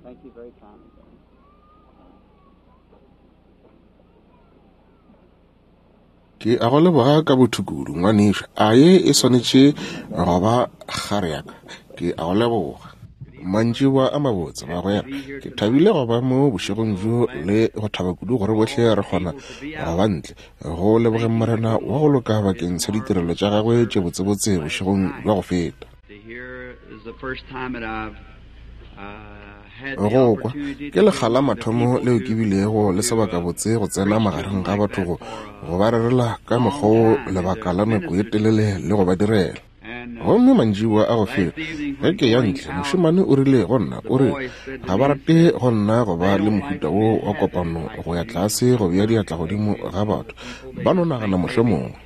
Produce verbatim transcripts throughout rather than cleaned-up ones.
Thank you very kindly, Billy. Ke a go leboga ka botho kudu, ngwanešu. A ye e swanetše go ba kgare ya ka? Ke a go leboga. Mantšiboa a mabotse, bagwera. Ke thabile go ba mo bošegong bjo le go thaba kudu gore bohle re kgona go ba ntle. Go lebogeng Morena wa go loka bakeng sa ditirelo tša gagwe tše botsebotse bošegong bja go feta. Go kwa ke lekga la mathomo leo ke bilego le sebakabotse go tsena magareng ga batho go go ba rerela ka mokgwa wo lebaka la nako ye telele le go ba direla. Gomme mantšiboa a go feta ge ke ya ntle, mošemane o rile go nna, o re ga ba rate go nna go ba le mohuta wo wa kopano go ya tlase go bea diatla godimo ga batho, ba no nagana mohlomongwe.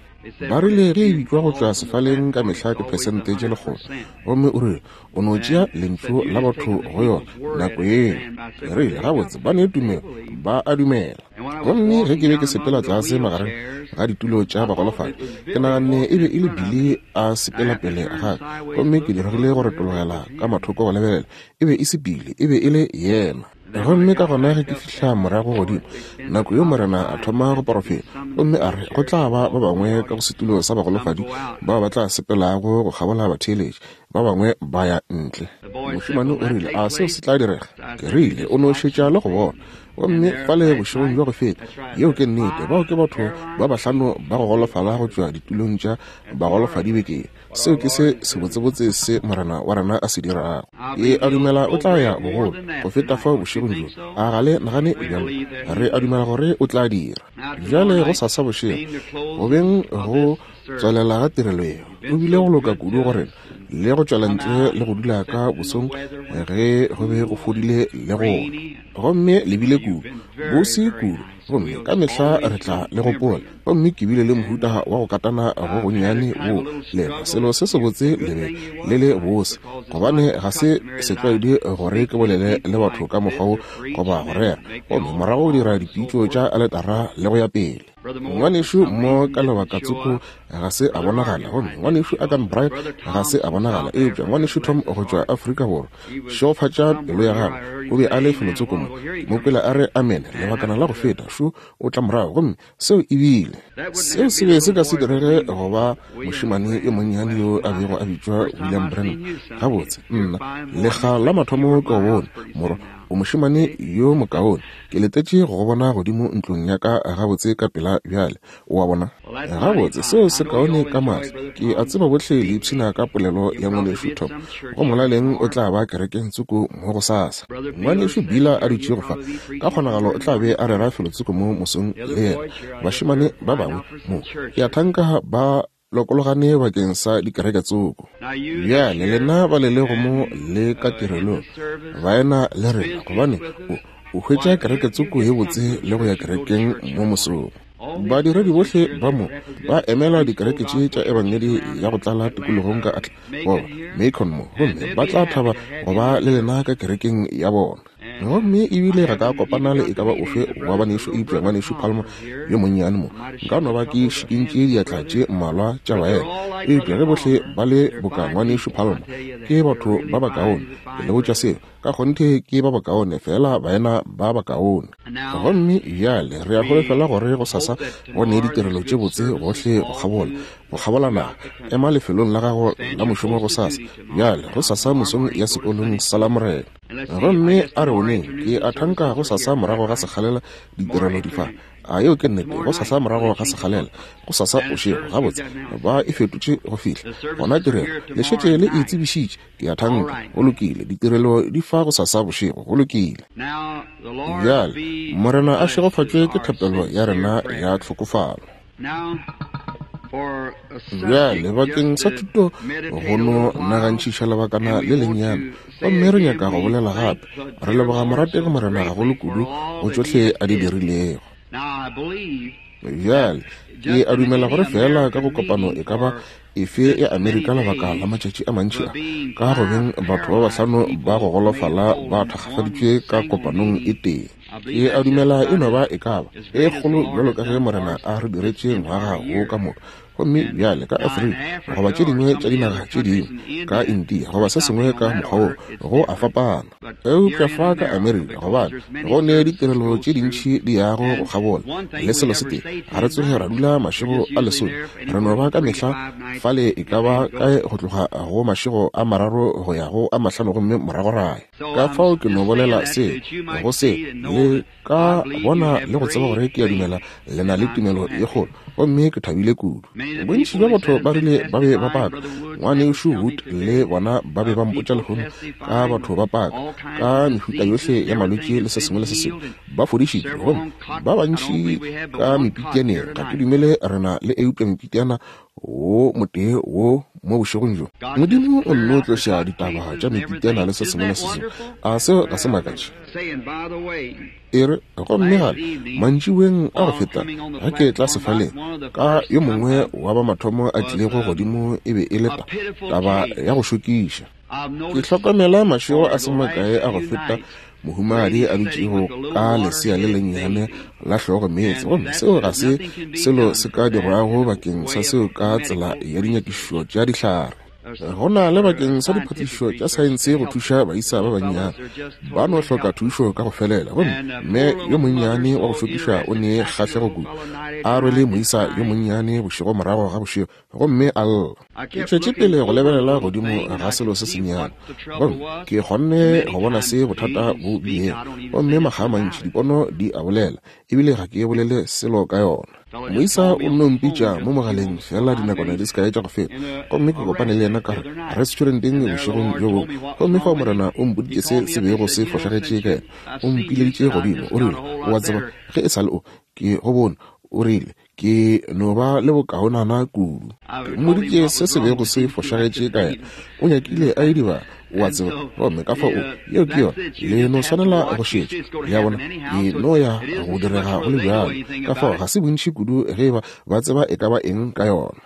Ba rile ge e bitšwa go tšwa sefaleng ka mehla ke phesente tše lekgolo, gomme o rile o no tšea lentšu la batho go yona nako yeo. Ke rile gabotse ba ne tumelo, ba a dumela. Gomme ge ke be ke sepela tlase magareng ga ditulo tša bagolofadi, ke naganne e be e le Billy a sepela pele ga ka, gomme ke diregile go retologela ka mathoko go lebelela. E be e se Billy, e be e le yena. Gomme ka gona ge ke fihla morago godimo, nako yo Morena a thoma go porofeta, gomme a re go tla ba ba bangwe ka go setulo sa bagolofadi bao ba tla sepelago go kgabola batheeletši, ba bangwe ba ya ntle. Mošemane o rile, a seo se tla direga? Ke rile, o no šetša le go bona. Gomme fale bošegong bja go feta, yeo ke nnete, bao ke batho ba bahlano ba go golofala go tšwa ditulong tša bagolofadi bekeng. Seo ke se sebotsebotse se Morena wa rena a se dirago. Ke a dumela o tla ya bogolo go feta fao bošegong bjo. A ga le nagane bjalo? Re a dumela gore o tla dira. Bjale go sasa bošego, go beng go tswelela ga tirelo yeo, o bile go loka kudu go rena le go tšwela ntle le go dula ka bosong ge go be go fodile le gona. Gomme le bile kudu, bose kudu, gomme ka mehla re tla le gopola. Gomme ke bile le mohuta wa go katana go gonnyane wo lena, selo se sebotse le be le le bose, gobane ga se setlwaedi gore ke bolele le batho ka mokgwa wo goba go rera, gomme morago go dira dipitšo tša aletara le go ya pele. Ngwanešu mo ka lebaka tsoko ga se a bonagala, gomme ngwanešu Agan Bright ga se a bonagala, eupša ngwanešu Tom go tšwa Afrika Borwa, šegofatša pelo ya gagwe, o be a le felotsoko mo. Ke mo kwele a re amen lebakana la go feta, šo o tla morago, gomme seo e bile seo se be se ka se direge go ba mošemane yo monnyane yo a bego a bitšwa William Branham. Gabotse, nna lekga la mathomo ke go bone, morwa, o mošemane yo mokaone, ke letetše go go bona godimo ntlong ya ka gabotse ka pela bjale. O a bona? Gabotse, seo se kaone ka mahlo. Ke a tseba bohle le ipshina ka polelo ya ngwanešu Tom. Go molaleng o tla ba kerekeng tsoko mo go sasa. Ngwanešu Bila a dutšego fa, ka kgonagalo o tla be a rera felotsoko mo mosong le yena. Bašemane ba bangwe mo, ke a thanka ba lokologane bakeng sa dikereke tsoko. Bjale lena ba le lego mo le ka tirelong, baena le rena, gobane o o hwetša kereke tsoko ye botse le go ya kerekeng mo mosong. Badiredi bohle ba mo ba emela dikereke tše tša ebangedi ya go tlala tikologong ka Atla goba Macon mo, gomme ba tla thaba go ba le lena ka kerekeng ya bona. Gomme ebile ga ka kopana le e ka ba ofe wa banešu eupša ngwanešu Palmer yo monnyane mo. Nka no ba ke šikintše diatla tše mmalwa tša baena, eupša ge bohle ba le boka ngwanešu Palmer, ke batho ba bakaone. Ke le botša seo ka kgonthe, ke ba bakaone, fela baena ba bakaone. Gomme bjale re a holofela gore go sasa go ne ditirelo tše botse gohle go kgabola go kgabola naga. Ema lefelong la gago la mošomo go sasa bjale, go sasa mosong ya sekolong sa Lamorena. Gomme a re boneng, ke a thanka go sasa morago ga sekgalela ditirelo di fa. A yeo ke nnete, go sasa morago ga sekgalela, go sasa bošego. Gabotse ba e fetotše go fihla gona tirelo, le šetše le e tsebišitše, ke a thanka. Go lokile, ditirelo di fa go sasa bošego. Go lokile. Bjale Morena a šegofatšwe ke thapelo ya rena ya tlhokofalo. Bjale bakeng sa thuto go no nagantšhiša lebakana le lennyane, gomme re nyaka go bolela gape. Re leboga morategi Morena gagolo kudu go tšohle a di dirilego. Bjale ke a dumela gore fela ka go kopano e ka ba efe ya Amerika lebaka la matšatši a mantši a, ka go beng batho ba bahlano ba go golofala ba thakgafaditšwe ka kopanong e tee. Ke a dumela e no ba e ka ba e kgolo bjalo ka ge Morena a re diretše ngwaga wo ka moka. Gomme bjale ka Afrika goba tše dingwe tša dinaga tše dingwe, ka India goba se sengwe ka mokgwa wo, go a fapana. Eupša fa ka Amerika, gobane go ne ditirelo tše dintši di yago go kgabola le selo se tee, ga re tsoge ra dula mašego a lesome, re no ba ka mehla fale e ka ba kae go tloga go mašego a mararo go ya go a mahlano gomme morago ra ya. Ka fao ke no bolela se go se le ka bona le go tseba gore ke a dumela le na le tumelo ye kgolo, gomme ke thabile kudu. Bontši bja batho ba rile ba be ba paka. Ngwanešu Wood le bona ba be ba mpotša lehono ka batho ba paka ka mehuta yohle ya malwetši le se sengwe le se sengwe, ba fodišitšwe, gomme ba bantši ka mepitianeng. Ga ke dumele re na le eupša mepitiana wo motee wo mo bošegong bjo. Modimo o nno tloša ditaba tša mepitiana le se sengwe le se sengwe. A seo ga se makatše? E re, gomme gape mantšiboeng a go feta ge ke tla sefaleng, ka yo mongwe wa ba mathomo a tlilego godimo e be e le taba ya go šokiša. Ke hlokomela mašego a se makae a go feta mohumagadi a dutšego ka lesea le lennyane la hlogo meetse, gomme seo ga se selo se ka dirwago bakeng sa seo ka tsela ya dinyakišišo tša dihlare. Go na le bakeng sa diphatišišo tša saense go thuša baisa ba bannyane, ba no hloka thušo ka go felela. Gomme mme yo monnyane wa go šokiša o ne kgahlego kudu, a rwele moisa yo monnyane bošego morago ga bošego, gomme a lla. Ke tšwetše pele go lebelela godimo ga selo se sennyane, gomme ke kgonne go bona se bothata bo bilego. Gomme makga a mantši dipono di a bolela, ebile ga ke bolele selo ka yona. Moisa o nno mpitša mo mogaleng fela dinakwana di se kae tša go feta, gomme ke kopane le yena ka re restauranteng bošegong bjo bongwe. Gomme fao Morena o mpoditše se se bego se fošagetše ka yena. O mpileditše godimo, o rile, o a tseba, ge e sa le o, ke go bone, o rile, ke no ba le bokaonana kudu. Ke mmoditše se se bego se fošagetše ka yena. O nyakile a idibala, o a tseba, gomme ka fao o, yeo ke yona, le no swanela go šetša. Le a bona, e no ya go direga go le bjalo. Ka fao ga se bontši kudu ge ba ba tseba e ka ba eng ka yona.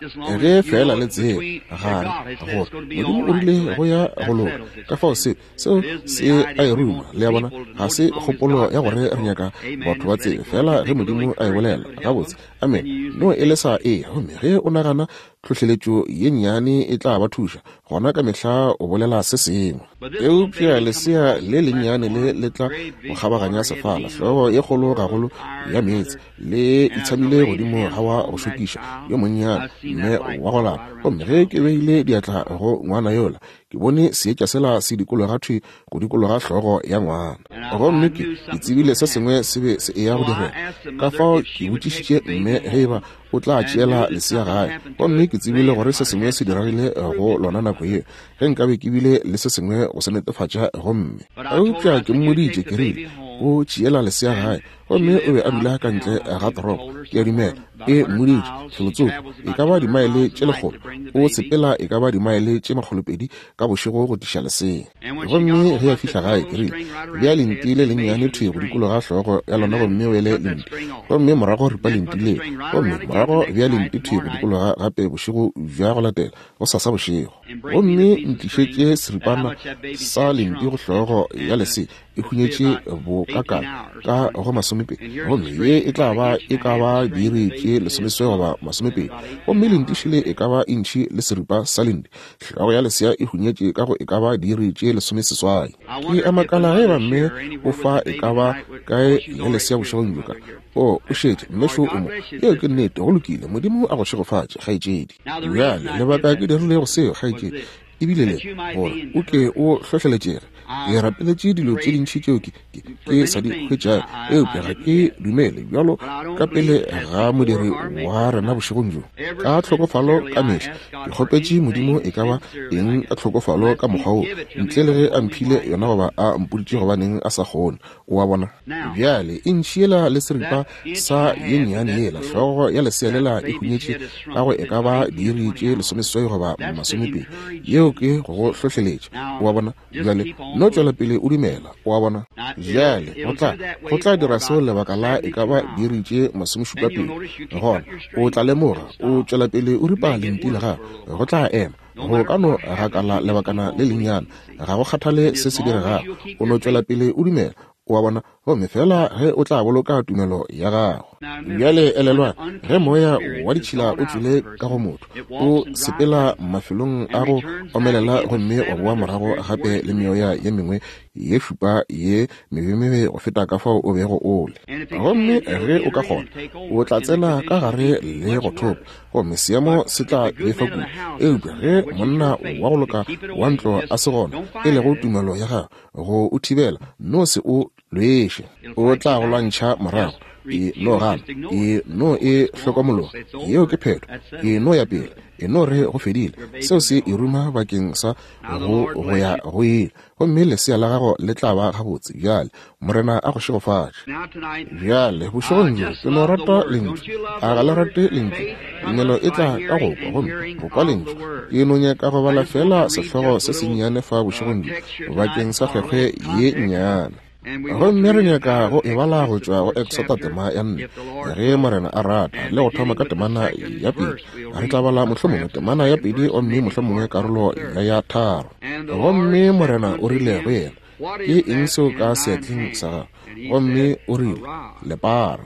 Ge fela le tseba gare gore Modimo o rile go ya go loka, ka fao se seo se a e ruma. Le a bona, ga se kgopolo ya gore re nyaka batho ba tsebe, fela ge Modimo a e bolela gabotse, amen, no e le sa e. Gomme ge o nagana tlhohleletšo ye nnyane e tla ba thuša, gona ka mehla o bolela se sengwe. Eupša lesea le lennyane le le tla go kgabaganya sefala, hlogo ye kgolo gagolo ya meetse, le itshamile godimo ga wa go šokiša yo monnyane mme wa go lapa. Gomme ge ke beile diatla go ngwana yola, ke bone seetša sela se dikologa thwi go dikologa hlogo ya ngwana, gomme ke ke tsebile se sengwe se be se eya go direga. Ka fao ke botšišitše mme ge eba o tla tšeela lesea gae, gomme ke tsebile gore se sengwe se diregile go lona nako yeo, ge nkabe ke bile le se sengwe go se netefatša. Gomme eupša ke mmoditše, ke rile, o tšeela lesea gae, gomme o be a dula ka ntle ga toropo, ke a dumela e mmoditše felotsoko e ka ba dimaele tše lekgolo, o sepela e ka ba dimaele tše makgolopedi ka bošego go tliša lesea. Gomme ge a fihla gae, ke rile, bea lenti le lennyane thwi go dikologa hlogo ya lona, gomme o ele lenti, gomme morago ripa lenti leo, gomme morago bea lenti thwi go dikologa gape bošego bja go latela gosasa bošego, gomme ntlišetše seripana sa lenti go hlogo ya lesea e hunyetše bokakana ka go masomepedi, gomme ye e tla ba e ka ba diiri tše lesomeseswai goba masomepedi, gomme lentišile e ka ba intšhi le seripa sa lenti. Hlogo ya lesea e hunyetše ka go e ka ba diiri tše lesomeseswai. Ke a makala ge eba mme o fa e ka ba kae le lesea bošegong bjo ka. O, o šetše, mme šo o mo. Yeo ke nnete, go lokile. Modimo a go šegofatše, kgaetšedi. Bjale, lebaka ke dirilego seo, kgaetšedi, ebile le gore o ke o hlohleletšege. Ke rapeletše dilo tše dintši tšeo ke, ke, ke sa di hwetšago, eupša ga ke dumele bjalo ka pele ga modiri wa rena bošegong bjo. Ka tlhokofalo ka mehla ke kgopetše Modimo e ka ba eng ka tlhokofalo ka mokgwa wo, ntle le ge a mphile yona goba a mpoditše gobaneng a sa kgone. O a bona? Bjale e ntšhiela le seripa sa ye nnyane yela, hlogo ya lesea lela e hunyetše ka go e ka ba diiri tše lesomeseswai goba masomepedi. Yeo ke go go hlohleletša. O a bona? Bjale no tšwela pele o dumela. O a bona? Bjale go tla go tla dira seo lebaka la e ka ba diiri tše masomešupa pedi. Gona o tla lemoga o tšwela pele o ripa lenti la gago, go tla ema. Go ka no gakala lebakana le lennyane, ga go kgathale se se diregago, o no tšwela pele o dumela. O a bona? Gomme fela ge o tla boloka tumelo ya gago. Bjale elelwa, ge moya wa ditšhila o tšwile ka go motho, o sepela mafelong a go omelela gomme wa boa morago gape le meoya ye mengwe ye šupa ye mebemebe go feta ka fao o bego o le. Gomme ge o ka kgona, o tla tsena ka gare le go thopa, gomme seemo se tla befa kudu. Eupša ge monna wa go loka wa ntlo a se gona, e lego tumelo ya gago go o thibela, no se o lweše, o tla go lwantšha morago. E no gana, e no e hlokomologa, yeo ke phetho, e no ya pele, e no re go fedile. Seo se e ruma bakeng sa go go ya go ile, gomme lesea la gago le tla ba gabotse. Bjale Morena a go šegofatše. Bjale bošegong bjo ke no rata lentšu. A ga le rate lentšu? Tumelo e tla ka go kwa, gomme go kwa lentšu. Ke no nyaka go bala fela sehlogo se sennyane fa bošegong bjo bakeng sa kgwekgwe ye nnyane. Gomme re nyaka go e bala go tšwa go Exota tema ya nne, ge Morena a rata, le go thoma ka temana ya pedi. Re tla bala mohlomongwe temana ya pedi gomme mohlomongwe karolo ya ya tharo. Gomme Morena o rile go yena, ke eng seo ka seatleng sa gago? Gomme o rile, lepara.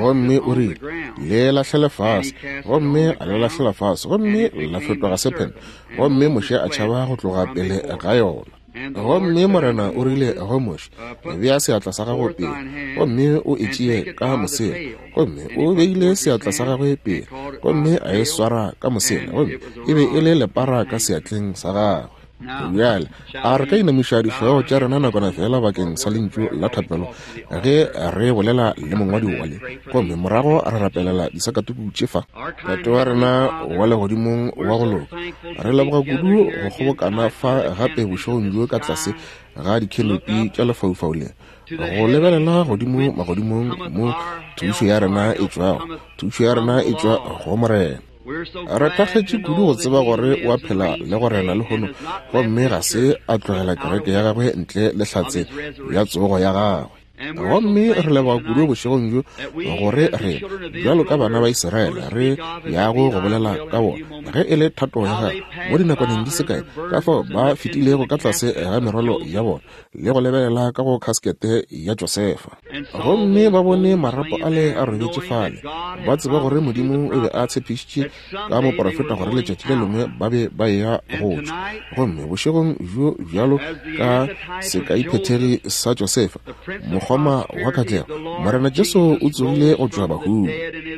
Gomme o rile, le lahlele fase. Gomme a le lahlela fase, gomme la fetoga sephente. Gomme Moshe a tšhaba go tloga pele ga yona. Gomme Morena o rile go Moshe, bea seatla sa gago pele, gomme o e tšee ka mosela. Gomme o beile seatla sa gagwe pele, gomme a e swara ka mosela, gomme e be e le lepara ka seatleng sa gagwe. Bjale a re ka inamiša dihlogo tša rena nakwana fela bakeng sa lentšu la thapelo ge re bolela le mongwadi wa le, gomme morago re rapelela disakatuku tše fa. Tate wa rena wa legodimong wa go loka, re leboga kudu go kgobokana fa gape bošegong bjo ka tlase ga dikhenopi tša lefaufau le, go lebelela godimo magodimong mo thušo ya rena e tšwago. Thušo ya rena e tšwa go Morena. Re thakgetše kudu go tseba gore o a phela le go rena lehono, gomme ga se a tlogela kereke ya gagwe ntle le hlatse ya tsogo ya gagwe. Gomme re leboga kudu bošegong bjo gore re bjalo ka bana ba Israele re yago go bolela ka bona ge e le thato ya gagwe mo dinakwaneng di se kae, ka fao ba fetilego ka tlase ga merwalo ya bona le go lebelela ka go kaskete ya Josefa, gomme ba bone marapo ale a robetše fale, ba tseba gore Modimo o be a tshepišitše ka moprofeta gore letšatši le lengwe ba be ba eya go tšwa. Gomme bošegong bjo bjalo ka sekaiphethegi sa Josefa, mokgoma wa katlego, Morena Jesu o tsogile go tšwa bahung,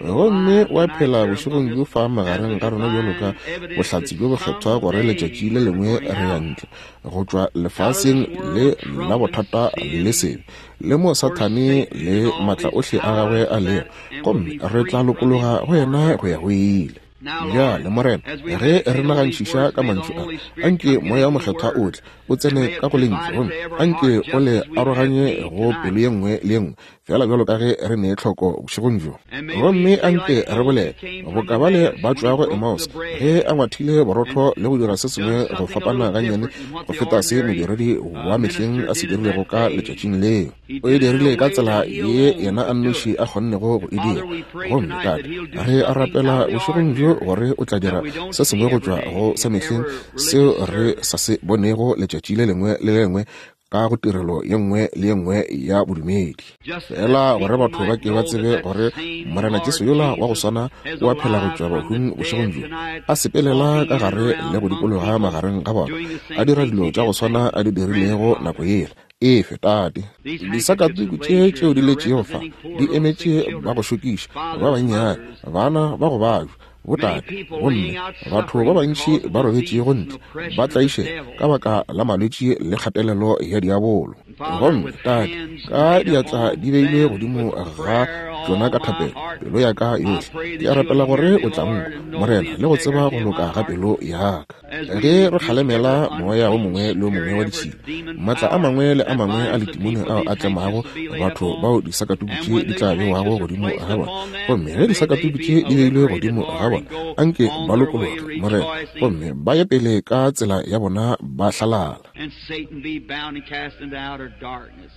gomme wa phela bošegong bjo fa magareng ga rena bjalo ka bohlatse bjo bokgethwa gore letšatši le lengwe re ya ntle go tšwa lefaseng le la bothata le sebe le mo Sathane le matla ohle a gagwe a lego, gomme re tla lokologa go yena go ya go ile. Bjale Morena, ge re nagantšiša ka mantšu a, anke moya o mokgethwa o tle o tsene ka go lentšu, gomme anke o le aroganye go pelo ye nngwe le ye nngwe, fela bjalo ka ge re ne tlhoko bošegong bjo. Gomme anke re bolele boka bale ba tšwago Emmaus, ge a ngwathile borotho le go dira se sengwe go fapana gannyane go feta se modiredi wa mehleng a se dirilego ka letšatšing leo. O e dirile ka tsela ye yena a nnoši a kgonnego go e dira. Gomme Tate, re a rapela bošegong bjo gore o tla dira se sengwe go tšwa go sa mehleng seo re sa se bonego letšatši le lengwe le lengwe ka go tirelo ye nngwe le ye nngwe ya bodumedi, fela gore batho ba ke ba tsebe gore Morena Jesu yola wa go swana o a phela go tšwa bahung bošegong bjo, a sepelela ka gare le go dikologa magareng ga bona, a dira dilo tša go swana a di dirilego nako yela. Efe Tate, disakatuku tše tšeo di letšego fa di emetše ba go šokiša ba bannyane, bana ba go bajwa, botate, gomme batho ba bantši ba robetšego ntle ba tlaišega ka baka la malwetši le kgatelelo ya diabolo. Gomme Tate, ka diatla di beilwe godimo ga tšona ka thapelo, pelo ya ka yohle ke a rapela gore o tla nkwa, Morena, le go tseba go loka ga pelo ya ka. Ge re kgalemela moya o mongwe le o mongwe wa ditšhila, maatla a mangwe le a mangwe a letimone ao a tlemago batho bao disakatuku tše di tla bewago godimo ga bona, gomme ge disakatuku tše di beilwe godimo ga bona, anke ba lokologe, Morena, gomme ba ye pele ka tsela ya bona ba hlalala.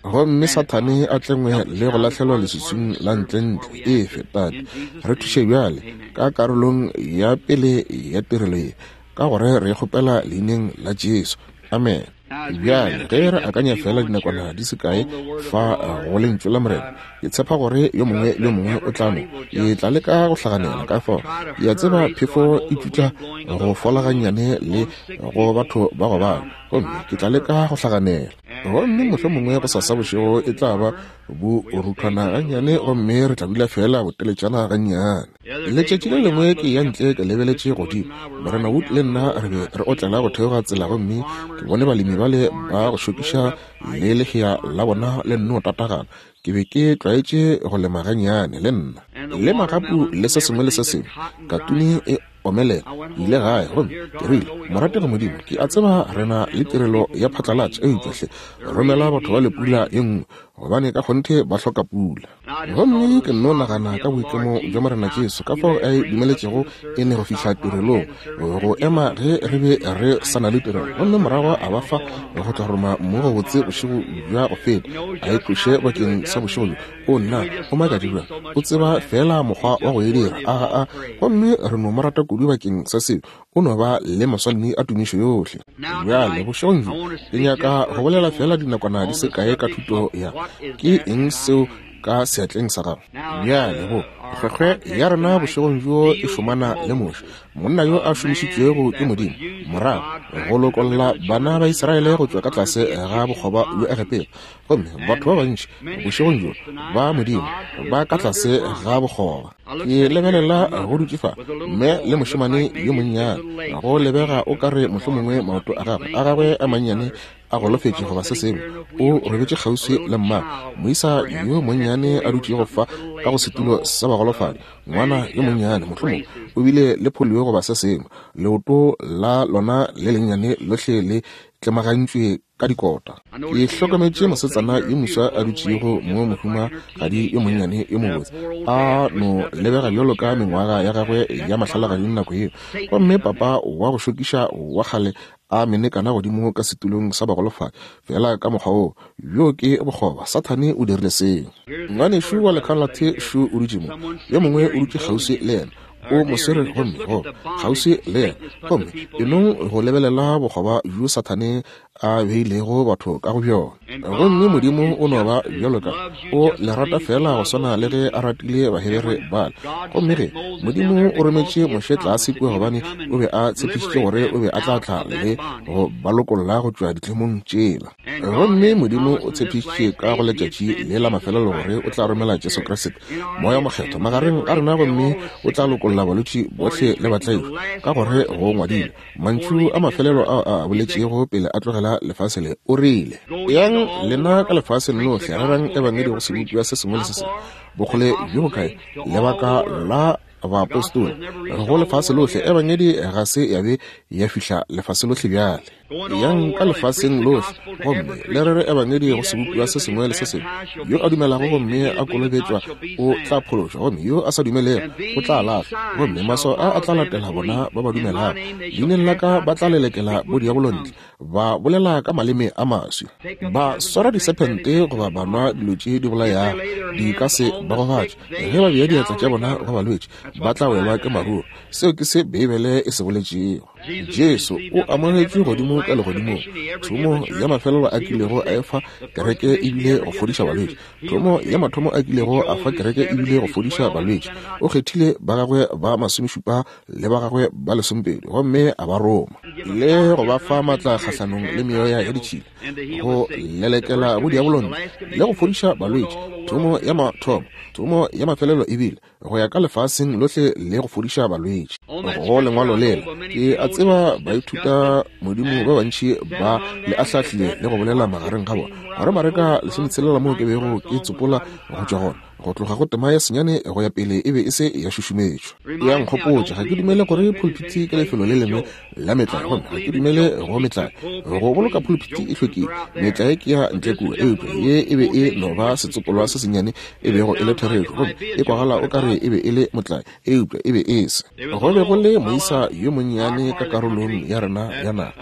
Gomme Sathane a tlengwe le go lahlelwa leswiswing la ntlentle. Efe Tate, re thuše bjale ka karolong ya pele ya tirelo ye, ka gore re kgopela leineng la Jesu. Amen. Bjale ge re akanya fela dinakwana di se kae fa go lentšu la Morena, ke tshepa gore yo mongwe le yo mongwe o tla no ke tla leka go hlaganela. Ka fao ke a tseba phefo e tšutla go fola gannyane le go batho ba go bala, gomme ke tla leka go hlaganela. Gomme mohlomongwe go sasa bošego e tla ba bo ruthwana gannyane, gomme re tla dula fela boteletšana gannyane. Letšatši le lengwe ke ya ntle ke lebeletše godimo, Morena Wood le nna re be re otlela go theoga tsela, gomme ke bone balemi bale ba go šokiša le lehea la bona le nno tatagana. Ke be ke tlwaetše go lema gannyane le nna, le magapu le se sengwe le se sengwe, katune e omelela. Ile gae gomme ke rile, morategi Modimo, ke a tseba re na le tirelo ya phatlalatša, eupša hle romela batho ba le pula ye nngwe, gobane ka kgonthe ba hloka pula. Gomme ke nno nagana ka boikemo bja Morena Jesu, ka fao a e dumeletšego e ne go fihla tirelong, go ema ge re be re sa na le tirelo, gomme morago a ba fa go tla roma mmu go botse bošego bja go feta, a e tloše bakeng sa bošego bjo. O nna o makadi bjang, o tseba fela mokgwa wa go e dira. Aga a, gomme re no mo rata kudu bakeng sa seo. O no ba le maswanedi a tumišo yohle. Bjale bošegong bjo ke nyaka go bolela fela dinakwana di se kae ka thuto ya ke eng seo ka seatleng sa gago. Bjale go kgwekgwe ya rena bošegong bjo e šomana le Moshe, monna yo a šomišitšwego ke Modimo morago go lokolla bana ba Israele go tšwa ka tlase ga bokgoba bja Egepeta. Gomme batho ba bantši bošegong bjo ba Modimo ba ka tlase ga bokgoba. Ke lebelela go dutše fa mme le mošemane yo monnyane, go lebega o ka re mohlomongwe maoto a gagwe a gagwe a mannyane a golofetše goba se sengwe, o robetše kgauswi le mma. Moisa yo monnyane a dutšego fa ka go setulo sa bagolofadi, ngwana yo monnyane mohlomongwe o bile le polio goba se sengwe, leoto la lona le lennyane lohle le tlemagantšwe ka dikota. Ke hlokometše mosetsana yo moswa a dutšego mo, mohumagadi yo monnyane yo mobotse, a no lebega bjalo ka mengwaga ya gagwe ya mahlalagading nako yeo, gomme papa wa go šokiša wa kgale a menekana godimo ka setulong sa bagolofadi fela ka mokgwa woo. Bjo ke bokgoba, Sathane o dirile seo. Ngwanešu wa lekhalathe šo o dutše mo, yo mongwe o dutše kgauswi le yena, o mo swere gomme go kgauswi le yena, gomme enong go lebelela bokgoba bjo Sathane a beilego batho ka go bjona. Gomme Modimo o no ba bjalo ka o le rata fela go swana le ge a ratile Bahebere bale. Gomme ge Modimo o rometše Moshe tlase kua, gobane o be a tshepišitše gore o be a tla tla le go ba lokolla go tšwa ditlemong tšela. Gomme Modimo o tshepišitše ka go letšatši le la mafelelo gore o tla romela Jesu Kriste, Moya Mokgethwa, magareng a rena, gomme o tla lokolla balwetši bohle le batlaišwa, ka gore go ngwadilwe mantšu a mafelelo ao a boletšego pele a tlogela lefase le. O rile, yang lena ka lefaseng lohle, rerang ebangedi go sebopiwa se sengwe le se sengwe. Bokgole bjo bokae? Lebaka la baapostola go lefase lohle, ebangedi ga se ya be ya fihla lefase lohle bjale. Yang ka lefaseng lohle gomme le rere ebangedi go sebopiwa se sengwe le se sengwe. Yo a dumelago gomme a kolobetšwa o tla phološwa, gomme yo a sa dumelego o tla lahlwa. Gomme maswao a a tla latela bona ba ba dumelago, leineng la ka ba tla lelekela bodiabolo ntle, ba bolela ka maleme a maswi, ba swara disephente goba ba nwa dilo tše di bolayago, di ka se ba gobatše. Ge ba bea diatla tša bona go balwetši, ba tla welwa ke maruru. Seo ke se Beibele e se boletšego. Jesu o amogetšwe godimo ka legodimong. Thomo ya mafelelo a kilego a efa kereke ebile go fodiša balwetši. Thomo ya mathomo a kilego a fa kereke ebile go fodiša balwetši. O kgethile ba gagwe ba masomešupa le ba gagwe ba lesomepedi, gomme a ba roma le go ba fa matla kgahlanong le meoya ya ditšhila, go lelekela bodiabolo ntle le go fodiša balwetši. Thomo ya mathomo, thomo ya mafelelo ebile go ya ka lefaseng lohle le go fodiša balwetši. Go lengwalo lela ke a tseba baithuta Modimo ba bantši ba le ahlahlile le go bolela magareng ga bona gore Mareka lesometshelela moo ke bego ke tsopola go tšwa gona, go tloga go tema ya senyane go ya pele e be e se ya šušumetšwa. Ya nkgopotša, ga ke dumele gore pulpiti ke lefelo le lengwe la metlae, gomme ga ke dumele go metlae. Go boloka pulpiti e hlwekile, metlae ke ya ntle kua, eupša ye e be e no ba setsopolwa se sennyane e bego e le therešo, gomme e kwagala o ka re e be e le motlae, eupša e be e se. Go be go le moisa yo monnyane ka karolong ya rena ya naga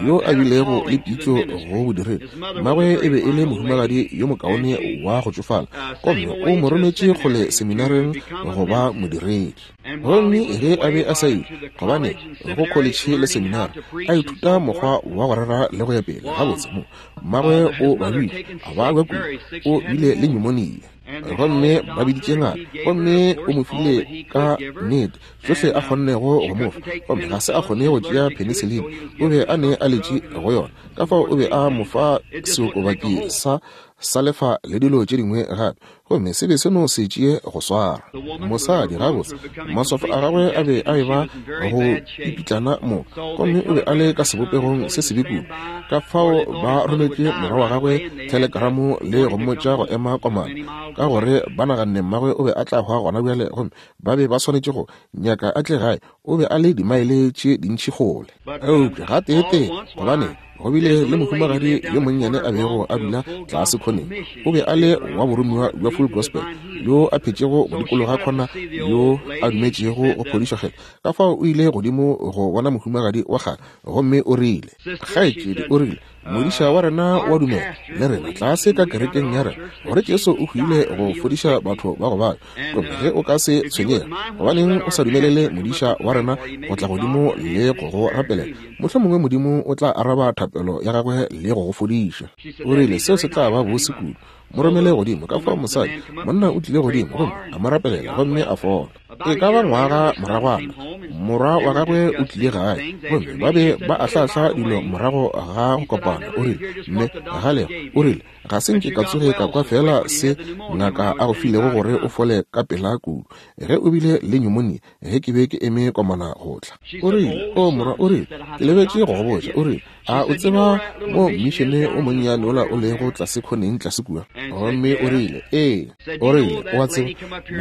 yo a bilego le pitšo go bodiredi. Mmagwe e be e le mohumagadi yo mokaone wa go tšofala, gomme o mo rometše kgole seminareng go ba modiredi. Gomme ge a be a sa ile, gobane go kholetšhe le seminari, a ithuta mokgwa wa go rera le go ya pele, gabotse mo mmagwe o babile, a babja kudu, o bile le pneumonia. Gomme ba biditše ngaka, gomme o mo file ka nnete tšohle a kgonnego go mo fa, gomme ga se a kgone go tšea penicillin, o be a ne a letše go yona. Ka fao o be a mo fa seokobaki sa salefa le dilo tše dingwe gape, gomme se be se no se tšee go swara mosadi. Gabotse maswafo a gagwe a be a eba go pipitlana moka, gomme o be a le ka sebopegong se sebe kudu. Ka fao ba rometše morwa wa gagwe telegramo le go mmotša go ema komana, ka gore ba naganne mmagwe o be a tla hwa gona bjale, gomme ba be ba swanetše go nyaka a tle gae. O be a le dimaele tše dintši kgole. Eupša gateetee, gobane go bile le mohumagadi yo monnyane a bego a dula tlase khoneng, o be a le wa boromiwa bja Full Gospel, yo a phetšego go dikologa khona, yo a dumetšego go phodišo kgetho. Ka fao o ile godimo go bona mohumagadi wa kgale, gomme o rile, kgaetšedi, o rile, modiša wa rena wa dumela le rena tlase ka kerekeng ya rena gore Jesu o hwile go fodiša batho ba go babja. Gomme ge o ka se tshwenyege, gobaneng o sa dumelele modiša wa rena go tla godimo le go go rapelela? Mohlomongwe Modimo o tla araba thapelo ya gagwe le go go fodiša. O rile, seo se tla ba bose kudu. Mo romele godimo. Ka fao mosadi, monna o tlile godimo gomme a mo rapelela, gomme a fola. E ka ba ngwaga moragwana, morwa wa gagwe o tlile gae, gomme ba be ba ahlahla dilo morago ga go kopana. O rile, mme galego, o rile, ga se nke ka tsoge ka kwa fela se ngaka a go filego gore o fole ka pela kudu ge o bile le pneumonia ge ke be ke eme komana go tla. O rile, o morwa, o rile, ke lebetše go go botša. O rile, a o tseba mo mmišene o monnyane ola o lego tlase khoneng tlase kua? Gomme o rile, ee. O rile, o a tseba,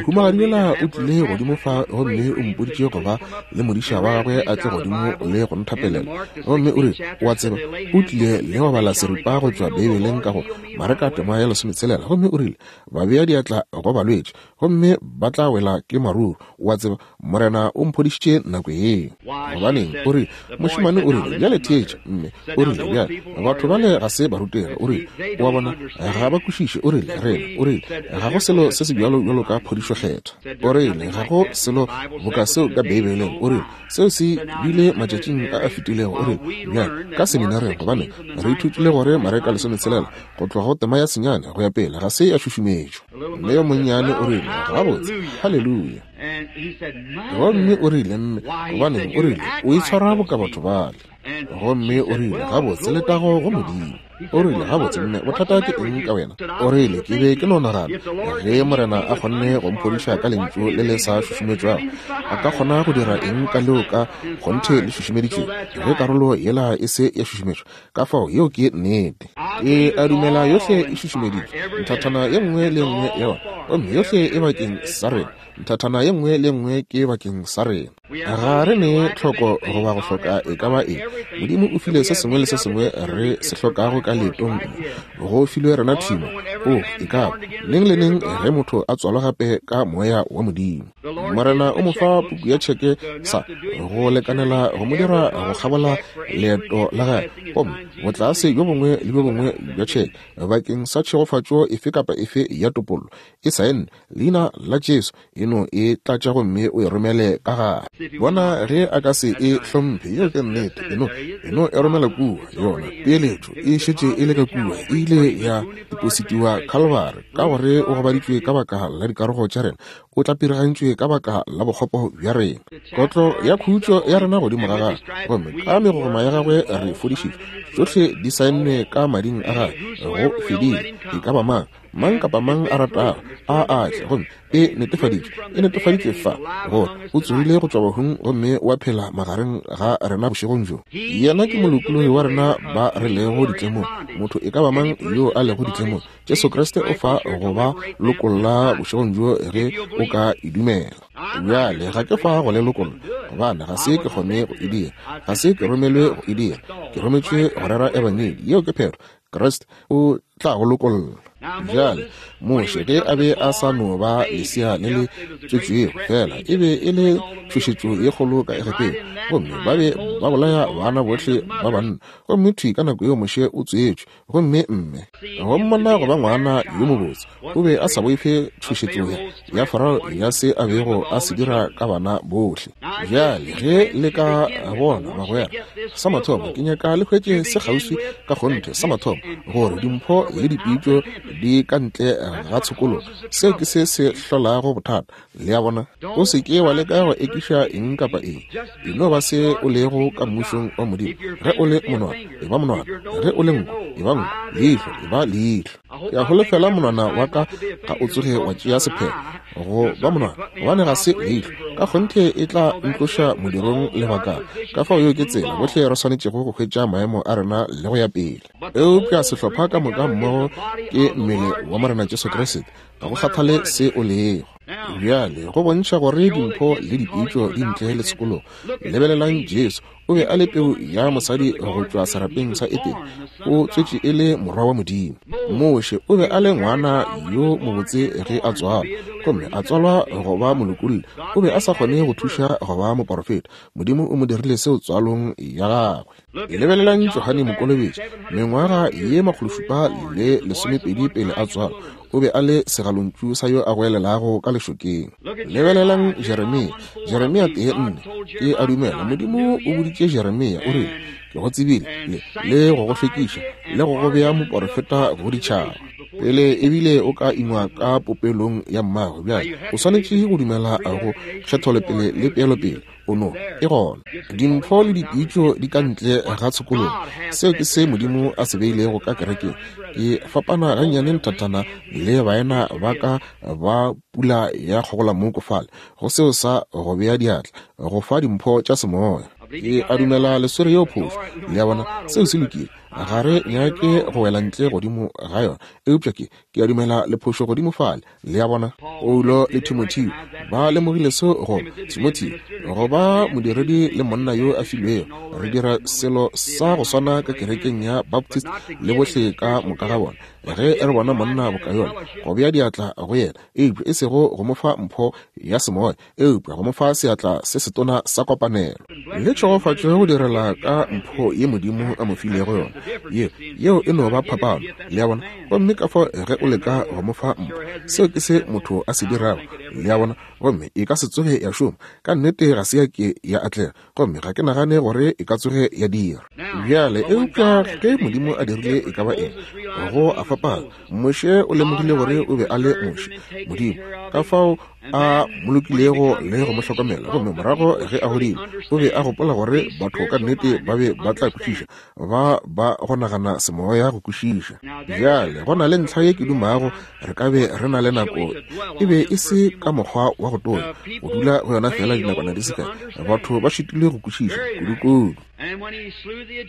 mohumagadi yola o tlile godimo fa gomme o mpoditše go ba le modiša wa gagwe a tle godimo le go nthapelela. Gomme o rile, o a tseba, o tlile le go bala seripa go tšwa Beibeleng ka go Mareka tema ya lesometselela, gomme o rile, ba bea diatla go balwetši gomme ba tla wela ke maruru. O a tseba, Morena o mphodišitše nako yeo. Gobaneng, o rile, mošemane o rile, bjale theetša, mme. O rile, bjale batho bale ga se barutegi. O rile, o a bona, ga ba kwešiše. O rile, rena, o rile, ga go selo se se bjalo bjalo ka phodišo kgethwa. O rile, ga go selo boka seo ka Beibeleng. O rile, seo se bile matšatšing a a fetilego. O rile, bjale ka seminareng, gobane re ithutile gore Mareka lesometselela go tloga go tema ya senyane go ya pele ga se ya šušumetšwa. Mme yo monnyane o rile, gabotse, haleluya. Gomme o rile, mme, gobaneng, o rile, o itshwara boka batho bale. Gomme o rile, gabotse, letago go Modimo. O rile, gabotse, mme, bothata ke eng ka wena? O rile, ke be ke no nagana, ge Morena a kgonne go mphodiša ka lentšu le le sa šušumetšwago, a ka kgona go dira eng ka leo ka kgonthe le šušumeditšwego, ge karolo yela e se ya šušumetšwa? Ka fao yeo ke nnete. Ke a dumela yohle e šušumeditšwe, nthathana ye nngwe le nngwe ya yona, gomme yohle e bakeng sa rena. Nthathana ye nngwe le nngwe ke bakeng sa rena. Ga re ne tlhoko goba go hloka e ka ba eng. Modimo o file se sengwe le se sengwe re se hlokago ka leetong. Go filwe rena thimo, o e ka ba neng le neng ge motho a tswalwa gape ka moya wa Modimo. Morena o mo fa puku ya tšheke sa go lekanela go mo dira go kgabola leeto la gagwe, gomme botlase bjo bongwe le bjo bongwe bja tšheke bakeng sa tšhegofatšo efe kapa efe ya topollo e saenne leina la Jesu, e no e tlatša gomme o e romele ka gare. Bona ge a ka se e hlomphe, yeo ke nnete, e no e no e romela kua. Yona peeletšo e šetše e le ka kua, e ile ya depositiwa Calvary, ka gore o gobaditšwe ka baka la dikarogo tša rena, o tlapirigantšwe ka baka la bokgopo bja rena. Kotlo ya khutšo ya rena godimo ga gagwe, gomme ka megogoma ya gagwe re fodišitšwe. Tšohle di saennwe ka mading a gagwe, go fedile. E ka ba mang, mang kapa mang a ratago a a tle, gomme e netefaditšwe, e netefaditšwe fa gore o tsogile go tšwa bahung gomme wa phela magareng ga rena bošegong bjo. Yena ke molokologi wa rena ba re lego ditlemong. Motho e ka ba mang yo a lego ditlemong, Jesu Kriste o fa go ba lokolla bošegong bjo ge o ka e dumela. Bjale ga ke fa go le lokolla, gobane ga se ke kgone go e dira, ga se ke romelwe go e dira, ke rometšwe go rera ebangedi. Yeo ke phetho. Kriste o tla go lokolla. Bjale Moshe ge a be a sa no ba lesea le le tswetšwego fela, e be e le tšhošetšo ye kgolo ka Egepeta, gomme ba be ba bolaya bana bohle ba banna. Gomme thwi ka nako yeo Moshe o tswetšwe, gomme mme go mmona go ba ngwana yo mobotse, o be a sa boife tšhošetšo ya Farao ya se a bego a se dira ka bana bohle. Bjale ge le ka bona bagwera, sa mathomo ke nyaka le hwetše se kgauswi ka kgonthe, sa mathomo gore dimpho le dipitšo di ka ntle ga tshokologo. Seo ke se se hlolago bothata. Le a bona? O se ke wa leka go ekiša eng kapa eng. E no ba se o lego ka mmušong wa Modimo. Ge o le monwana, e ba monwana. Ge o le nko, e ba nko. Leihlo, e ba leihlo. Ke a holofela monwana wa ka ga o tsoge wa tšea sephetho go ba monwana, gobane ga se leihlo. Ka kgonthe e tla ntloša modirong lebakana. Ka fao yeo ke tsela bohle re swanetšego go hwetša maemo a rena le go ya pele. Eupša sehlopha ka moka mmogo ke mmele wa Morena Jesu Kriste, ga go kgathale se o lego. Bjale go bontšha gore dimpho le dipitšo di ntle le tshokologo. Lebelelang Jesu, o be a le peu ya mosadi go tšwa serapeng sa Edene, o tswetše e le morwa wa Modimo. Moshe o be a le ngwana yo mobotse ge a tswalwa, gomme a tswalwa go ba molokolli. O be a sa kgone go thuša go ba moporofeta. Modimo o mo dirile seo tswalong ya gagwe. Lebelelang Johane Mokolobetši, mengwaga ye makgološupa le lesomepedi pele a tswalwa, o be a le segalontšu sa yo a goelelago ka lešokeng. Lebelelang Jeremia, Jeremia tee nne, ke a dumela Modimo o boditše Jeremia, o rile, ke go tsebile le, le go go hlwekiša le go go bea moporofeta go ditšhaba. Pele ebile o ka ingwa ka popelong ya mmago, bjale o swanetše go dumela go kgetholopele le peelopele. O no e gona. Dimpho le dipitšo di ka ntle ga tshokologo. Seo ke se Modimo a se beilego ka kerekeng. Ke fapana gannyane nthatana le baena ba ka ba pula ya kgogolamoko fale go seo sa go bea diatla go fa dimpho tša semoya. Ke a dumela le swere yeo phošo. Le a bona, seo se lokile. Ga re nyake go wela ntle godimo ga yona, eupša ke ke a dumela le phošo godimo fale. Le a bona, Paulo le Timotheo ba lemogile seo go Timotheo go ba modiredi le monna yo a filwego. Re dira selo sa go swana ka kerekeng ya Baptist le bohle ka moka ga bona. Ge re bona monna boka yona, go bea diatla go yena, eupša e sego go mo fa mpho ya semoya, eupša go mo fa seatla se setona sa kopanelo le tšhegofatšo go direla ka mpho ye Modimo a mo filego yona. Ye yeo e no ba phapano. Le a bona? Gomme ka fao ge o leka go mo fa mpho, seo ke se motho a se dirago. Le a bona? Gomme e ka se tsoge ya šoma. Ka nnete ga se ya ke ya atlega, gomme ga ke nagane gore e ka tsoge ya dira. Bjale eupša ge Modimo a dirile e ka ba eng, go a fapana. Moshe o lemogile gore o be a le Moshe, Modimo, ka fao a molokilego le go mo hlokomela. Gomme morago ge a godile, o be a gopola gore batho ka nnete ba be ba tla kwešiša, ba ba go nagana semoya go kwešiša. Bjale go na le ntlha ye ke dumago re ka be re na le nako, e be e se ka mokgwa wa go tonya, go dula go yona fela dinakwana di se kae. Batho ba šitilwe go kwešiša kudu-kudu.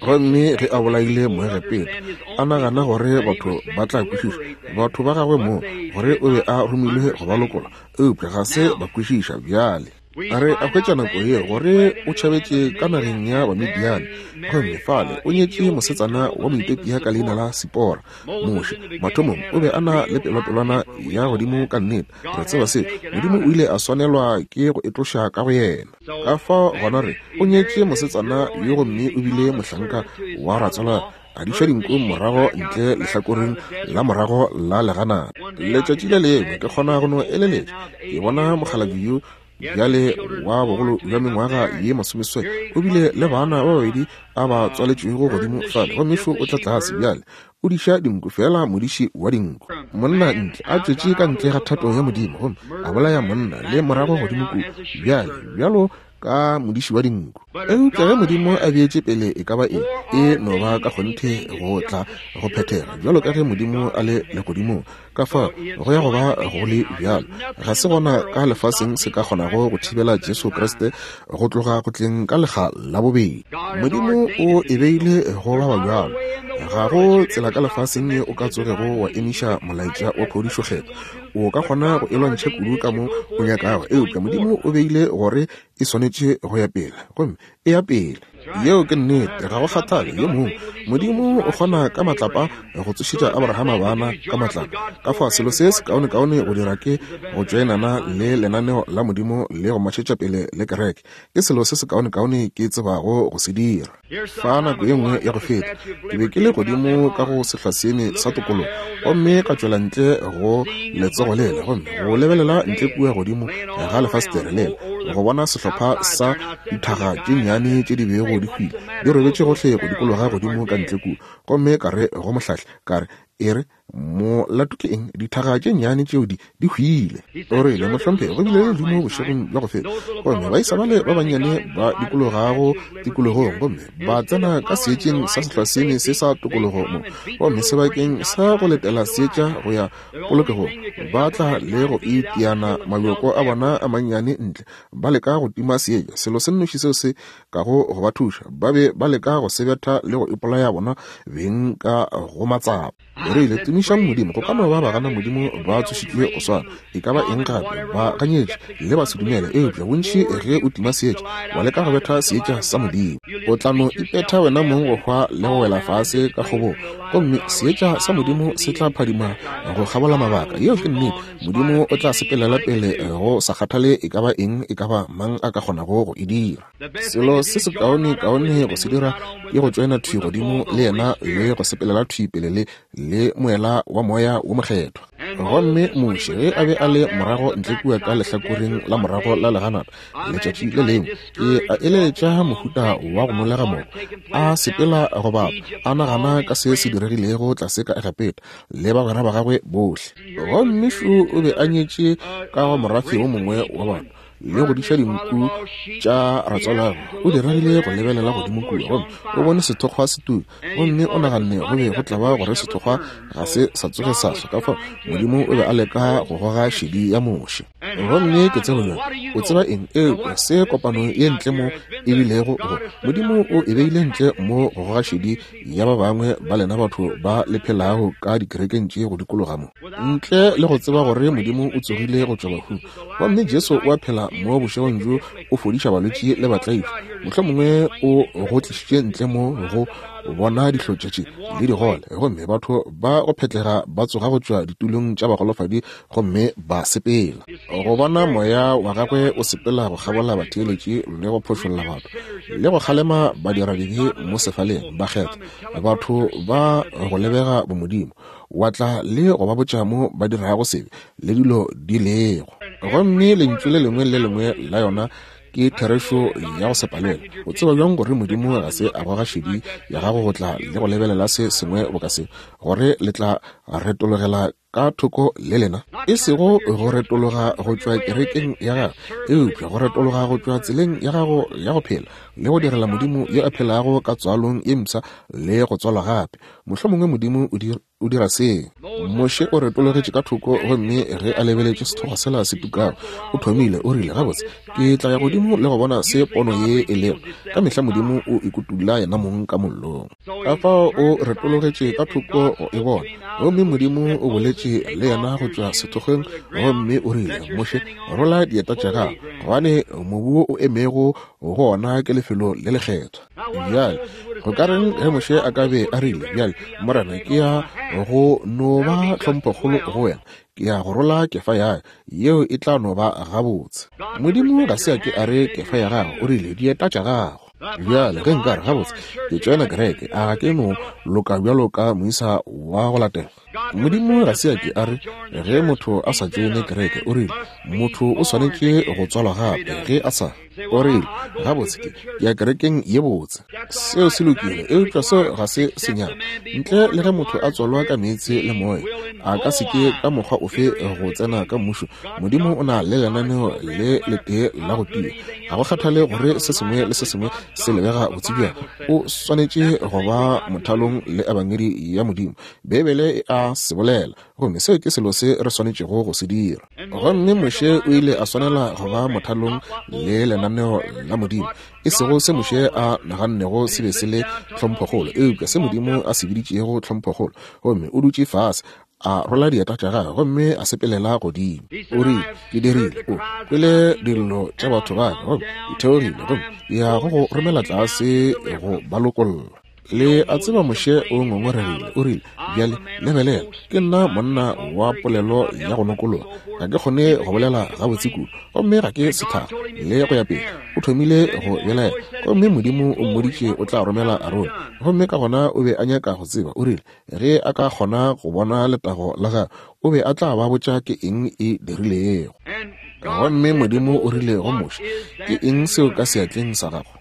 Gomme ge a bolaile Moegepeta, a nagana gore batho ba tla kwešiša, batho ba gagwe mo, gore o be a romilwe go ba lokola, eupša ga se ba kwešiša. Bjale re a hwetša nako ye gore o tšhabetše ka nageng ya Bamidiane, gomme fale o nyetše mosetsana wa Moethiopia ka leina la Sipora. Moshe mathomong o be a na le pelopelwana ya godimo ka nnete. Re tseba seo. Modimo o ile a swanelwa ke go e tloša ka go yena. Ka fao gona re o nyetše mosetsana yo, gomme o bile mohlanka wa ratswalwa, a diša dinku morago ntle lehlakoreng la morago la leganata. Letšatši le lengwe ke kgona go no eleletša, ke bona mokgalabje yo bjale wa bogolo bja mengwaga ye masomeseswai, o bile le bana ba babedi a ba tswaletšwego godimo fale, gomme šo o tla tlase bjale o diša dinku, fela modiši wa dinku. Monna ntle a tšwetše ka ntle ga thato ya Modimo, gomme a bolaya monna le morago godimo kua bjale bjalo ka modiši wa dinku. Eupša ge Modimo a beetše pele e ka ba eng, e no ba ka kgonthe go tla go phethega bjalo ka ge Modimo a le legodimong. Ka fao go ya go ba go le bjalo. Ga se gona ka lefaseng se ka kgonago go thibela Jesu Kriste go tloga go tleng ka lekga la bobedi. Modimo o e beile go ba bjalo. Ga go tsela ka lefaseng ye o ka tsogego wa emiša molaetša wa phodišo kgetho. O ka kgona go e lwantšha kudu ka mo o nyakago, eupša Modimo o beile gore e swanetše go ya pele, gomme e ya pele. Yeo ke nnete, ga go kgathale yo mongwe. Modimo o kgona ka matlapa go tsošetša Abrahama bana ka matlapa. Ka fao selo se se kaonekaone go dira ke go tšoenana le lenaneo la Modimo le go matšhetša pele le kereke. Ke selo se se kaonekaone ke tsebago go se dira. Fa nako ye nngwe ya go feta, ke be ke le godimo ka go sehlwaseeme sa tokologo, gomme ka tšwela ntle go letsogo lela, gomme go lebelela ntle kua godimo ga lefastere lela, go bona sehlopha sa dithaga tše nnyane tše di bego di hwile di robetše gohle go dikologa godimo ka ntle kua. Gomme ka re go mohlahli, ka re, e re, molato ke eng dithaga tše nnyane tšeo di di hwile? O rile, mohlomphegi, go bile le ledimo bošegong bja go feta, gomme baisa bale ba bannyane ba dikologago tikologong, gomme ba tsena ka seetšeng sa sehlwaseeme se sa tokologo mo, gomme sebakeng sa go letela seetša go ya polokegong, ba tla le go itiana mabjoko a bona a mannyane ntle, ba leka go tima seetša. Selo se nnoši seo se kago go ba thuša, ba be ba leka go se betha le go ipolaya bona beng ka go matsapa. O rile, tumišang Modimo, go ka no ba bagana Modimo ba tsošitšwe go swana, e ka ba eng gape, ba ganyetše le ba se dumele, eupša bontši ge o tima seetša, wa leka go betha seetša sa Modimo, o tla no ipetha wena mong go hwa le go wela fase ka kgobong, gomme seetša sa Modimo se tla phadima go kgabola mabaka. Yeo ke nnete. Modimo o tla sepelela pele go sa kgathale e ka ba eng, e ka ba mang a ka kgonago go e dira. Selo se se kaone-kaone go se dira ke go tšoena thwi godimo le yena le go sepelela thwi pele le le moela wa moya wo mokgethwa. Gomme Moshe ge a be a le morago ntle kua ka lehlakoreng la morago la leganata letšatši le lengwe, ke a eletša mohuta wa go nolega moko, a sepela go bapa, a nagana ka se se diregilego tlase ka Egepeta le bagwera ba gagwe bohle. Gomme šo o be a nyetše ka go morafe wo mongwe wa batho le go diša dinku tša ratswalagwe. O diregile go lebelela godimo kua, gomme o bone sethokgwa se tuka, gomme o naganne go be go tla ba gore sethokgwa ga se sa tsoge sa swa. Ka fao Modimo o be a leka go goga šedi ya Moshe. Gomme ke tsebo bjang, o tseba eng eupša se kopano ye ntle mo e bilego go Modimo o e beile ntle mo go goga šedi ya ba bangwe ba lena batho ba le phelago ka dikerekeng tše go dikologa mo, ntle le go tseba gore Modimo o tsogile go tšwa bahung, gomme Jesu o a phela mo bošegong bjo, o fodiša balwetši le batlaišwa. Mohlomongwe o go tlišitše ntle mo go bona dihlotša tše le digole, gomme batho ba go phetlega ba tsoga go tšwa ditulong tša bagolofadi gomme ba sepela. Go bona moya wa gagwe o sepela go kgabola batheeletši le go phošolla batho le go kgalema badiradibe mo sefaleng, bakgethwa, batho ba go lebega bomodimo, wa tla le go ba botša mo ba dirago sebe le dilo di lego. Gomme lentšu le lengwe le lengwe la yona ke therešo ya go se palelwe. O tseba bjang gore Modimo ga se a goga šedi ya gago go tla le go lebelela se sengwe boka se, gore le tla retologela ka thoko le lena? E sego go retologa go tšwa kerekeng ya gago, eupša go retologa go tšwa tseleng ya gago ya go phela le go direla Modimo yo a phelago ka tswalong ye mpsha le go tswalwa gape. Mohlomongwe Modimo o dira o dira se. Moshe o retologetše ka thoko, gomme ge a lebeletše sethokgwa sela se tukago, o thomile, o rile, gabotse, ke tla ya godimo le go bona se pono ye e lego. Ka mehla Modimo o ikutula yena mong ka mollong. Ka fao o retologetše ka thoko go e bona, gomme Modimo o boletše le yena go tšwa sethokgweng, gomme o rile, Moshe, rola dieta tša gago, gobane mobu wo o emego go ona ke lefelo le lekgethwa. Bjale go ka reng ge Moshe a ka be a rile, bjale Morena, ke ya go no ba tlhomphokgolo go wena, ke ya go rola kefa ya yeo e tla no ba gabotse. Modimo ga se a ke a re kefa ya gago, o rile dieta tša gago. Bjale ge nka re, gabotse, ke tšoena kereke, a ga ke no loka bjalo ka moisa wa go latela? Modimo ga se a ke a re ge motho a sa tšoene kereke, o rile motho o swanetše go tswalwa gape ge a sa. O rile, gabotse, ke ya kerekeng ye botse. Seo se lokile, eupša seo ga se senyane. Ntle le ge motho a tswalwa ka meetse le moya, a ka se ke ka mokgwa ofe go tsena ka mmušo. Modimo o na le lenaneo le letee la go tia. Ga go kgathale gore se sengwe le se sengwe se lebega botse bjang, o swanetše go ba mothalong le ebangedi ya Modimo. Beibele e a se bolela, gomme seo ke selo se re swanetšego go se dira. Gomme Moshe o ile a swanela go ba mothalong le lenaneo la Modimo, e sego se Moshe a nagannego se be se le tlhomphokgolo, eupša se Modimo a se biditšego tlhomphokgolo. Gomme o dutše fase A rola dieta tša gagwe gomme a sepelela godimo. O rile, ke dirile, o kwele dillo tša batho ba ka, gomme ke theogile, gomme ke ya go go romela tlase go ba lokolla. Le a tseba Moshe o ngongoregile, o rile, bjale lebelela, ke nna monna wa polelo ya go nokologa, ga ke kgone go bolela gabotse kudu, gomme ga ke sethakga, le go ya pele. O thomile go belaela, gomme Modimo o mmoditše o tla romela Arone, gomme ka gona o be a nyaka go tseba. O rile ge a ka kgona go bona letago la gagwe, o be a tla ba botša ke eng e dirilego. Gomme Modimo o rile go Moshe, ke eng seo ka seatleng sa gago?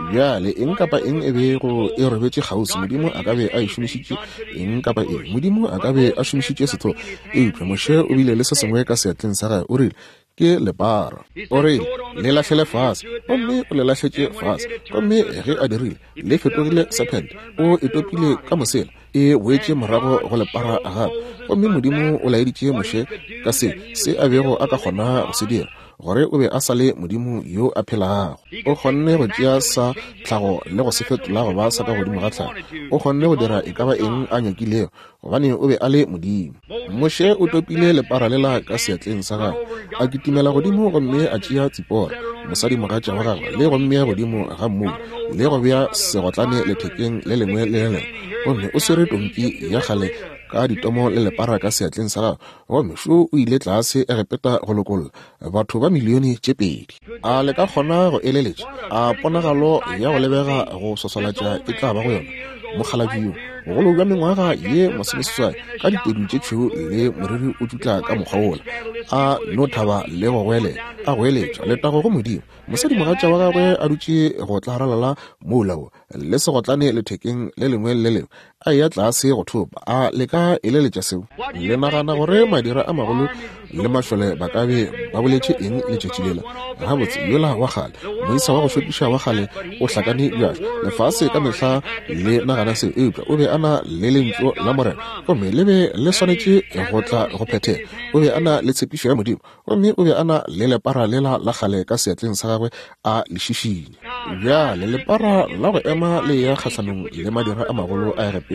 Bjale eng kapa eng e bego e robetše kgauswi, Modimo a ka be a e šomišitše eng kapa eng. Modimo a ka be a šomišitše setho, eupša Moshe o bile le se sengwe ka seatleng sa gagwe. O rile, ke lepara. O rile, le lahlele fase, gomme o le lahletše fase. Gomme ge a dirile, le fetogile serpent. O e topile ka mosela, e boetše morago go lepara gape. Gomme Modimo o laeditše Moshe ka se se a bego a ka kgona go se dira, gore o be a sa le Modimo yo a phelago. O kgonne go tšea sa tlhago le go se fetola go ba sa ka godimo ga tlhago. O kgonne go dira e ka ba eng a nyakilego, gobane o be a le Modimo. Moshe o topile lepara lela ka seatleng sa gagwe, a kitimela godimo gomme a tšea Tsipora, mosadimogatša wa gagwe, le go mmea godimo ga mmoulo, le go bea segotlane lethekeng le lengwe le le lengwe. Gomme o swere tonki ya kgale ka ditomo le lepara ka seatleng sa gagwe, gomme šo o ile tlase Egepeta go lokolla batho ba milione tše pedi. A le ka kgona go eleletša a ponagalo ya go lebega go swaswalatša e tla ba go yona? Mokgalabje yo bogolo bja mengwaga ye masomeseswai, ka ditedu tše tšhweu le moriri o tšutla ka mokgwa wola, a no thaba le go goelela, a goeletša letago go Modimo. Mosadimogatša wa gagwe a dutše go tlaralala moula wo le segotlane lethekeng le lengwe le lengwe, a eya tlase go thopa. A le ka eleletša seo? Le nagana gore madira a magolo le mašole ba ka be ba boletše eng letšatši lela? Gabotse, yola wa kgale, moisa wa go šokiša wa kgale o hlakane bjalo. Lefase ka mehla le nagana seo, eupša o be a na le lentšu la Morena, gomme le be le swanetše go tla go phethega. O be a na le tshepišo ya Modimo, gomme o be a na le lepara lela la kgale ka seatleng sa gagwe a le šišinya. Bjale lepara la go ema le ya kgahlanong le madira a magolo a Egepeta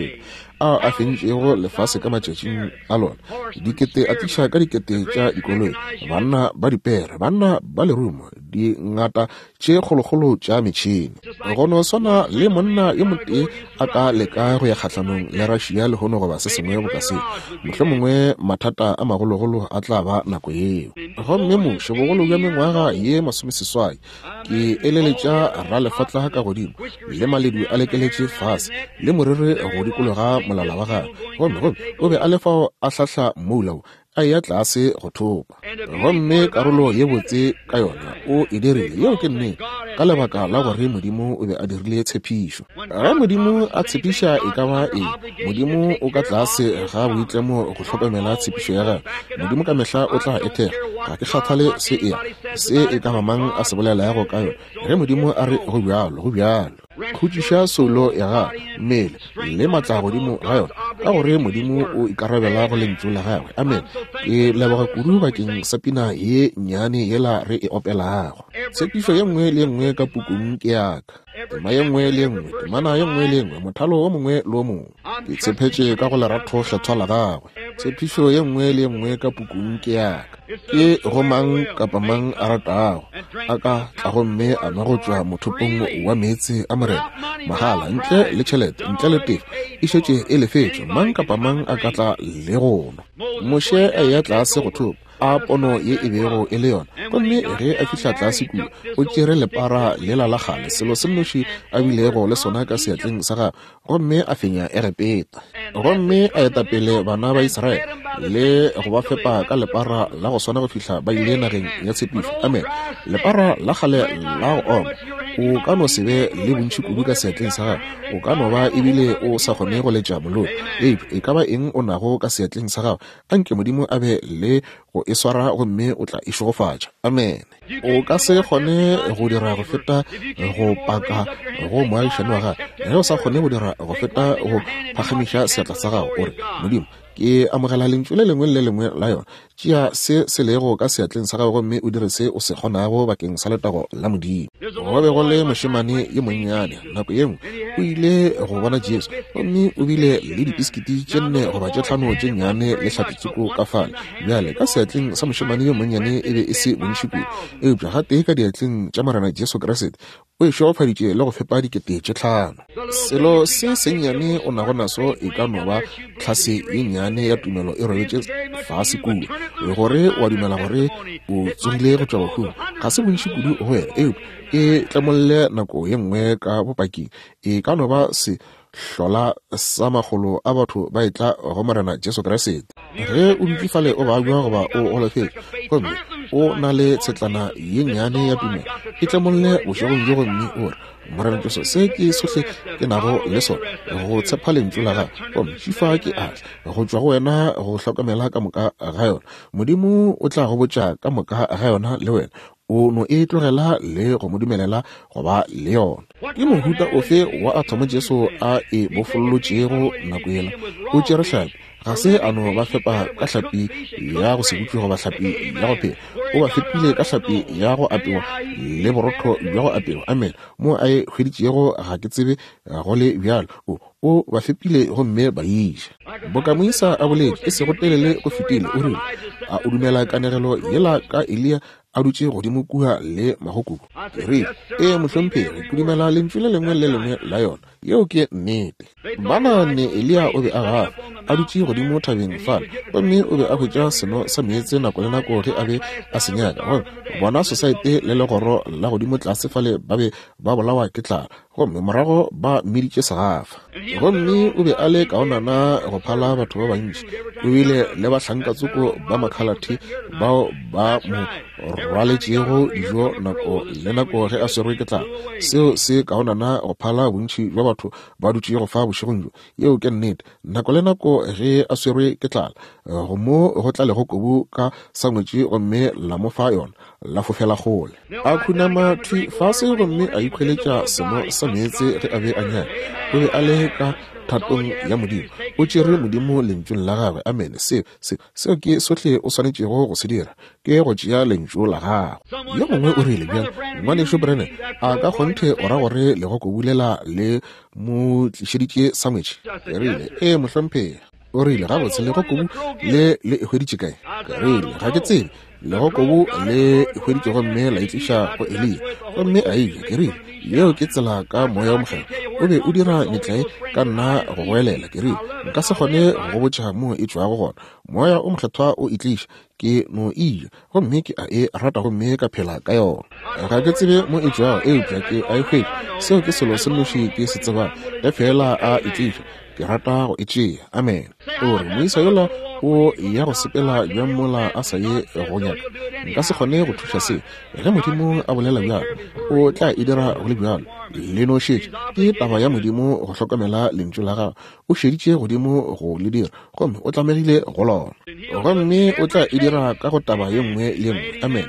ao a fentšego lefase ka matšatšing a lona, dikete a tliša ka dikete tša dikoloi, banna ba dipere, banna ba lerumo, dingata tše kgolokgolo tša metšhene. Go no swana le monna yo motee a ka leka go ya kgahlanong le Russia lehono goba se sengwe boka seo, mohlomongwe mathata a magologolo a tla ba nako yeo. Gomme Moshe, bogolo bja mengwaga ye masomeseswai, ke eleletša ralefatla ka godimo, le maledu a lekeletše fase, le moriri go dikologa molala wa gagwe, gomme gomme o be a le fao a hlahla mmoula wo, a eya tlase go thopa. Gomme karolo ye botse ka yona o e dirile, yeo ke nnete, ka lebaka la gore Modimo o be a dirile tshepišo. Ge Modimo a tshepiša e ka ba eng, Modimo o ka tlase ga boitlemo go hlokomela tshepišo ya gagwe. Modimo ka mehla o tla e thekga. Ga ke kgathale se e se e ka ba mang a se bolelago ka yona. Ge Modimo a re go bjalo, go bjalo. Khutšiša soulo ya gago, mmele le matla godimo ga yona, ka gore Modimo o ikarabela go lentšu la gagwe. Amen. Ke leboga kudu bakeng sa pina ye nnyane yela re e opelago. Tshepišo ye nngwe le ye nngwe ka pukung ke ya ka, tema ye nngwe le ye nngwe, temana ye nngwe le ye nngwe, mothalo o mongwe le o mongwe. Ke tshepetše ka go lerato kgethwa la gagwe. Tshepišo ye nngwe le ye nngwe ka pukung ke ya ka. Ke go mang kapa mang a ratago a ka tla gomme a nwa go tšwa mothopong wa meetse a Morena mahala, ntle le tšhelete, ntle le tefo, e šetše e lefetšwe. Mang kapa mang a ka tla le go nwa. Moshe a eya tlase go thopa, a pono ye e bego e le yona. Gomme ge a fihla tlase kua, o tšere lepara lela la kgale, selo se nnoši a bilego le sona ka seatleng sa gagwe, gomme a fenya Egepeta. Gomme a eta pele bana ba Israele le go ba fepa ka lepara la go swana go fihla ba ile nageng ya tshepišo. Amen. Lepara la kgale la go oma. O ka no se be le bontši kudu ka seatleng sa gago, o ka no ba ebile o sa kgone go letša molodi, eupša e ka ba eng o nago ka seatleng sa gago, anke Modimo a be le go e swara gomme o tla e šegofatša. Amen. O ka se kgone go dira go feta go paka go moagišani wa gago. Ge o sa kgone go dira go feta go phagamiša seatla sa gago, o re, Modimo, Ke amogela lentšu le lengwe le le lengwe la yona. Tšea se se lego ka seatleng sa gago gomme o dire se o se kgonago bakeng sa letago la Modimo. Go be go le mošemane yo monnyane nako ye nngwe o ile go bona Jesu, gomme o bile le dipiskiti tše nne goba tše tlhano tše nnyane le hlapi-tsoko ka fale. Bjale ka seatleng sa mošemane yo monnyane e be e se bontši kudu, eupša gatee ka diatleng tša Morena Jesu Kriste o e šegofaditše le go fepa dikete tše tlhano. Selo se sennyane o nago naso e ka no ba tlhase ye nnyane ya tumelo e robetše fase kua, gore wa dumela gore o tsogile go tšwa bahung. Ga se bontši kudu go wena, eupša e tlemolle nako ye nngwe ka bopaking. E ka no ba se hlola sa makgolo a batho ba etla go Morena Jesu Kriste. Ge o dutše fale o babja goba o golofetše gomme o na le tshetlana ye nnyane ya tumelo, e tlemolle bošegong bjo gomme o re, Morena Jesu, se ke sohle ke nago le sona, go tshepa lentšu la gago, gomme šifa ke atla go tšwa go wena go hlokomela ka moka ga yona. Modimo o tla go botša ka moka ga yona le wena. O no e tlogela le go mo dumelela go ba le yona. Ke mohuta ofe wa athomo Jesu a e bofollotšego nako yela? O tšere hlapi. Ga se a no ba fepa ka hlapi ya go se butšwe goba hlapi ya go phela. O ba fepile ka hlapi ya go apewa le borotho bja go apewa. Amen. Mo a e hweditšego ga ke tsebe go le bjalo. O o ba fepile gomme ba iša. Boka moisa a boletše e sego telele go fetile, o rile, a o dumela kanegelo yela ka Eliya a dutše godimo kua le magokubu? Ke rile, ee mohlomphegi, ke dumela lentšu le lengwe le lengwe la yona. Yeo ke nnete. Ba naganne Eliya o be a gafa, a dutše godimo thabeng fale, gomme o be a hwetša seno sa meetse nako le nako ge a be a se nyaka. Gomme bona sosaete le legoro la godimo tlase fale ba be ba bolawa ke tlala, gomme morago ba mmiditše segafa. Gomme o be a le kaonana go phala batho ba bantši. O bile le bahlankatsoko ba makhalathe bao ba mo rwaletšego dijo nako le nako ge a swerwe ke tlala. Seo se kaonana go phala bontši bja batho ba dutšego fa bošegong bjo. Yeo ke nnete. Nako le nako ge a swerwe ke tlala, go mo go tla legokobu ka sangwetši gomme la mo fa yona, la fofela kgole. A khunama thwi fase gomme a ikhweletša seno sa meetse ge a be a nyaka. O be a le ka thatong ya Modimo. O tšere Modimo lentšung la gagwe. Amen. Seo se seo ke sohle o swanetšego go se dira, ke go tšea lentšu la gagwe. Yo mongwe o rile, bjale ngwanešu Branham, a ka kgonthe o ra gore legokobu lela le mo tlišeditše sangwetši? Ke rile, ee mohlomphegi. O rile, gabotse legokobu le le e hweditše kae? Ke rile, ga ke tsebe. Legokobu le e hweditše gomme la e tliša go Eliya, gomme a eja. Ke rile, yeo ke tsela ka Moya o Mokgethwa. O be o dira metlae ka nna go goelela. Ke rile, nka se kgone go go botša mo e tšwago gona. Moya o Mokgethwa o e tliša, ke no e ja, gomme ke a e rata gomme ka phela ka yona. Ga ke tsebe mo e tšwago, eupša ke a e hwetša. Seo ke selo se nnoši ke se tsebang. Ge feela a e tliša, ke rata go e tšea. Amen. O re, moisa yola o ya go sepela bjang mola a sa ye go nyaka? Nka se kgone go thuša se. Ge Modimo a bolela bjalo, o tla e dira go le bjalo. Le no šetše. Ke taba ya Modimo go hlokomela lentšu la gagwe. O šeditše godimo go le dira, gomme o tlamegile go lona. Gomme o tla e dira ka go taba ye nngwe le ye nngwe. Amen.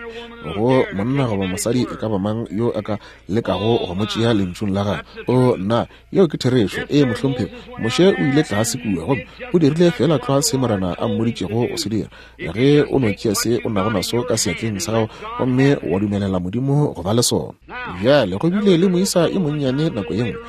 Go monna goba mosadi e ka ba mang yo a ka lekago go mo tšea lentšung la gagwe. O nna, yeo ke therešo. Ee mohlomphegi, Moshe o ile tlase kua gomme o dirile feela tlwa se Morena a mmoditšego go se dira. Ge o no tšea se o nago naso ka seatleng sa gago gomme wa dumelela Modimo go ba le sona. Bjale go bile le moisa e monnyane nako ye nngwe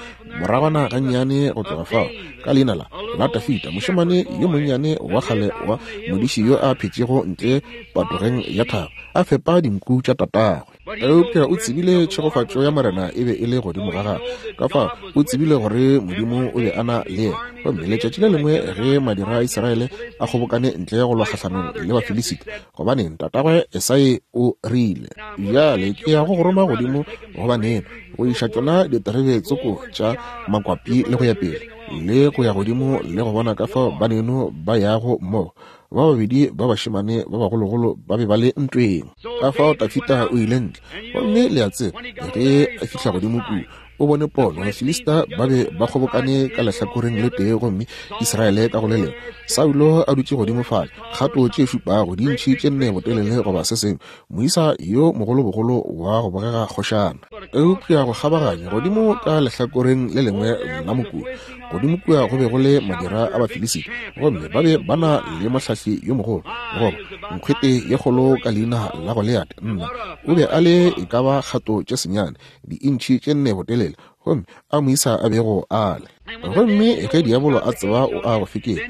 moragwana gannyane go tloga fao, ka leina la la Tafita, mošemane yo monnyane wa kgale wa modiši yo a phetšego ntle patogeng ya thaba, a fepa dinku tša tatagwe. Eupša o tsebile tšhegofatšo ya Morena e be e le godimo ga gagwe. Ka fao o tsebile gore Modimo o be a na le yena. Gomme letšatši le lengwe ge madira a Israele a kgobokane ntle go lwa kgahlanong le Bafilisita, gobaneng tatagwe Esai o rile, bjale ke ya go go roma godimo go baneno go iša tšona diterebe tsoko tša makwapi le go ya pele, le go ya godimo le go bona ka fao baneno ba yago mmogo. Ba babedi ba bašemane ba bagologolo ba be ba le ntweng. Ka fao Tafita o ile ntle, gomme le a tseba ge a fihla godimo kua, o bone pono. Bafilista ba be ba kgobokane ka lehlakoreng le tee gomme Israele ka go le lengwe. Saulo a dutše godimo fale, kgato tše šupago, dintšhi tše nne botelele goba se sengwe, moisa yo mogolobogolo wa go bogega kgošana. Eupša go kgabaganya godimo ka lehlakoreng le lengwe la mokulo, Godimo kua go be go le madira a Bafilisita, gomme ba be ba na le mohlahli yo mogolo, goba nkgwete ye kgolo ka leina la Goliate. Nna, o be a le e ka ba kgato tše senyane, diintšhi tše nne botelele, gomme a moisa a bego a le. Gomme ge diabolo a tseba o a go fekela,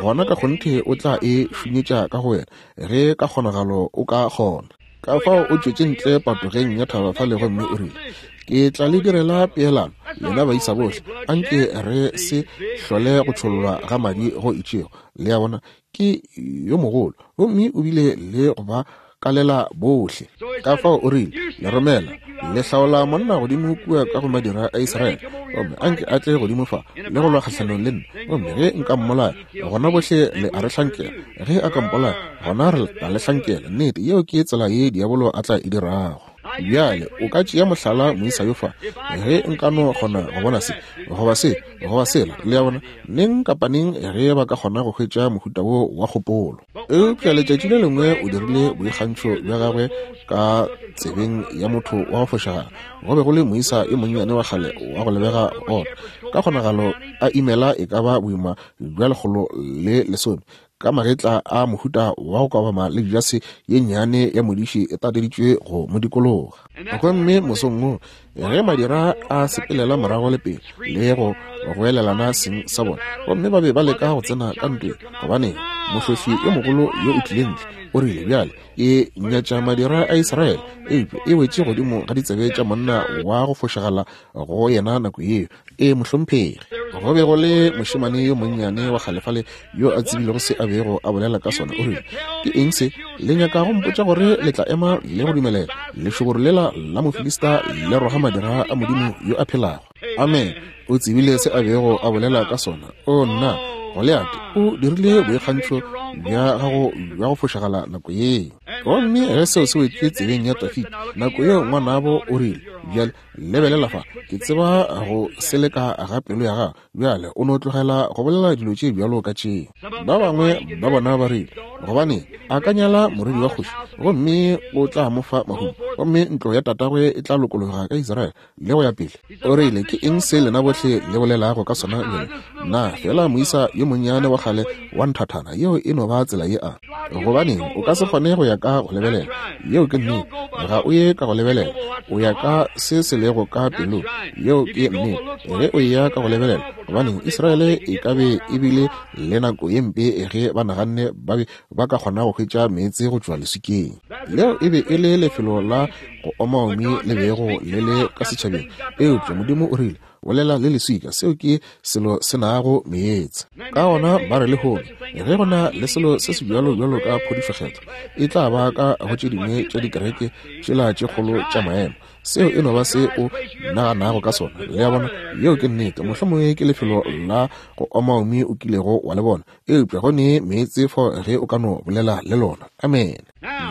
gona ka kgonthe o tla e šunyetša ka go wena, ge ka kgonagalo o ka kgona. Ka fao o tšwetše ntle patogeng ya thaba fale gomme o rile, ke tla le direla peelano, lena baisa bohle, anke re se hlole go tšhollwa ga madi go itšego. Le a bona, ke yo mogolo, gomme o bile le go ba kalela bohle. Ka fao o rile, le romela le hlaola monna godimo kua ka go madira a Israele, gomme anke a tle godimo fa le go lwa kgahlanong le nna, gomme ge nka mmolaya, gona bohle le a re hlankela. Ge a ka mpolaya, gona re tla le hlankela. Nnete, yeo ke tsela ye diabolo a tla e dirago. Bjale o ka tšea mohlala moisa yo fa, ge nka no kgona go bona se, goba se, goba sela, le a bona, neng kapa neng ge ba ka kgona go hwetša mohuta wo wa kgopolo. Eupša letšatši le lengwe o dirile boikgantšho bja gagwe ka tsebeng ya motho wa go fošagala. Go be go le moisa yo monnyane wa kgale wa go lebega go ota, ka kgonagalo a imela e ka ba boima bja lekgolo le lesome, ka magetla a mohuta wa go kabama le jase ye nnyane ya modiši e tateditšwe go mo dikologa. Gomme mosong wo, ge madira a sepelela morago le pele le go goelelana seng sa bona, gomme ba be ba leka go tsena ka ntweng, gobane mohlohli yo mogolo yo o tlile ntle, o rile, bjale ke nyatša madira a Israele, eupša e wetše godimo ga ditsebe tša monna wa go fošagala go yena nako yeo. E mohlomphegi, go be go le mošemane yo monnyane wa kgalefale yo a tsebilego se a bego a bolela ka sona. O rile, ke eng se le nyaka go mpotša gore le tla ema le go dumelela lešoboro lela la Mofilista le roga madira a Modimo yo a phelago? Amen. O tsebile se a bego a bolela ka sona. O nna, Goliate o dirile boikgantšho bja gago bja go fošagala nako yeo. Gomme ge seo se wetše tsebeng ya Dafida nako yeo, ngwanabo o rile, bjale lebelela fa, ke tseba go seleka ga pelo ya gago, bjale o no tlogela go bolela dilo tše bjalo ka tšeo. Ba bangwe ba bona ba rile, gobane a ka nyala morwedi wa kgoši, gomme o tla mo fa mahumo, gomme ntlo ya tatagwe e tla lokologa ka Israele le go ya pele. O rile, ke eng se lena bohle le bolelago ka sona bjale? Na fela moisa yo monnyane wa kgale wa nthathana, yeo e no ba tsela ye a. Gobaneng o ka se kgone go ya ka go lebelela? Yeo ke nnete. Ga o ye ka go lebelela, o ya ka se se lego ka pelong. Yeo ke nnete. Ge o ya ka go lebelela, gobaneng Israele e ka be e bile le nako ye mpe ge ba naganne ba be ba ka kgona go hwetša meetse go tšwa leswikeng. Leo e be e le lefelo la go omaomi le bego le le ka setšhabeng, eupša Modimo o rile, bolela le leswika, seo ke selo se nago meetse. Ka gona ba re lehono, ge go na le selo se se bjalo bjalo ka phodišo kgethwa, e tla ba ka go tše dingwe tša dikereke tšela tše kgolo tša maemo. Seo e no ba se o naganago ka sona. Le a bona, yeo ke nnete. Mohlomongwe ke lefelo la go omaomi o kilego wa le bona, eupša go ne meetse fao ge o ka no bolela le lona. Amen.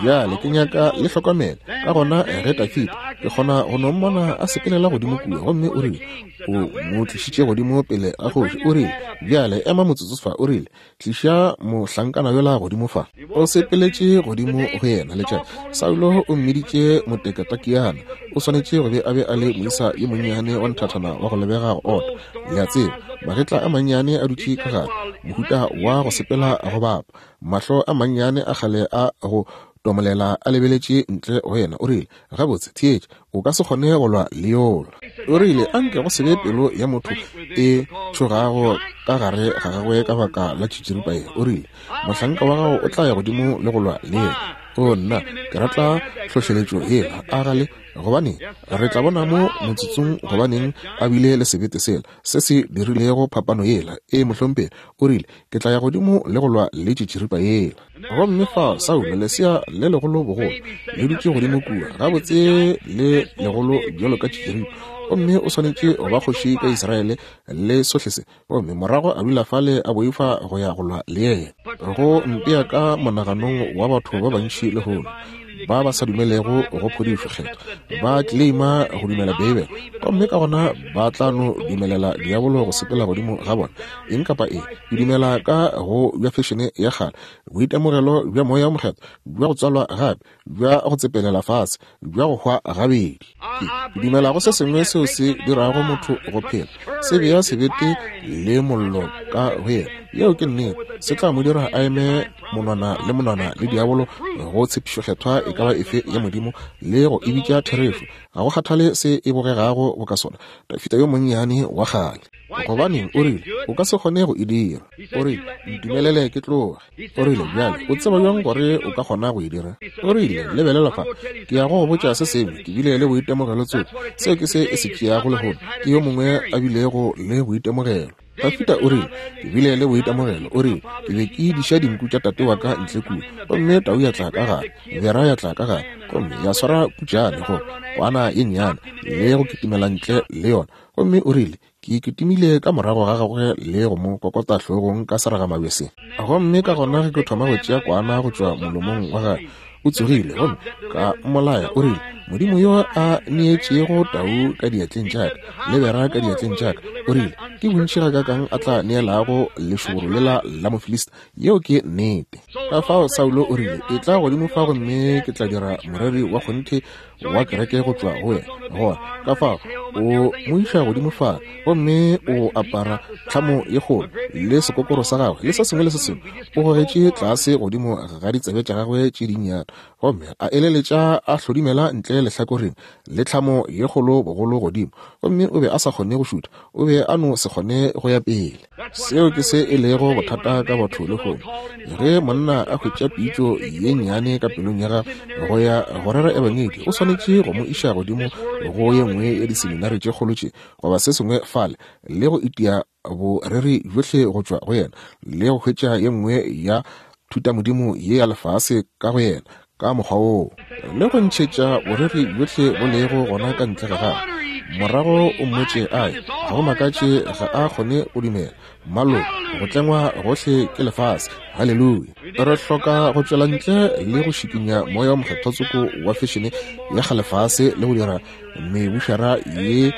Bjale ke nyaka le hlokomele. Ka gona ge Dafida, ke kgona go no mmona a sepelela godimo kua, gomme o rile, o mo tlišitše godimo pele ga kgoši. O rile, bjale ema motsotso fa. O rile, tliša mohlankana yola godimo fa. O sepeletše godimo go yena letšatši. Saulo o mmiditše motekatakiana. O swanetše go be a be a le moisa yo monnyane wa nthathana wa go lebega go ota. Le a tseba, magetla a mannyane a dutše ka gare, mohuta wa go sepela go bapa, mahlo a mannyane a kgale a go tomolela a lebeletše ntle go yena. O rile, gabotse, theetša, o ka se kgone go lwa le yola. O rile, anke go se be pelo ya motho e tšhogago ka gare ga gagwe ka baka la tšitširipa ye. O rile, mohlanka wa gago o tla ya godimo le go lwa le yena. O nna, ke rata hlohleletšo yela, a gale, gobane re tla bona mo motsotsong gobaneng a bile le sebete sela se se dirilego phapano yela. E mohlomphegi, o rile, ke tla ya godimo le go lwa le tšitširipa yela. Gomme fa Saulo, lesea le legolo bogolo, le dutše godimo kua, gabotse le legolo bjalo ka tšitširipa, gomme o swanetše go ba kgoši ka Israele le sohle se. Gomme morago a dula fale a boifa go ya go lwa le yena. Go mpea ka monaganong wa batho ba bantši lehono, ba ba sa dumelego go phodišo kgethwa ba claima go dumela Beibele, gomme ka gona ba tla no dumelela diabolo go sepela godimo ga bona. Eng kapa eng, ke dumela ka go bja fešene ya kgale, boitemogelo bja moya o mokgethwa, bja go tswalwa gape, bja go tsepelela fase, bja go hwa gabedi. Ke dumela go se sengwe seo se dirago motho go phela, se bea sebete le mollo ka go yena. Yeo ke nnete. Se tla mo dira a eme monwana le monwana le diabolo go tshepišo kgethwa e ka ba efe ya Modimo le go e bitša therešo. Ga go kgathale se e bogegago boka sona. Dafita yo monnyane wa kgale, gobaneng, o rile, o ka se kgone go e dira. O rile, ntumelele ke tloge. O rile, bjale o tseba bjang gore o ka kgona go e dira? O rile, lebelela fa, ke ya go go botša se sengwe, ke bile le boitemogelo tsoko. Seo ke se e se tšeago lehono, ke yo mongwe a bilego le boitemogelo. Dafita o rile, ke bile le boitemogelo. O rile, ke be ke diša dinku tša tate wa ka ntle kua, gomme tau ya tla ka gare, bera ya tla ka gare, gomme ya swara putšane go kwana ye nnyane le go kitimela ntle le yona. Gomme o rile, ke kitimile ka morago ga gagwe le go mo kokota hlogong ka seragamabje se. Gomme ka gona ge ke thoma go tšea kwana go tšwa molomong wa gagwe, o tsogile gomme ka mmolaya. O rile, Modimo yo a neetšego tau ka diatleng tša ka le bera ka diatleng tša ka, o rile, ke bontši gakakang a tla neelago lešoboro lela la Mofilista. Yeo ke nnete. Ka fao Saulo o rile, e tla godimo fa gomme ke tla dira moreri wa kgonthe wa kereke go tšwa go wena. Gona ka fao o mo iša godimo fa, gomme o apara tlhamo ye kgolo le sekokoro sa gagwe le se sengwe le se sengwe, o gogetše tlase godimo ga ditsebe tša gagwe tše dinnyane, gomme a eleletša a hlodimela ntle lehlakoreng le tlhamo ye kgolo bogolo godimo, gomme o be a sa kgone go šutha, o be a no se kgone go ya pele. Seo ke se e lego bothata ka batho lehono. Ge monna a hwetša pitšo ye nnyane ka pelong ya gagwe go ya go rera ebangedi, o swanetše go mo iša godimo go ye nngwe ya diseminari tše kgolo tše goba se sengwe fale, le go itia boreri bjohle go tšwa go yena, le go hwetša ye nngwe ya thutamodimo ye ya lefase ka go yena ka mokgwa woo, le go ntšhetša boreri bjohle bo lego gona ka ntle ga gagwe. Morago o mmotše ae, ga go makatše ga a kgone go dumela. Malo, go tlengwa gohle ke lefase. Haleluya. Re hloka go tšwela ntle le go šikinya moya wa mokgethwa tsoko wa fešene ya kgalefase le go dira mebušara ye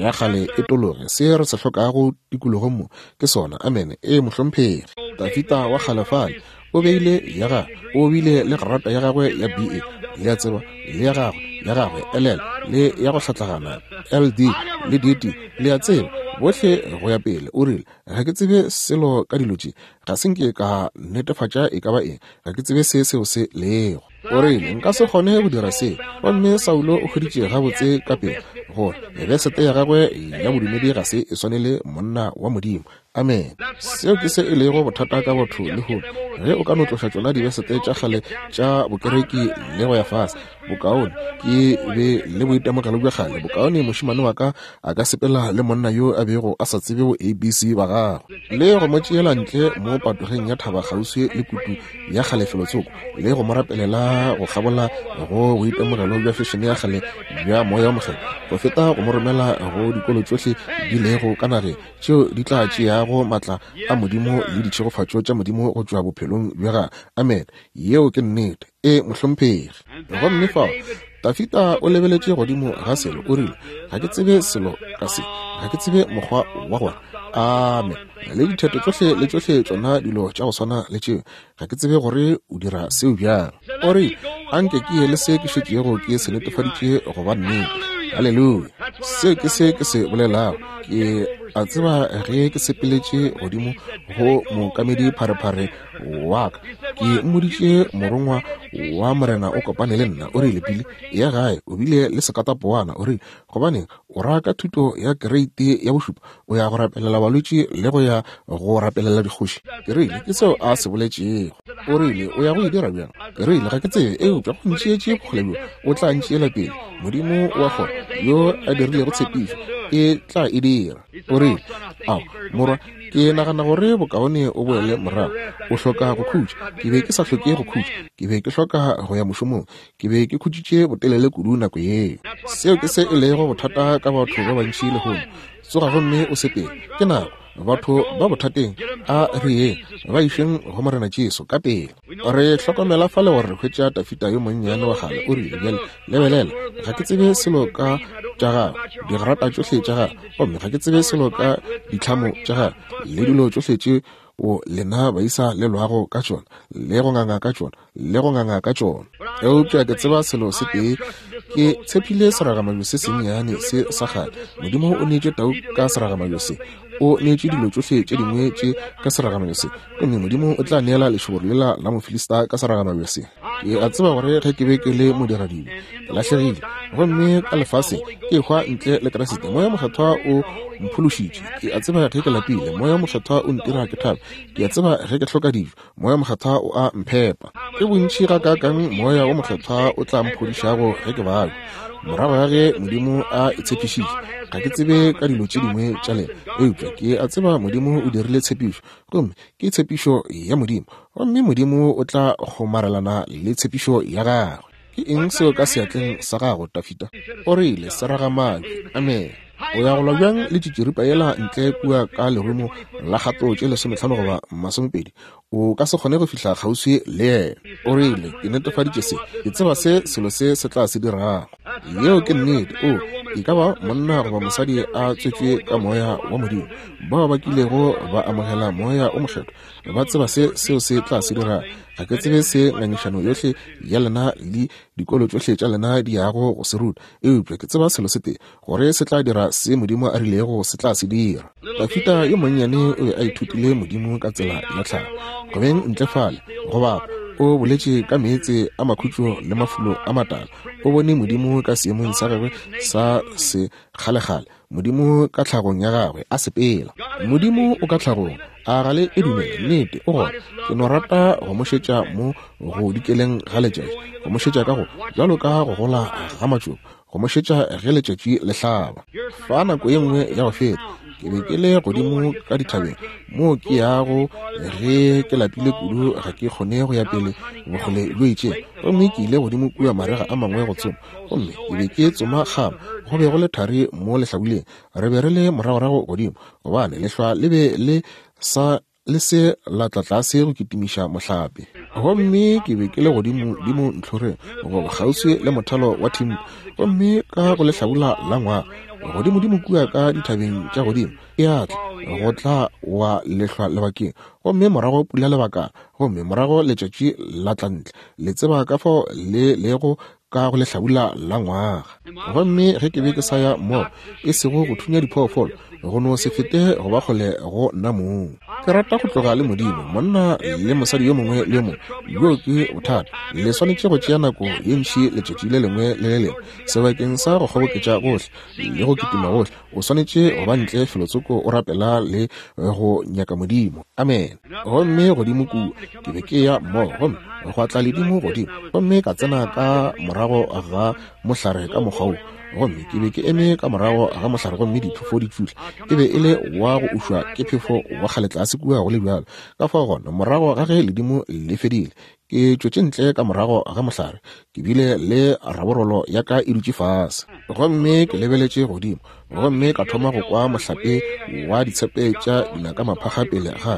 ya kgale e tologe. Se re se hlokago tikologong mo ke sona. Amene. E mohlomphegi. Dafita wa kgalefale o beile ya gagwe, o bile le grata ya gagwe ya B A, le a tseba, le ya gagwe, ya gagwe L L, le ya go hlatlagana L D le D T, le a tseba, bohle go ya pele. O rile, ga ke tsebe selo ka dilo tše, ga se nke ka netefatša e ka ba eng, ga ke tsebe se seo se lego. O rile, nka se kgone go dira se. Gomme Saulo o hweditše gabotse ka pele gore besete ya gagwe ya bodumedi ga se e swanele monna wa Modimo. Amen. Seo ke se e lego bothata ka batho lehono. Ge o ka no tloša tšona dibesete tša kgale tša bokereki le go ya fase, bokaone ke be le boitemogelo bja kgale, bokaone mošemane wa ka a ka sepela le monna yo a bego a sa tsebe bo A B C ba gagwe, le go mo tšeela ntle mo patogeng ya thaba kgauswi le kutu ya kgale felotsoko, le go mo rapelela go kgabola go boitemogelo bja fešene ya kgale bja moya wa mokgethwa, go feta go mo romela go dikolo tšohle di lego ka nageng tšeo di tla tšeago matla a Modimo le ditšhegofatšo tša Modimo go tšwa bophelong bja gagwe. Amen. Yeo ke nnete. E mohlomphegi. Gomme fao Dafita o lebeletše godimo ga selo, o rile, ga ke tsebe selo ka se, ga ke tsebe mokgwa wa gore. Amen. Le ditheto tšohle le tšohle tšona dilo tša go swana le tšeo, ga ke tsebe gore o dira seo bjang. O rile, anke ke ye le se ke šetšego ke se netefaditše go ba nnete. Haleluya. Seo ke se ke se bolelago. Ke a tseba ge ke sepeletše godimo go mookamedi pharephare wa ka, ke mmoditše morongwa wa Morena o kopane le nna. O rile, Pili ya gae o bile le sekatapowana. O rile, gobaneng o raka thuto ya kereite ya bošupa, o ya go rapelela balwetši le go ya go rapelela dikgoši? Ke rile, ke seo a se boletšego. O rile, o ya go e dira bjang? Ke rile, ga ke tsebe, eupša go ntšeetše bokgole bjo, o tla ntšeela pele. Modimo wa kgona yo a dirilego tshepišo, e tla e dira. O rile, ao morwa, ke nagana gore bokaone o boele morago, o hloka go khutša. Ke be ke sa hloke go khutša, ke be ke hloka go ya mošomong, ke be ke khutšitše botelele kudu nako yeo. Seo ke se e lego bothata ka batho ba bantši lehono. Tsoga gomme o sepele, ke nako. Batho ba bothateng, a re yeng, ba išeng go Morena Jesu ka pele. Re hlokomela fale gore re hwetša Dafida yo monnyane wa kgale. O rile, bjale lebelela, ga ke tsebe selo ka tša gagwe, digrata tšohle tša gagwe, gomme ga ke tsebe selo ka ditlhamo tša gagwe le dilo tšohle tše o lena baisa le lwago ka tšona, le go nganga ka tšona, le go nganga ka tšona. Eupša ke tseba selo se tee, ke tshepile seragamabje se sennyane se sa kgale. Modimo o neetše tau ka seragamabje se, o neetše dilo tšohle tše dingwe tše ka seragamabje se, gomme Modimo o tla neela lešoboro lela la Mofilista ka seragamabje se. Ke a tseba gore ge ke be ke le modiradibe, ke lahlegile, gomme ka lefaseng ke hwa ntle le Kriste. Moya Mokgethwa o mphološitše. Ke a tseba ge ke lapile, Moya Mokgethwa o ntira ke thabe. Ke a tseba ge ke hloka dijo, Moya Mokgethwa o a mphepa. Ke bontši gakaakang Moya wo Mokgethwa o tla mphodišago ge ke babja, morago ga ge Modimo a e tshepišitše. Ga ke tsebe ka dilo tše dingwe tša lena, eupša ke a tseba Modimo o dirile tshepišo, gomme ke tshepišo ya Modimo, gomme Modimo o tla kgomarelana le tshepišo ya gagwe. Ke eng seo ka seatleng sa gago, Dafida? O rile, seragamabje. Amen. O ya go lwa bjang le tšitširipa yela ntle kua ka lerumo la kgato tše lesometlhano goba masomepedi? O ka se kgone go fihla kgauswi le yena. O rile, ke netefaditše se, ke tseba se selo se se tla se dirago. Yeo ke nnete. O e ka ba monna goba mosadi a tswetšwe ka moya wa Modimo, bao ba kilego ba amogela Moya o Mokgethwa, ba tseba se seo se tla se dirago. Ga ke tsebe se ngangišano yohle ya lena le dikolo tšohle tša lena di yago go se ruta, eupša ke tseba selo se tee, gore se tla dira se Modimo a rilego se tla se dira. Dafida yo monnyane o be a ithutile Modimo ka tsela ya tlhago. Go beng ntle fale go bapa, o boletše ka meetse a makhutšo le mafulo a matala. O bone Modimo ka seemong sa gagwe sa sekgalekgale, Modimo ka tlhagong ya gagwe a sepela. Modimo o ka tlhagong, a ga le e dumele? Nnete o gona. Ke no rata go mo šetša mo go dikeleng ga letšatši, go mo šetša ka go bjalo ka go gola ga matšoba, go mo šetša ge letšatši le hlaba. Fa nako ye nngwe ya go feta, ke be ke le godimo ka dithabeng moo ke yago ge ke lapile kudu, ga ke kgone go ya pele bokgole bjo itšeng, gomme ke ile godimo kua marega a mangwe go tsoma, gomme ke be ke tsoma kgama. Go be go le thari mo lehlabuleng, re be re le moragorago godimo, gobane lehlwa le be le sa le se la tla tlase go kitimiša mohlape. Gomme ke be ke le godimo dimo ntlhoreng, goba kgauswi le mothalo wa thimpo, gomme ka go lehlabula la ngwaga godimodimo kua ka dithabeng tša godimo e a tla go tla wa lehlwa lebakeng, gomme morago pula lebakana, gomme morago letšatši la tla ntle. Le tseba ka fao le lego ka go lehlabula la ngwaga. Gomme ge ke be ke sa ya moo, e sego go thunya diphoofolo, go no se fete go ba kgole go nna mong. Ke rata go tloga le Modimo, monna le mosadi yo mongwe le yo mongwe. Bjo ke bothata. Le swanetše go tšea nako ye ntši letšatši le lengwe le le lengwe sebakeng sa go kgoboketša gohle le go kitima gohle. O swanetše go ba ntle felotsoko o rapela le go nyaka Modimo. Amen. Gomme godimo kua ke be ke ya mmogo, gomme gwa tla ledimo godimo, gomme ka tsena ka morago ga mohlare ka mokgwa wo. Gomme ke be ke eme ka morago ga mohlare, gomme diphefo di tšutla. E be e le wa go ušwa ke phefo wa kgale tlase kua go le bjalo. Ka fao gona, morago ga ge ledimo le fedile, ke tšwetše ntle ka morago ga mohlare, ke bile le raborolo ya ka e dutše fase. Gomme ke lebeletše godimo, gomme ka thoma go kwa mohlape wa ditshepe tša dinaka maphakga pele ga ka,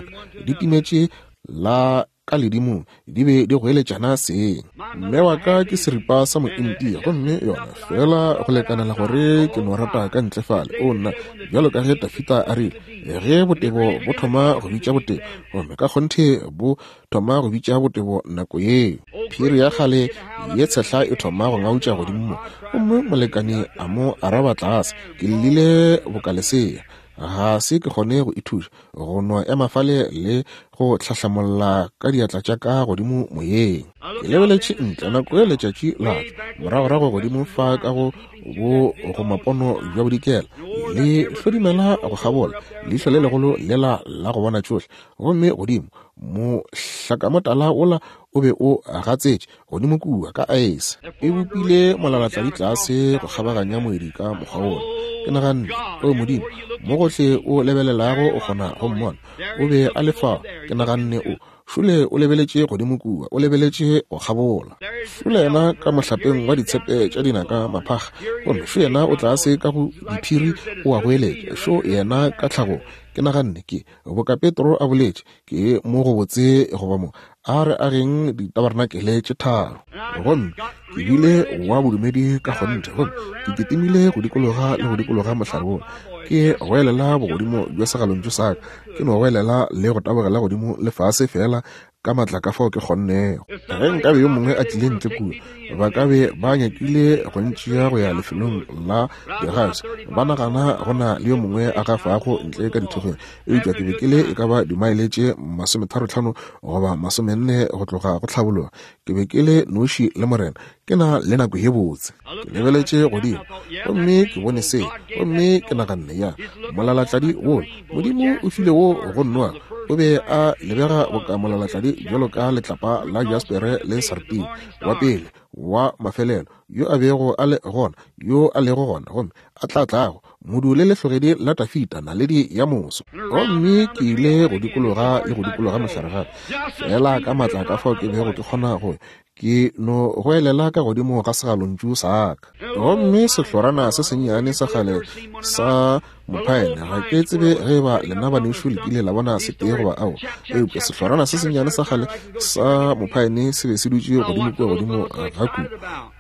di timetše la ka ledimong, di be di goeletšana seng. Mme wa ka ke seripa sa mointia, gomme yona fela go lekanela gore ke no rata ka ntle fale. O nna, bjalo ka ge Dafida a rile, ge botebo bo thoma go bitša botebo, gomme ka kgonthe bo thoma go bitša botebo nako yeo. Phiri ya kgale ye tshehla e thoma go ngautša godimo mo, gomme molekane a mo araba tlase. Ke llile bokalesea, ga se ke kgone go ithuša, go no ema fale le go hlahlamolla ka diatla tša ka godimo moyeng. Ke lebeletše ntle nako ye letšatši la tšwa moragorago godimo fa ka go bo go mapono bja bodikela, le hlodimela go kgabola leihlo le legolo lela la go bona tšohle, gomme godimo mohlakamotala wola o be o gatsetše godimo kua ka aese, e bopile molalatladi tlase go kgabaganya moedi ka mokgwa wola. Ke naganne, o Modimo, mo gohle o lebelelago o kgona go mmona. O be a le fao. Ke naganne, o šole o lebeletše godimo kua, o lebeletše go kgabola. Šole yena ka mohlapeng wa ditshepe tša dinaka maphakga, gomme šo yena o tlase ka go diphiri o a goeletša. Šo yena ka tlhagong. Ke naganne ke boka Petro a boletše, ke mo go botse goba mo a re ageng ditabarenakele tše tharo. Gomme ke bile wa bodumedi ka kgonthe, gomme ke kitimile go dikologa le go dikologa mohlare wola, ke goelela bogodimo bja segalontšu sa ka, ke no goelela le go tabogela godimo le fase fela ka matla ka fao ke kgonnego. Ge nkabe yo mongwe a tlile ntle kua, ba ka be ba nyakile go ntšea go ya lefelong la digas, ba nagana go na le yo mongwe a gafago ntle ka dithokgweng. Eupša ke be ke le e ka ba dimaele tše masometharotlhano goba masomenne go tloga go tlhabologa. Ke be ke le noši le Morena, ke na le nako ye botse. Ke lebeletše godimo gomme ke bone se, gomme ke naganne, ya molalatladi wola Modimo o file wo go nnoa, o be a lebega boka molalatladi bjalo ka letlapa la jaspere le sartine, wa pele wa mafelelo, yo a bego a le gona, yo a lego gona, gomme a tla tlago, modu le lehlogedi la Tafita, naledi ya moso. Gomme ke ile go dikologa le go dikologa mohlare gape, fela ka matla ka fao ke bego ke kgona go, ke no goelela ka godimo ga segalontšu sa ka. Gomme sehlorana se sennyane sa kgale sa mophaene, ga ke tsebe ge ba lena banešu le kile la bona se tee goba ao, eupša sehlorana se sennyane sa kgale sa mophaene se be se dutše godimo kua godimo ga kudu.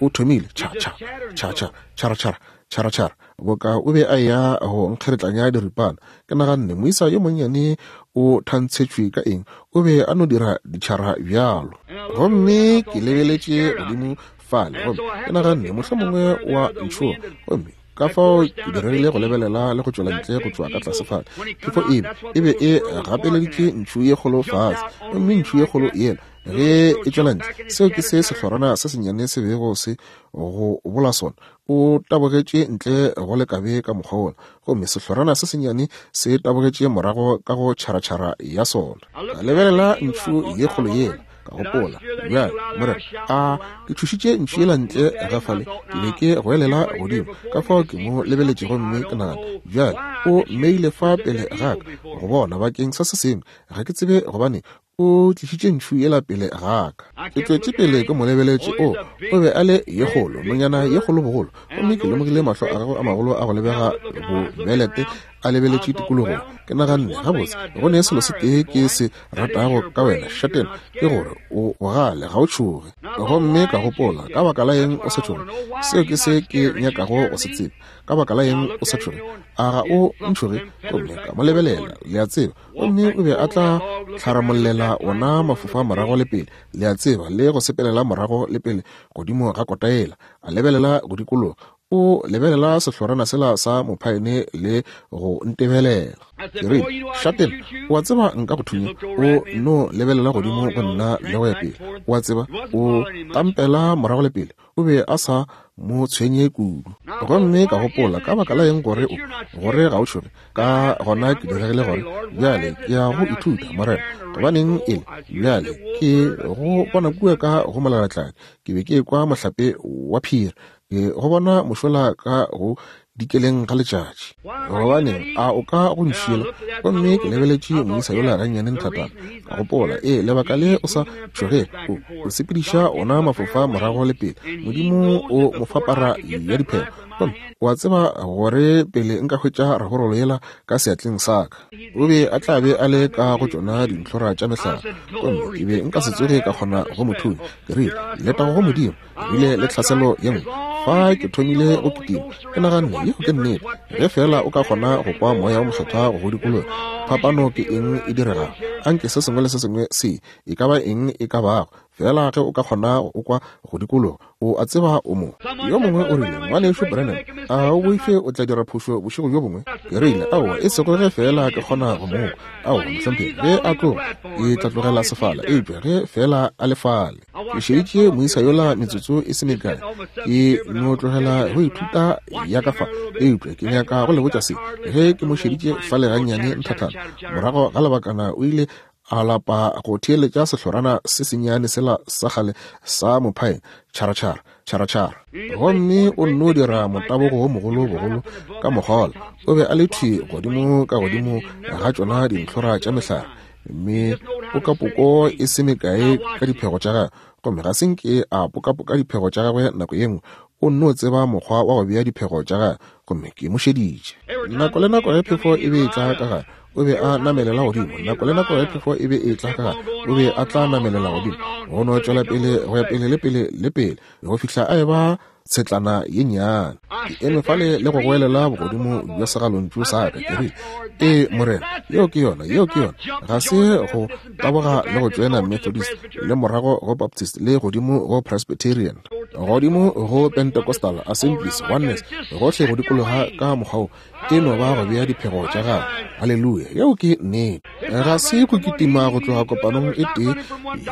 O thomile tšha tšha tšha tšha tšhara tšhara tšhara tšhara, boka o be a ya go nkgeretlanya diripana. Ke naganne moisa yo monnyane o thantshetšwe ka eng, o be a no dira ditšhara bjalo. Gomme ke lebeletše godimo fale, gomme ke naganne mohlomongwe wa ntšhoga, gomme ka fao ke diregile go lebelela le go tšwela ntle go tšwa ka tlase fale. Phefo e e be e gapeleditše ntšhu ye kgolo fase, gomme ntšhu ye kgolo yela ge e tšwela ntle, seo ke se sehlorana se sennyane se bego se go bola sona. O tabogetše ntle go lekabe ka mokgwa wola, gomme sehlorana se sennyane se tabogetše morago ka go tšharatšhara ya sona. Ka lebelela ntšhu ye kgolo yela, ka gopola, bjale Morena, a ke tšhošitše ntšhu yela ntle ga fale, ke be ke goelela godimo. Ka fao ke mo lebeletše gomme ke nagana, bjale o mmeile fa pele ga ka go bona bakeng sa se sengwe, ga ke tsebe gobane o tlišitše ntšhu yela pele ga ka. Ke tšwetše pele ke mo lebeletše, o o be a le ye kgolo, nonyana ye kgolo bogolo, gomme ke lemogile mahlo a gagwe a magolo a go lebega bobelete a lebeletše tikologong. Ke naganne, gabotse, go ne selo se tee ke se ratago ka wena, Šatena, ke gore o bogale, ga o tšhoge. Gomme ka gopola, ka baka la eng o sa tšhoge? Seo ke se ke nyakago go se tseba. Ka baka la eng o sa tšhoge? A ga o ntšhoge? Gomme ka mo lebelela, le a tseba, gomme o be a tla tlharamollela ona mafofa morago le pele, le a tseba, le go sepelela morago le pele godimo ga kota yela, a lebelela go dikologa. O lebelela sehlorana sela sa mophaene le go ntebelela. Ke rile, Šatena, o a tseba nka go thunya. O no lebelela godimo go nna le go ya pele. O a tseba, o tampela morago le pele. O be a sa mo tshwenye kudu. Gomme ka gopola, ka baka la eng gore o gore ga o tšhoge? Ka gona ke diregile gore bjale ke ya go ithuta, Morena, gobaneng ele bjale ke go bona kua ka go molalatladi. Ke be ke kwa mohlape wa phiri, ke go bona mošola ka go dikeleng ga letšatši. Gobaneng a o ka go nšiela? Gomme ke lebeletše moisa yola gannyane nthatana. Ka gopola, ee, lebaka le o sa tšhoge, o o sepediša ona mafofa morago le pele, Modimo o mo fapara ya diphego. Gomme o a tseba gore pele nka hwetša raborolo yela ka seatleng sa ka, o be a tla be a le ka go tšona dintlhora tša mehlare, gomme ke be nka se tsoge ka kgona go mo thunya. Ke rile, letago go Modimo, ebile le tlhaselo ye nngwe. Fa ke thomile go kitima, ke naganne, yeo ke nnete, ge fela o ka kgona go kwa moya o mokgethwa go go dikologa, phapano ke eng e diregago? Anke se sengwe le se sengwe se e ka ba eng e ka bago, fela ge o ka kgona go kwa go dikologa, o a tseba o mo. Yo mongwe o rile, ngwanešu Branham, a o boife o tla dira phošo bošego bjo bongwe? Ke rile, aowa, e sego ge fela ke kgona go mo kwa. Aowa, mohlomphegi, ge a tloga ke tla tlogela sefala, eupša ge fela a le fale. Ke šeditše moisa yola metsotso e se mekae, ke no tlogela go ithuta ya ka fa, eupša ke nyaka go le botša se. Ge ke mo šeditše fale gannyane nthathana, morago ga lebakana o ile a lapa go theeletša sehlorana se sennyane sela sa kgale sa mophaene, tšhara tšhara tšhara tšhara, gomme o nno dira motabogo wo mogolo bogolo ka mokgwa wola. O be a le thwi godimo ka godimo ga tšona dintlhora tša mehlare, mme pokapoko e se mekae ka diphego tša gagwe, gomme ga se nke a pokapoka diphego tša gagwe nako ye nngwe. O nno tseba mokgwa wa go bea diphego tša gagwe, gomme ke mo šeditše. Nako le nako ge phefo e be e tla ka gare, o be a namelela godimo. Nako le nako ge phefo e be e tla ka gare, o be a tla namelela godimo. Go no tšwela pele go ya pele le pele le pele go fihla a eba tshetlana ye nnyane. Ke eme fale le go goelela bogodimo bja segalontšu sa ka, ke rile, ee Morena, yeo ke yona, yeo ke yona. Ga se go taboga le go tšoena Methodist, le morago go Baptist, le godimo go Presbyterian, godimo go Pentecostal, Assemblies, Oneness, gohle go dikologa ka mokgwa wo. E no ba go bea diphego tša gagwe. Haleluya, yeo ke nnete. Ga se go kitima go tloga kopanong e tee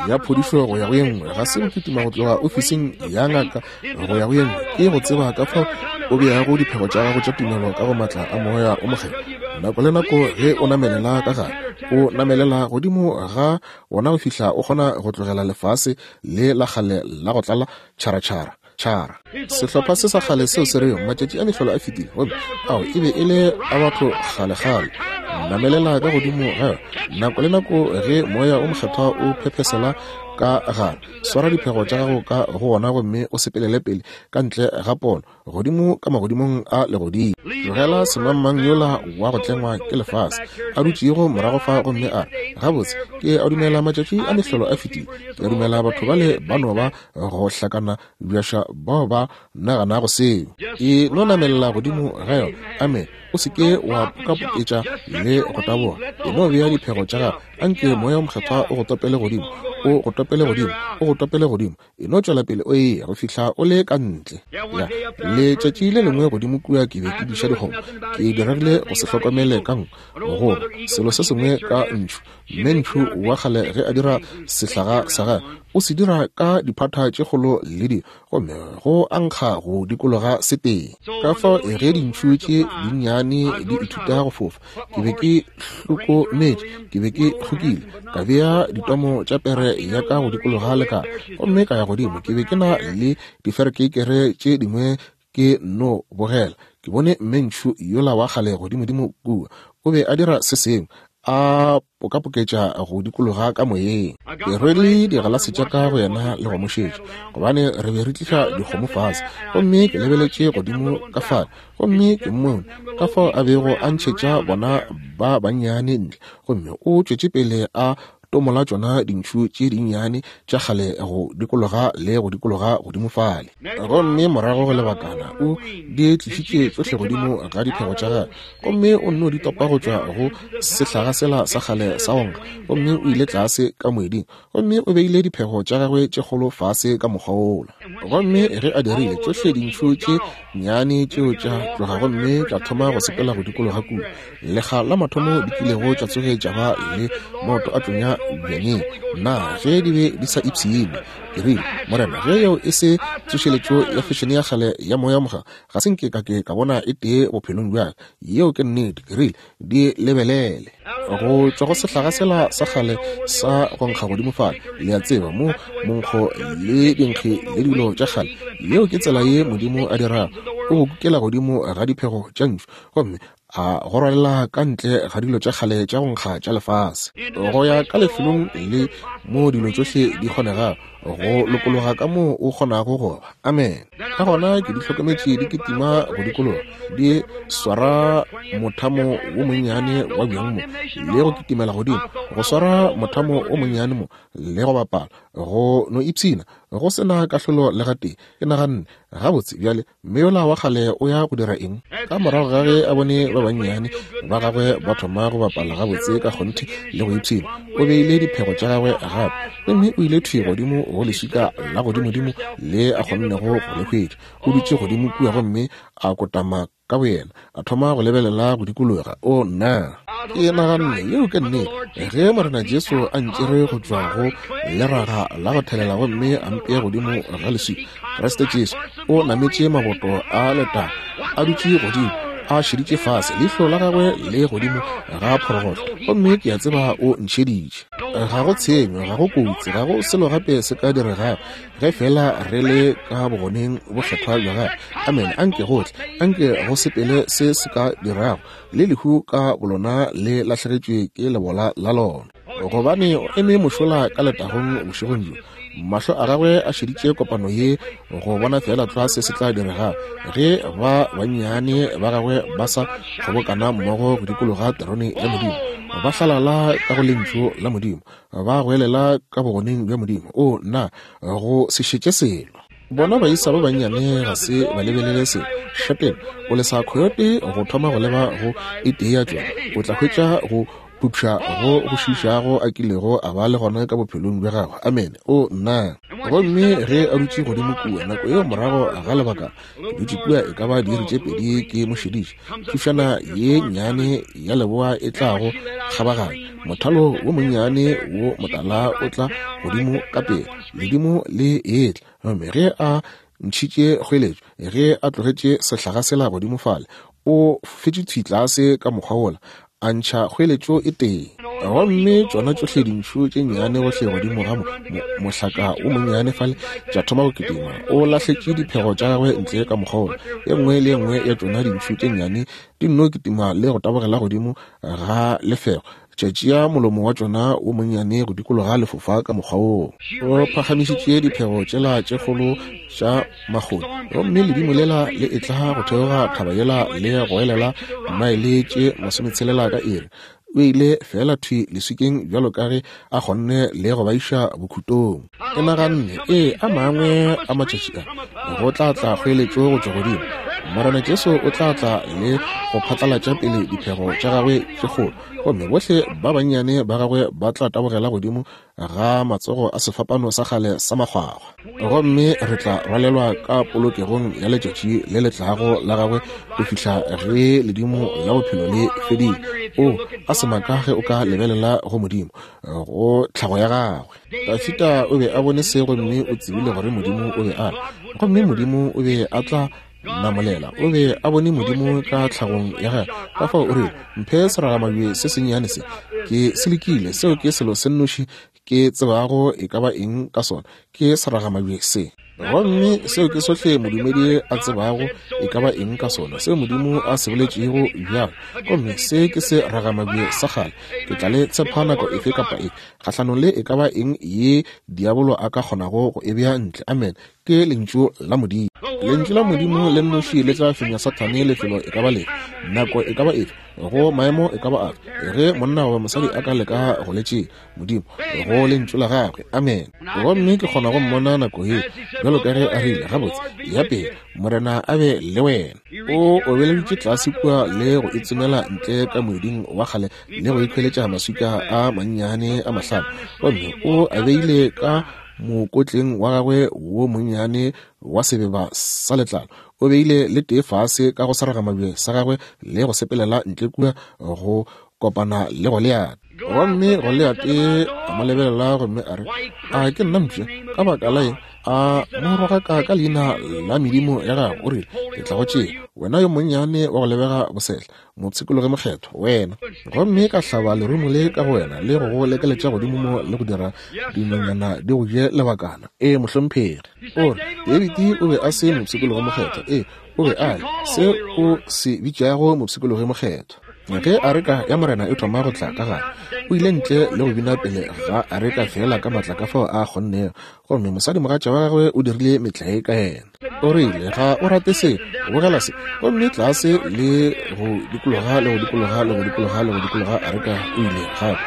ya phodišo go ya go ye nngwe, ga se go kitima go tloga ofising ya ngaka go ya go ye nngwe, ke go tseba ka fao o beago diphego tša gago tša tumelo ka go matla a Moya o Mokgethwa. Nako le nako ge o namelela ka gare, o namelela godimo ga wona go fihla o kgona go tlogela lefase le la kgale la go tlala tšharatšhara tšhara. Sehlopha se sa kgale seo se rego matšatši a mehlolo a fetile, gomme ao e be e le a batho kgalekgale. Namelela ka godimo ga yona. Nako le nako ge Moya o Mokgethwa o phephesela ka gare, swara diphego tša gago ka go wona gomme o sepelele pele ka ntle ga pono, godimo ka magodimong a legodimo. Tlogela semangmang yola wa go tlengwa ke lefase a dutšego morago fa gomme a re, gabotse, ke a dumela matšatši a mehlolo a fetile. Ke a dumela batho bale ba no ba go hlakana bjaša bao ba naganago seo. E no namelela godimo ga yona. Amen. O se ke wa pokapoketša le go taboga. E no bea diphego tša gago. Anke Moya o Mokgethwa o go topele godimo, o go topele godimo, o go topele godimo. E no tšwela pele o eya go fihla o le ka ntle. Ya, letšatši le lengwe godimo kua ke be ke diša dikgomo. Ke diregile go se hlokomele ka nko, goba selo se sengwe ka ntšhu. Mme ntšhu wa kgale ge a dira sehlaga sa gagwe, o se dira ka diphata tše kgolo le di, gomme go ankga go dikologa seteng. Ka fao ge dintšhu tše dinnyane di ithuta go fofa, ke be ke hlokometše, ke be ke hlokile, ka bea ditomo tša pere ya ka go dikologa lekala, gomme ka ya godimo. Ke be ke na le diferekeikere tše dingwe ke no bogela. Ke bone mme ntšhu yola wa kgale godimodimo kua, o be a dira se sengwe, a pokapoketša go dikologa ka moyeng. Ke rwele digalase tša ka go yena le go mo šetša, gobane re be re tliša dikgomo fase. Gomme ke lebeletše godimo ka fale, gomme ke mmone ka fao a bego a ntšhetša bona ba bannyane ntle, gomme o tšwetše pele a tomola tšona dintšhu tše dinnyane tša kgale go dikologa le go dikologa godimo fale. Gomme morago go lebakana o di tlišitše tšohle godimo ga diphego tša gagwe, gomme o nno di topa go tšwa go sehlaga sela sa kgale sa go nkga, gomme o ile tlase ka moeding, gomme o beile diphego tša gagwe tše kgolo fase ka mokgwa wola. Gomme ge a dirile, tšohle dintšhu tše nnyane tšeo tša tloga gomme tša thoma go sepela go dikologa kua. Lekga la mathomo di kilego tša tsoge tša ba le maoto a tlonya bjanyeng, na ge di be di sa ipshine. Ke rile, Morena, ge yeo e se tsošeletšo ya fešene ya kgale ya Moya Mokgethwa, ga se nke ka ke ka bona e tee bophelong bja ka. Yeo ke nnete. Ke rile, di lebelele go tšwa go sehlaga sela sa kgale sa go nkga godimo fale, le a tseba, mo monkgo le dinkgi le dilo tša kgale. Yeo ke tsela ye Modimo a dirago. O go kukela godimo ga diphego tša ntšhu, gomme a go rwalela ka ntle ga dilo tša kgale tša go nkga tša lefase, go ya ka lefelong le mo dilo tšohle di kgonegago, go lokologa ka moo o kgonago go ba. Amen. Ka gona ke di hlokometše di kitima go dikologa, di swara mothamo wo monnyane wa bjang mo, le go kitimela godimo, go swara mothamo o monnyane mo, le go bapala, go no ipshina, go sena kahlolo le gatee. Ke naganne, gabotse bjale mme yola wa kgale o ya go dira eng? Ka morago ga ge a bone ba bannyane ba gagwe ba thoma go bapala gabotse ka kgonthe le go ipshina, o beile diphego tša gagwe gape, gomme o ile thwi godimo go leswika la godimodimo le a kgonnego go le hwetša. O dutše godimo kua gomme a kotama ka boyena, a thoma go lebelela go dikologa. O nna, ke naganne, yeo ke nnete. Ge Morena Jesu a ntšere go tšwa go leraga la go thelela gomme a mpea godimo ga leswika, Kriste Jesu o nametše maboto a letago, a dutše godimo, a šeditše fase, leihlo la gagwe le godimo ga phorogotlo, gomme ke a tseba o ntšheditše. Ga go tshenyo, ga go kotsi, ga go selo gape se ka diregago ge fela re le ka bogoneng bokgethwa bja gagwe. Amen. Anke gohle, anke go sepele se se ka dirago, le lehu ka bolona le lahlegetšwe ke lebola la lona, gobane o eme mošola ka letagong bošegong bjo. Mahlo a gagwe a šeditše kopano ye go bona fela tlwa se se tla direga ge ba bannyane ba gagwe ba sa kgobokana mmogo go dikologa terone ya Modimo, ba hlalala ka go lentšu la Modimo, ba goelela ka bogoneng bja Modimo. O nna, go se šetše selo. Bona baisa ba bannyane ga se ba lebelele se. Šateng o lesa khoyote go thoma go leba go e tee ya tšona, o tla hwetša go pupša go go šišago a kilego a ba le gona ka bophelong bja gagwe. Amene. O nna. Gomme ge a dutše godimo kua nako yeo morago ga lebaka, ke dutše kua e ka ba diiri tše pedi ke mo šediše. Thušana ye nnyane ya leboa e tlago kgabaganya, mothalo wo monnyane wo motala o tla godimo ka pele, ledimo le etla. Gomme ge a ntšhitše kgweletšo, ge a tlogetše sehlaga sela godimo fale, o fetše thwi tlase ka mokgwa wola, a ntšha kgweletšo e tee. Gomme tšona tšohle dintšhu tše nnyane gohle godimo ga mohlaka wo monnyane fale tša thoma go kitima. O lahletše diphego tša gagwe ntle ka mokgwa wola. E nngwe le e nngwe ya tšona dintšhu tše nnyane di nno kitima le go tabogela godimo ga lefego, tša tšea molomo wa tšona wo monnyane go dikologa lefofa ka mokgwa woo. O phagamišitše diphego tšela tše kgolo tša makgoni, gomme ledimo lela le etla go theoga thaba yela le goelela maele tše masometshelela ka iri. O ile fela thwi leswikeng bjalo ka ge a kgonne le go ba iša bokhutong. Ke naganne, ee, a mangwe a matšatši a go tla tla kgoeletšo go tšwa godimo. Morena Jesu o tla tla le go phatlalatša pele diphego tša gagwe tše kgolo, gomme bohle ba bannyane ba gagwe ba tla tabogela godimo ga matsogo a sefapano sa kgale sa makgwakgwa, gomme re tla rwalelwa ka polokegong ya letšatši le le tlago la gagwe go fihla ge ledimo la bophelo le fedile. O a se maka ge o ka lebelela go Modimo, go tlhago ya gagwe. Dafita o be a bone se, gomme o tsebile gore Modimo o be a le, gomme Modimo o be a tla namolela. O be a bone Modimo ka tlhagong ya gagwe. Ka fao o rile, mphe seragamabje se sennyane se, ke se lekile, seo ke selo se nnoši ke tsebago e ka ba eng ka sona, ke seragamabje se. Gomme seo ke sohle modumedi a tsebago e ka ba eng ka sona, seo Modimo a se boletšego bjalo. Gomme se ke se ragamabje sa kgale, ke tla le tshepa nako efe kapa efe kgahlanong le e ka ba eng ye diabolo a ka kgonago go e bea ntle. Amen. Ke lentšu la Modimo. Lentšu la Modimo le nnoši le tla fenya Sathane lefelo e ka ba lefe, nako e ka ba efe, go maemo e ka ba afe, ge monna goba mosadi a ka leka go le tšea Modimo go lentšu la gagwe. Amen. Gomme ke kgona go mmona nako ye bjalo ka ge a rile, gabotse, ya pele, Morena a be le wena. O obeleditše tlase kua le go itsomela ntle ka moeding wa kgale le go ikhweletša maswika a mannyane a mahlano, gomme o a beile ka mokotleng wa gagwe wo monnyane wa sebeba sa letlalo. O beile le tee fase ka go seragamabje sa gagwe le go sepelela ntle kua go kopana le Goliate. Gomme Goliate a mo lebelela gomme a re, a ke nna mpša? Ka baka la eng a mo rogaka ka leina la medimo ya gagwe? O rile, ke tla go tšea, wena yo monnyane wa go lebega bosehla, mopshikologi mokgethwa wena, gomme ka hlaba lerumo le ka go wena le go go lekeletša godimo mo le go dira dinonyana di go je lebakana. Ee, mohlomphegi. O re, David o be a se mopshikologi mokgethwa. Ee, o be a le se o se bitšago mopshikologi mokgethwa. Ge areka ya Morena e thoma go tla ka gare, o ile ntle le go bina pele ga areka fela ka matla ka fao a kgonnego, gomme mosadimogatša wa gagwe o dirile metlae ka yena. O rile, ga o rate se, bogela se. Gomme tlase le go dikologa le go dikologa le go dikologa le go dikologa areka o ile gape.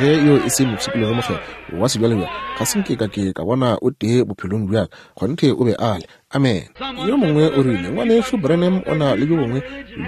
Ge yo e se mopshikologi mokgethwa wa sebjalebjale, ga se nke ka ke ka bona o tee bophelong bjaka. Kgonthe o be a le. Amen. Yo mongwe o rile, ngwanešu Branham o na le bjo bongwe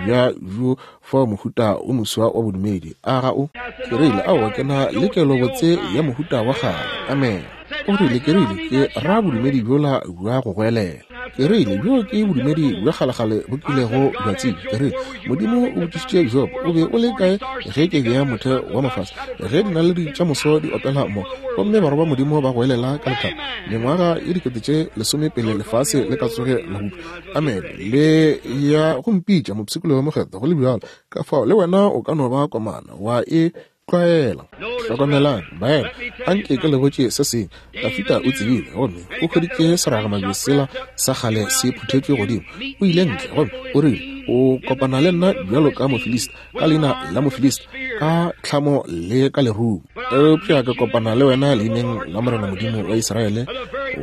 bja bjo fao mohuta o moswa wa bodumedi. A ga o? Ke rile, aowa, ke na le kelobotse ya mohuta wa kgale. Amen. O rile, ke rile, ke ra bodumedi bjola bja go goelela. Ke rile, bjo ke bodumedi bja kgalekgale bo kilego bja tsebja. Ke rile, Modimo o botšišitše Job, o be o le kae ge ke bea motheo wa mafase, ge dinaledi tša moso di opela mo, gomme barwa ba Modimo ba goelela ka lethabo, mengwaga ye dikete tše lesome pele lefase le ka tsoge la bopša. Amen. Le ya go mpitša mopshikologi mokgethwa go le bjalo, ka fao le wena o ka no ba komana wa e tlwaela. Hlokomelang, baena, anke ke le botše se sengwe. Dafita o tsebile, gomme o hweditše seragamabje sela sa kgale se phuthetšwe godimo. O ile ntle gomme o rile, O kopana le nna bjalo ka Mofilista, ka leina la Mofilista, ka tlhamo le ka lerumo. Eupša ke kopana le wena leineng la Morena Modimo wa Israele,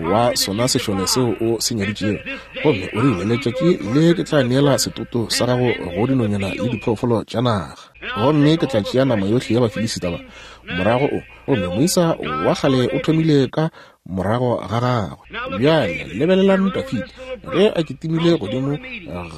wa sona sešole seo o se nyaditšego. Gomme o rile, letšatši le ke tla neela setoto sa gago go dinonyana le diphoofolo tša naga, gomme ke tla tšea nama yohle ya Bafilisita ba. Morago o, gomme moisa wa kgale o thomile ka morago ga gagwe. Bjale lebelelang Dafida ge a kitimile godimo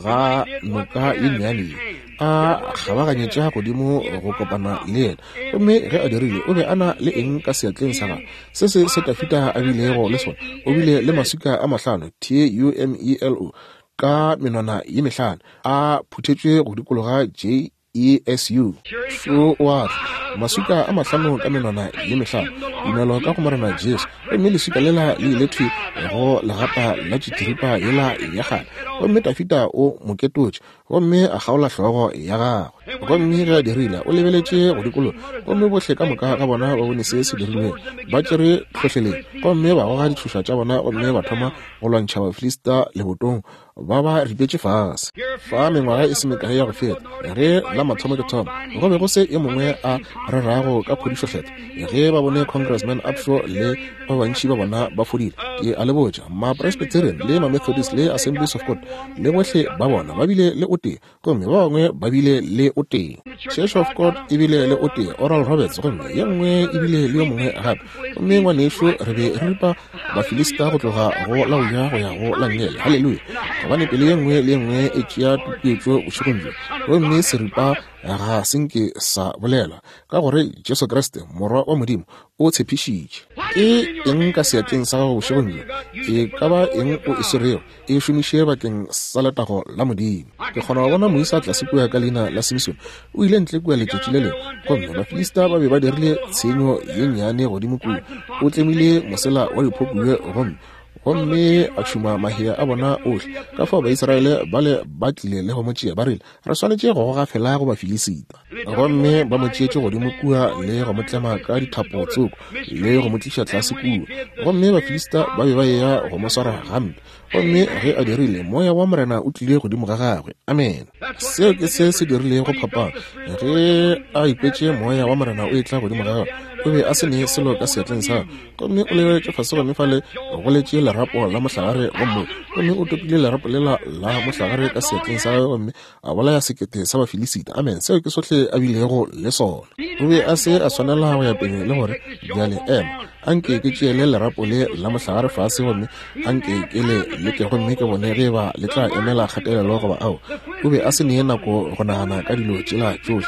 ga noka ye nnyane ye, a kgabaganyetša godimo go kopana le yena. Gomme ge a dirile, o be a na le eng ka seatleng sa gagwe? Se se se Dafida a bilego le sona, o bile le maswika a mahlano, T U M E L O, ka menwana ye mehlano, a phuthetšwe go dikologa J E S U. Šo wa tla, maswika a mahlano ka menwana ye mehlano, tumelo ka go Morena Jesu. Gomme leswika lela le ile thwi go legata la tšitiripa yela ya kgale, gomme Dafida o mo ketotše, gomme a kgaola hlogo ya gagwe. Gomme ge a dirile, o lebeletše go dikologa, gomme bohle ka moka ga bona ba bone se se dirilwego. Ba tšere tlhohleletšo, gomme ba goga ditšhoša tša bona, gomme ba thoma go lwantšha Bafilista lebotong, ba ba ripetše fase. Fa mengwaga e se mekae ya go feta, ge la mathomo ke thoma, go be go se yo mongwe a rerago ka phodišo kgethwa. Ge ba bone Congressman Upshaw le ba bantši ba bona ba fodile, ke a le botša, ma-Presbyterian le ma-Methodist le Assemblies of God le bohle ba bona ba bile le o tee, gomme ba bangwe ba bile le o tee. Church of God e bile le o tee, Oral Roberts, gomme ye nngwe e bile le yo mongwe gape. Gomme ngwanešu, re be re ripa Bafilista go tloga go la go ja go ya go la nngele. Haleluya! Gobane pelo ye nngwe le ye nngwe e tšea tutuetšo bošegong bjo, gomme seripa ga se nke sa bolelwa, ka gore Jesu Kriste Morwa wa Modimo o tshepišitše. Ke eng ka seatleng sa gago bošegong bjo? E ka ba eng o e swerego, e šomiše bakeng sa letago la Modimo. Ke kgona go bona moisa tlase kua ka leina la Simson, o ile ntle kua letšatši le lengwe, gomme Bafilista ba be ba dirile tshenyo ye nnyane godimo kua. O tlemile mosela wa diphokuwe gomme gomme a tšhuma mahea a bona ohle. Ka fao Baisraele bale ba tlile le go mo tšea, ba rile, re swanetše go goga fela go Bafilisita. Gomme ba mo tšeetše godimo kua le go mo tlema ka dithapo tsoko le go mo tliša tlase kua. Gomme Bafilista ba be ba eya go mo swara gampe. Gomme ge a dirile, moya wa Morena o tlile godimo ga gagwe. Amen. Seo ke se se dirilego phapano. Ge a ikwetše moya wa Morena o etla godimo ga gagwe, o be a se ne selo ka seatleng sa gagwe. Gomme o lebeletše fase, gomme fale go letše lerapo la mohlagare gomme gomme o topile lerapo lela la mohlagare ka seatleng sa gagwe, gomme a bolaya sekete sa Bafilisita. Amen. Seo ke sohle a bilego le sona. O be a se a swanela go ya pele le gore, bjale ema, anke ke tšeele lerapo le la mohlagare fase, gomme anke ke le leke gomme ke bone ge ba le tla emela kgatelelo goba ao. O be a se ne nako go nagana ka dilo tšela tšohle.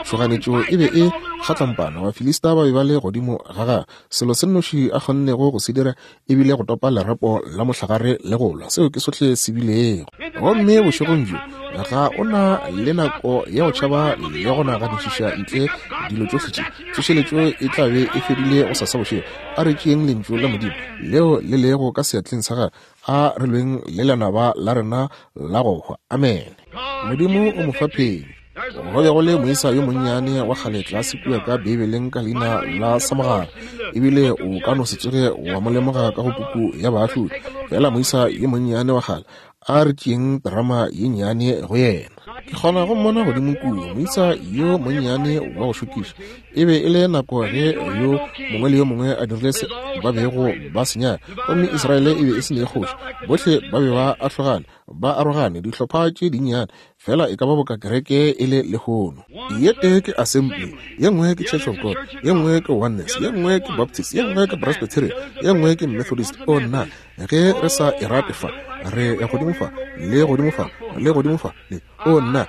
Tšhoganetšo e be e kgatlampana. Bafilista ba be ba le godimo ga gagwe. Selo se nnoši a kgonnego go se dira e bile go topa lerapo la mohlagare le go lwa. Seo ke sohle se bilego. Gomme bošegong bjo ga o na le nako ya go tšhaba le go naganišiša ntle dilo tšohle tše. Tsošeletšo e tla be e fedile go sasa bošego. A re tšeeng lentšu la Modimo leo le lego ka seatleng sa gagwe, a re lweng le lenaba la rena la go hwa. Amen. Modimo o mo fa phenyo. Go be go le moisa yo monnyane wa kgale tlase kua ka Beibeleng ka leina la Samogara, ebile o ka no se tsoge wa mo lemoga ka go puku ya Baahlodi. Fela moisa yo monnyane wa kgale, a re tšeeng drama ye nnyane go yena. Ke kgona go mmona godimo kua, moisa yo monnyane wa go šokiša. E be e le nako ge yo mongwe le yo mongwe a dirile se ba bego ba se nyaka, gomme Israele e be e se ne kgoši. Bohle ba be ba ahlogane, ba arogane, dihlopha tše dinnyane, fela e ka ba boka kereke e le lehono. Ye tee ke Assembly, ye nngwe ke Church of God, ye nngwe ke Oneness, ye nngwe ke Baptist, ye nngwe ke Presbyterian, ye nngwe ke Methodist. O nna, ge re sa e rate fa, re ya godimo fa, le godimo fa, le godimo fa, le o nna,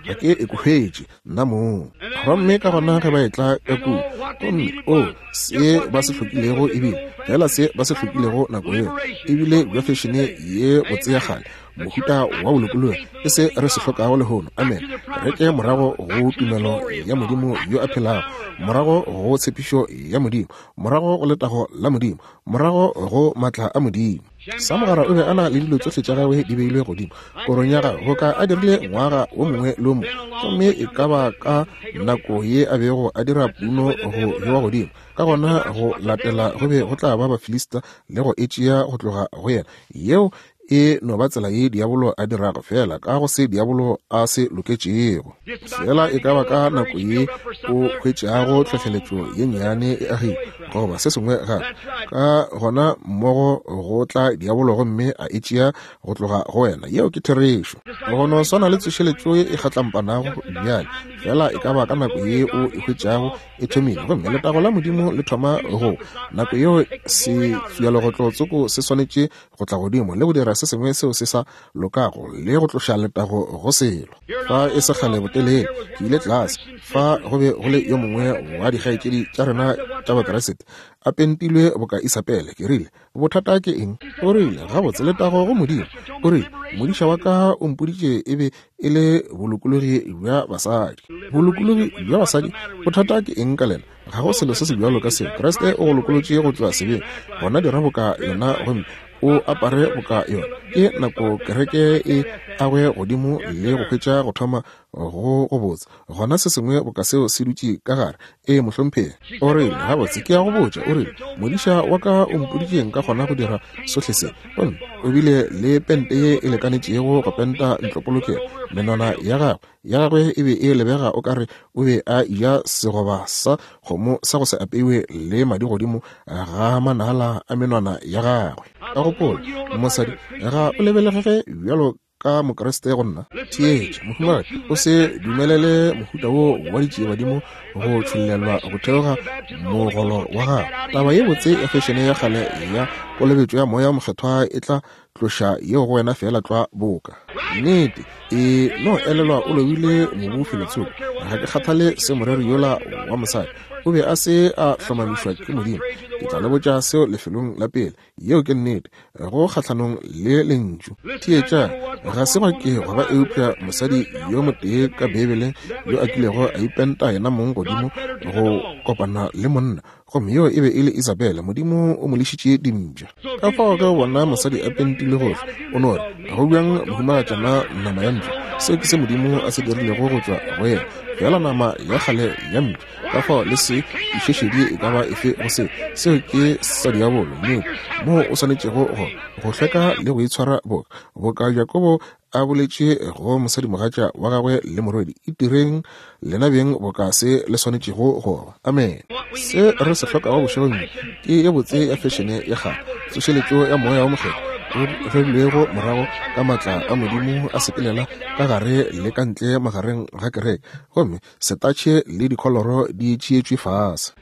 ga ke e hwetše nna mong. Gomme ka gona ge ba etla ka kua, gomme o se ba se hlokilego ebile fela se ba se hlokilego nako yeo ebile bja fešene ye botse ya kgale, mohuta wa bolokologi, ke se re se hlokago lehono. Amen. Re ke morago go tumelo ya Modimo yo a phelago, morago go tshepišo ya Modimo, morago go letago la Modimo, morago go matla a Modimo. Samogara o be a na le dilo tšohle tša gagwe di beilwe godimo korong ya gagwe, boka a dirile ngwaga wo mongwe le wo mongwe, gomme e ka ba ka nako ye a bego a dira puno go bewa godimo. Ka gona go latela go be go tla ba Bafilista le go e tšea go tloga go yena. Yeo E no ba tsela ye diabolo a dirago, fela ka go se diabolo a se loketšego. Fela e ka ba ka nako ye o hwetšago tlhohleletšo ye nnyane e agile goba se sengwe gape, ka gona mmogo go tla diabolo gomme a e tšea go tloga go wena. Yeo ke therešo. Go no swana le tsošeletšo ye e kgatlampanago bjale, fela e ka ba ka nako ye o e hwetšago e thomile, gomme letago la Modimo le thoma go nako yeo sefiyalegotlotsoko se swanetše go tla godimo le go dira se sengwe seo se sa lokago le go tloša letago go selo. Fa e se kgale botelele ke ile tlase fa go be go le yo mongwe wa dikgaetšedi tša rena tša Bakeresete a pentilwe boka Isabele. Ke rile, bothata ke eng? O rile, gabotse letago go Modimo. O rile, modiša wa ka o mpoditše e be e le bolokologi bja basadi. Bolokologi bja basadi? Bothata ke eng ka lena? Ga go selo se se bjalo ka seo. Kriste o go lokolotše go tšwa sebeng, gona dira boka yena gomme o apare boka yona. Ke nako kereke e agwe godimo le go hwetša go thoma go go botsa, gona se sengwe boka seo se dutše ka gare. Ee, mohlomphegi. O rile, gabotse ke a go botša. O rile, modiša wa ka o mpoditše nka kgona go dira sohle se. Gomme o bile le pente ye e lekanetšego go penta ntlopolokelo. Menwana ya gagwe ya gagwe e be e lebega o kare o be a eja segoba sa kgomo sa go se apeiwe le madi godimo ga manala a menwana ya gagwe. Ka gopola, mosadi, ga o lebelege bjalo ka Mokriste go nna. Theetša, mohumagadi, o se dumelele mohuta wo wa ditšiebadimo go tšhollelwa go theoga mogolo wa gago. Taba ye botse ya fešene ya kgale ya kolobetšo ya Moya Mokgethwa e tla tloša yeo go wena fela tlwa boka nnete. E no elelwa o lobile mobu felotsoko. Ga ke kgathale se moreri yola wa mosadi o be a se a hlomamišwa ke Modimo. Ke tla le botša seo lefelong la pele. Yeo ke nnete, go kgahlanong le lentšu. Theetša, ga se gwa ke gwa ba eupša mosadi yo motee ka Beibeleng yo a kilego a ipenta yena mong godimo go kopana le monna, gomme yo e be e le Isabele. Modimo o mo lešitše dimpša. Ka fao ge o bona mosadi a pentile gohle, o no re, go bjang mohumagatšana nama ya mpša? Seo ke se Modimo a se dirilego go tšwa go yena, fela nama ya kgale ya mpša. Ka fao le se išešedi e ka ba efe go seo. Seo ke sa diabolo, nnete, moo o swanetšego go go hlweka le go itshwara boka boka Jakobo a boletše go mosadimogatša wa gagwe le morwedi, itireng lena beng boka se le swanetšego go ba. Amen. Se re se hlokago bošegong ke ye botse ya fešene ya kgale, tsošeletšo ya Moya wa Mokgethwa o rerilwego morago ka maatla a Modimo a sepelela ka gare le ka ntle magareng ga kereke, gomme setatšhe le dikholoro di tšeetšwe fase.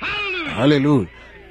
Haleluya.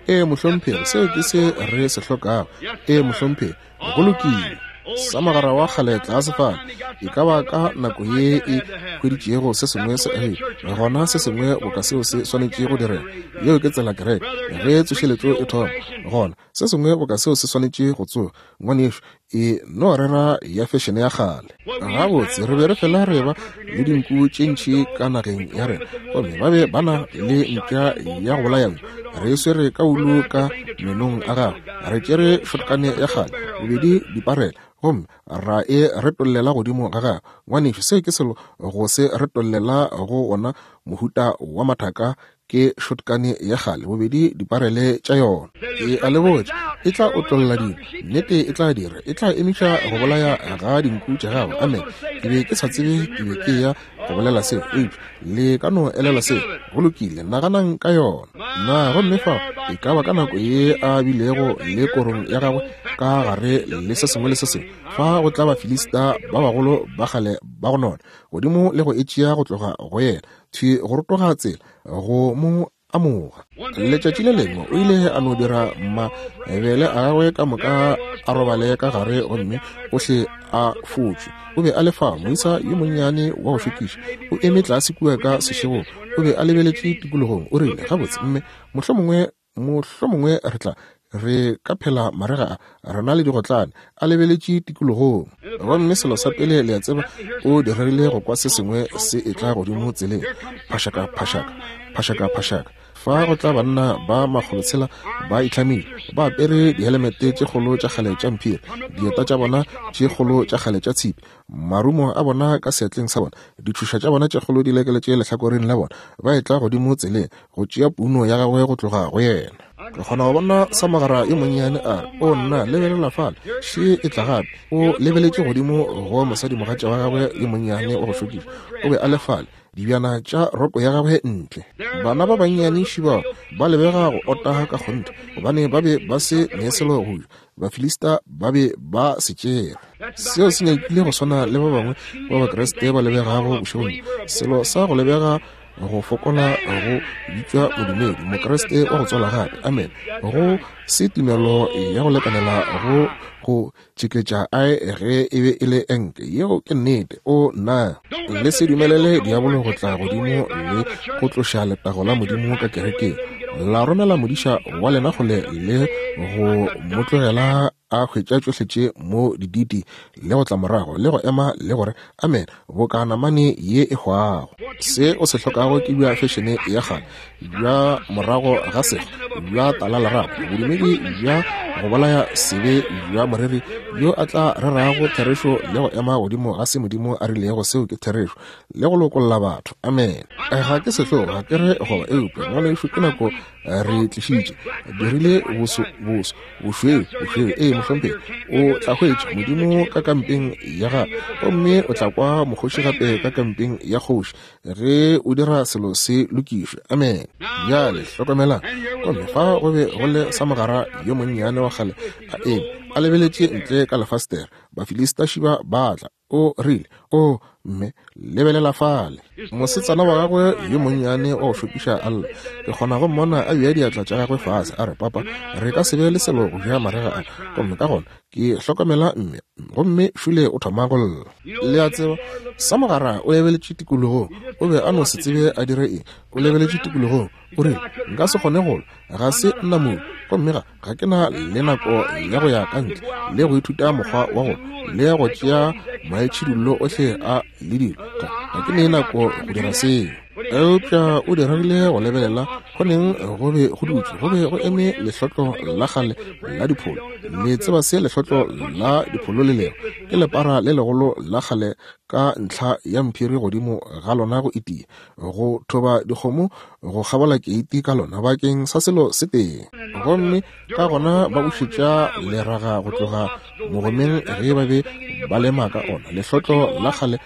Ee, mohlomphegi, seo ke se re se hlokago. Ee, mohlomphegi, go lokile. Sa mogara wa kgale tlase fale, e ka ba ka nako ye e hweditšego se sengwe se agile, gona se sengwe boka seo se swanetše go direga. Yeo ke tsela kereke ge tsošeletšo e thoma, gona se sengwe boka seo se swanetše go tsoga. Ngwanešu, e no rera ya fešene ya kgale. Gabotse re be re fela re ba le dinku tše ntši ka nageng ya rena, gomme ba be ba na le mpša ya go bolaya nku. Re e swere ka ulu ka menong a gagwe, re tšere shotgane ya kgale, bobedi diparela, gomme ra e retollela godimo ga gagwe. Ngwanešu, seo ke selo go se retollela go wona mohuta wa mathaka, ke shotgane ya kgale, bobedi diparele tša yona. E a le botša, e tla otlolla dilo, nnete e tla dira, e tla emiša go bolaya ga dinku tša gago. Amen. Ke be ke sa tsebe ke be ke ya go bolela seo, eupša le ka no elela seo. Go lokile, naganang ka yona. Na gomme fao e ka ba ka nako ye a bilego le korong ya gagwe ka gare le se sengwe le se sengwe, fa go tla Bafilista ba bagolo ba kgale ba go nona godimo le go e tšea go tloga go yena, thwi go rotoga tsela go mo amoga. Letšatši le lengwe o ile a no dira mabele a gagwe ka moka a robale ka gare gomme ohle a fotšwe. O be a le fa moisa yo monnyane wa go šokiša, o eme tlase kua ka sešegong, o be a lebeletše tikologong. O rile, gabotse mme, mohlomongwe mohlomongwe re tla re ka phela marega a rena le digotlane. A lebeletše tikologong, gomme selo sa pele le a tseba, o diregile go kwa se sengwe se etla godimo tseleng, phašaka phašaka phašaka phašaka. Fa go tla banna ba makgolotshela ba itlhamile, ba apere dihelemete tše kgolo tša kgale tša mphiri, dieta tša bona tše kgolo tša kgale tša tshipi, marumo a bona ka seatleng sa bona, ditšhoša tša bona tše kgolo di lekeletše lehlakoreng la bona, ba etla godimo tseleng go tšea puno ya gagwe go tloga go yena. Ke kgona go bona Samogara yo monnyane a re, o nna, lebelela fale, še e tla gape. O lebeletše godimo go mosadimogatša wa gagwe yo monnyane wa go šokiša. O be a le fale, dibjana tša roko ya gagwe ntle. Bana ba bannyane šibao ba lebega go ota ka kgonthe, gobane ba be ba se ne selo go ja. Bafilista ba be ba se tšere. Seo se nyakile go swana le ba bangwe ba Bakriste ba lebegago bošegong. Selo sa go lebega go fokola go bitšwa modumedi, Mokriste wa go tswala gape. Amen. Go se tumelo ya go lekanela go go tšeketša ae ge e be e le enke. Yeo ke nnete. O nna, le se dumelele diabolo go tla godimo le go tloša letago la Modimo ka kerekeng. La romela modiša wa lena kgole le go mo tlogela a hwetša tšohle tše mo diditi le go tla morago le go ema le gore amen, boka namane ye e hwago. Se o se hlokago ke bja fešene ya kgale, bja morago ga sega, bja tala lerato, bodumedi bja go bolaya sebe bja moreri yo a tla rerago therešo le go ema godimo ga se Modimo a rilego seo ke therešo le go lokolla batho. Amen. Ga ke sehlogo, ga ke re goba, eupša ngwanešu ke nako re tlišitše dirile boso boso bošweu bošweu. Ee mohlomphegi, o tla hwetša Modimo ka kampeng ya gagwe, gomme o tla kwa mokgoši gape ka kampeng ya kgoši ge o dira selo se lokišwe. Amen. Bjale hlokomelang, gomme fa go be go le Samogara yo monnyane wa kgale a eme a lebeletše ntle ka lefastere. Bafilista šiba ba tla. O rile, o mme, lebelela fale. Mosetsana wa gagwe yo monnyane wa go šokiša a lla. Ke kgona go mmona a bea diatla tša gagwe fase a re, papa, re ka se be le selo go ja marega a. Gomme ka gona ke hlokomela mme, gomme šule o thoma go lla. Le a tseba, Samogara o lebeletše tikologong. O be a no se tsebe a dire eng. O lebeletše tikologong. O rile, nka se kgone go lwa, ga se nna modu, gomme ga ga ke na le nako ya go ya ka ntle le go ithuta mokgwa wa go le go tšea maitšhidullo ohle a le dilo. Ga ga ke ne nako go dira seo. Eupša o dirile go lebelela go neng go be go dutše go be go eme lehlotlo la kgale la dipholo. Le tseba se lehlotlo la dipholo le lego? Ke lepara le legolo la kgale ka ntlha ya mphiri godimo ga lona go itia, go thoba dikgomo go kgabola keiti ka lona bakeng sa selo se tee. Gomme ka gona ba bušetša leraga go tloga mogomeng ge ba be ba lema ka ona. Lehlotlo la kgale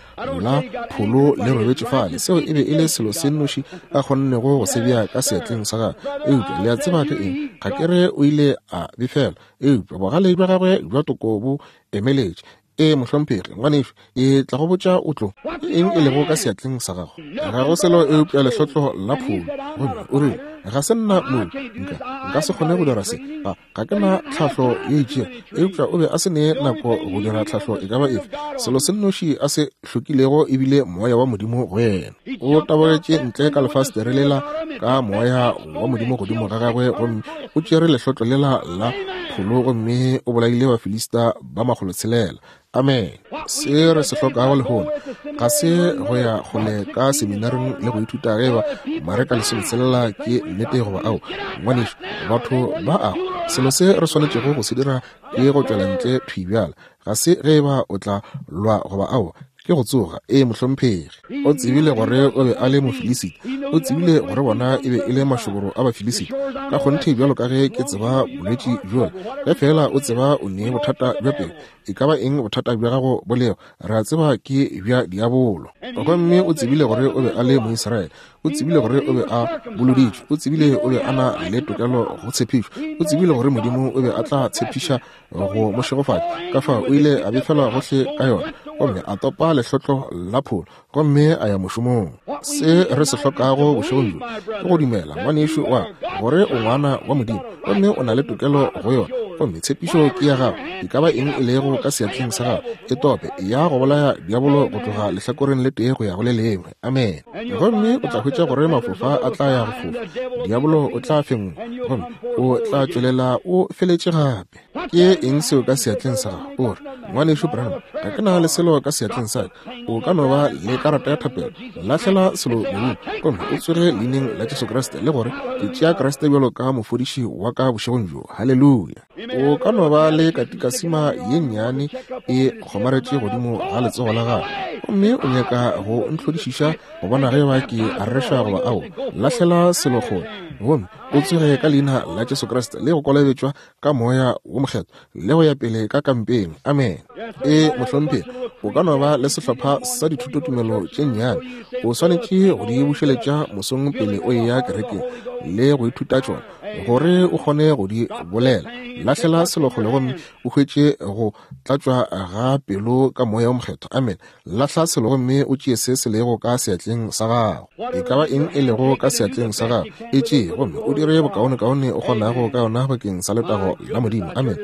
la pholo le robetše fale. Seo e be e le selo se nnoši a kgonnego go se bea ka seatleng sa gagwe. Eupša le a tseba ke eng? Ga ke re o ile a befela, eupša bogale bja gagwe bja toko bo emeletše. Ee mohlomphegi, ngwanešu, e tla go botša o tlo. Ke eng e lego ka seatleng sa gago? Ga go selo eupša lehlotlo la pholo. Gomme o rile, ga se nna modu, nka nka se kgone go dira se. Ga ga ke na tlhahlo ye itšego. Eupša o be a se ne nako go dira tlhahlo e ka ba efe. Selo se nnoši a se hlokilego ebile moya wa Modimo go yena. O tabogetše ntle ka lefastere lela ka moya wa Modimo godimo ga gagwe, gomme o tšere lehlotlo lela la pholo gomme o bolaile Bafilista ba makgolo tshelela. Amen. Se re se hlokago lehono ga se go ya kgole ka seminaring le go ithuta ge ba Mareka lesometselela ke nnete goba ao. Ngwanešu, batho ba ago. Selo se re swanetšego go se dira ke go tšwela ntle thwi bjala. Ga se ge ba o tla lwa goba ao, ke go tsoga. Ee mohlomphegi. O tsebile gore o be a le Mofilisita. O tsebile gore bona e be e le mašoboro a Bafilisita. Ka kgonthe bjalo ka ge ke tseba bolwetši bjola, ge fela o tseba o ne bothata bja pelo, e ka ba eng bothata bja gago bo lego, re a tseba ke bja diabolo. Gomme o tsebile gore o be a le Moisraele. O tsebile gore o be a boloditšwe. O tsebile o be a na le tokelo go tshepišo. O tsebile gore Modimo o be a tla tshepiša go mo šegofatša. Ka fao o ile a befelwa gohle ka yona, gomme a topa lehlotlo la pholo, gomme a ya mošomong. Se re se hlokago bošegong bjo ke go dumela, ngwanešu wa, gore o ngwana wa Modimo, gomme o na le tokelo go yona, gomme tshepišo ke ya gago. E ka ba eng e lego ka seatleng sa gago, e tope, ya go bolaya diabolo go tloga lehlakoreng le tee go ya go le lengwe. Amen. Gomme o tla hwetša gore mafofa a tla ya go fofa, diabolo o tla fengwa, gomme o tla tšwelela o feletše gape. Ke eng seo ka seatleng sa gago? O re, ngwanešu Branham, ga ke na le selo ka seatleng sa ka. O ka no ba le karata ya thapelo. Lahlela selo mobung, gomme o tsoge leineng la Jesu Kriste le gore ke tšea Kriste bjalo ka mofodiši wa ka bošegong bjo. Haleluya. O ka no ba le katikasima ye nnyane e kgomaretše godimo ga letsogo la gago, Gomme o nyaka go ntlhodišiša go bona ge ba ke a reša goba ao. Lahlela selo kgole gomme o tsoge ka leina la Jesu Kriste le go kolobetšwa ka Moya wo Mokgethwa le go ya pele ka kampeng. Amen. E mohlomphegi, o ka no ba le sehlopha sa dithutotumelo tše nnyane. O swanetše go di bušeletša mosong pele o eya kerekeng le go ithuta tšona gore o kgone go di bolela. Lahlela selo kgole gomme o hwetše go tlatšwa ga pelo ka Moya wo Mokgethwa. Amen. Lahla selo gomme o tšee se se lego ka seatleng sa gago. E ka ba eng e lego ka seatleng sa gago, e tšee gomme o dire bokaonekaone o kgonago ka yona bakeng sa letago la Modimo. Amen.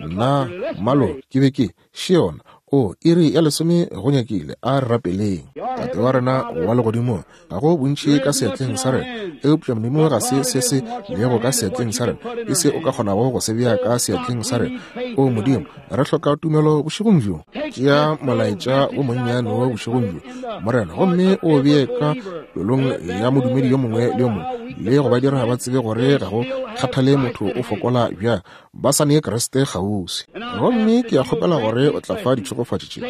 Nna malo ke be ke še yona. O iri ya lesome go nyakile, a re rapeleng. Tate wa rena wa legodimong, ga go bontši ka seatleng sa rena, eupša Modimo ga se se se lego ka seatleng sa rena, ke se o ka kgonago go se bea ka seatleng sa rena. O Modimo, re hloka tumelo bošegong bjo. Tšea molaetša wo monnyane wo bošegong bjo, Morena, gomme o bee ka pelong ya modumedi yo mongwe le yo mongwe, le go ba dira ba tsebe gore ga go kgathale motho o fokola bjang, ba sa nee Kriste kgauswi. Gomme ke a kgopela gore o tla fa ditšhegofatšo tše,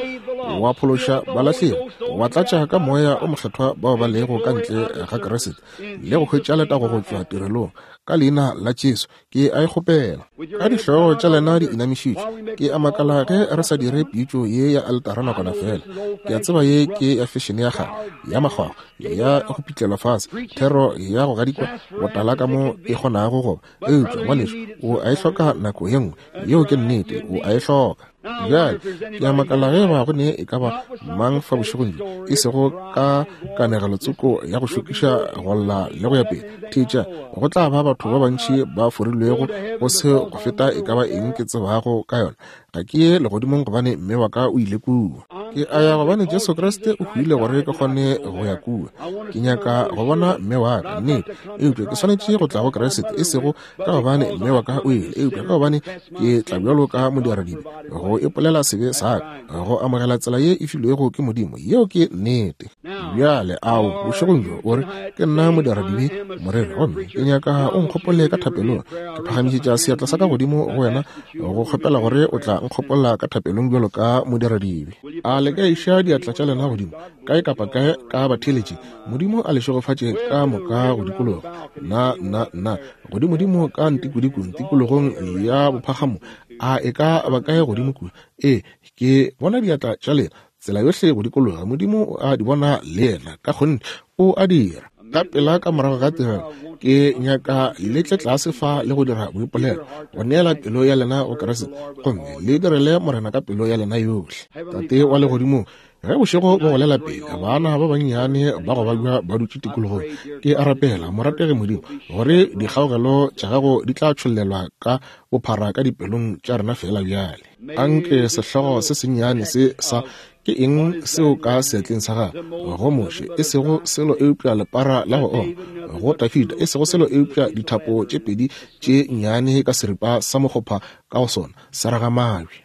wa phološa balahlegi, wa tlatša ka Moya o Mokgethwa bao ba lego ka ntle ga Kriste, le go hwetša letago go tšwa tirelong. Ka leina la Jesu ke a e kgopela. Ka dihlogo tša lena di inamišitšwe, ke a makala ge re sa dire pitšo ye ya altara nakwana fela. Ke a tseba ye ke ya fešene ya kgale, ya makgwakgwa, ya go pitlelwa fase, thero ya go gadikwa botala ka mo e kgonago goba. Eupša ngwanešu, o a e hloka nako ye nngwe. Yeo ke nnete, o a e hloka. Bjale ke a makala ge ba go ne e ka ba mang fa bošegong bjo, e sego ka kanegelotsoko ya go šokiša go lla le go ya pele. Theetša, go tla ba batho ba bantši ba forilwego go se go feta e ka ba eng ke tsebago ka yona. Ga ke ye legodimong gobane mme wa ka o ile kua. Ke a ya gobane Jesu Kriste o hwile gore ke kgone go ya kua. Ke nyaka go bona mme wa ka, nnete, eupša ke swanetše go tla go Kriste, e sego ka gobane mme wa ka o ile, eupša ka gobane ke tla bjalo ka modiradibe go ipolela sebe sa ka, go amogela tsela ye e filwego ke Modimo. Yeo ke nnete. Bjale ao bošegong bjo o re, ke nna modiradibe, moreri, gomme ke nyaka o nkgopole ka thapelong. Ke phagamišetša seatla sa ka godimo go wena go kgopela gore o tla nkgopola ka thapelong bjalo ka modiradibe. A le ka iša diatla tša lena godimo kae kapa kae ka batheeletši. Modimo a le šegofatše ka moka go dikologa. Na na na godimodimo ka ntikodikong tikologong ya bophagamo, a e ka ba kae godimo kua? Ee, ke bona diatla tša lena tsela yohle go dikologa. Modimo o a di bona le yena, ka kgonthe o a dira. Ka pela ka morago ga tirelo, ke nyaka le tle tlase fa le go dira boipolelo, go neela pelo ya lena go Kriste, gomme le direle Morena ka pelo ya lena yohle. Tate wa legodimong, ge bošego bo golela pele, bana ba bannyane ba go babja ba dutše tikologong, ke a rapela, morategi Modimo, gore dikgaogelo tša gago di tla tšhollelwa ka bophara ka dipelong tša rena fela bjale. Anke sehlogo se sennyane se sa ke eng seo ka seatleng sa gago go Moshe, e sego selo eupša lepara la go oma, go Dafida, e sego selo eupša dithapo tše pedi tše nnyane ka seripa sa mokgopha ka go sona sa raga mabje,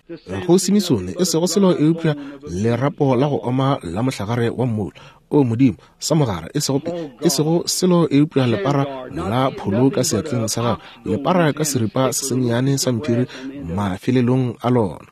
go Simisone, e sego selo eupša lerapo la go oma la mohlagare wa mmula. O Modimo, sa mogara, e sego e sego selo eupša lepara la pholo ka seatleng sa gago, lepara ka seripa se sennyane sa mphiri mafelelong a lona.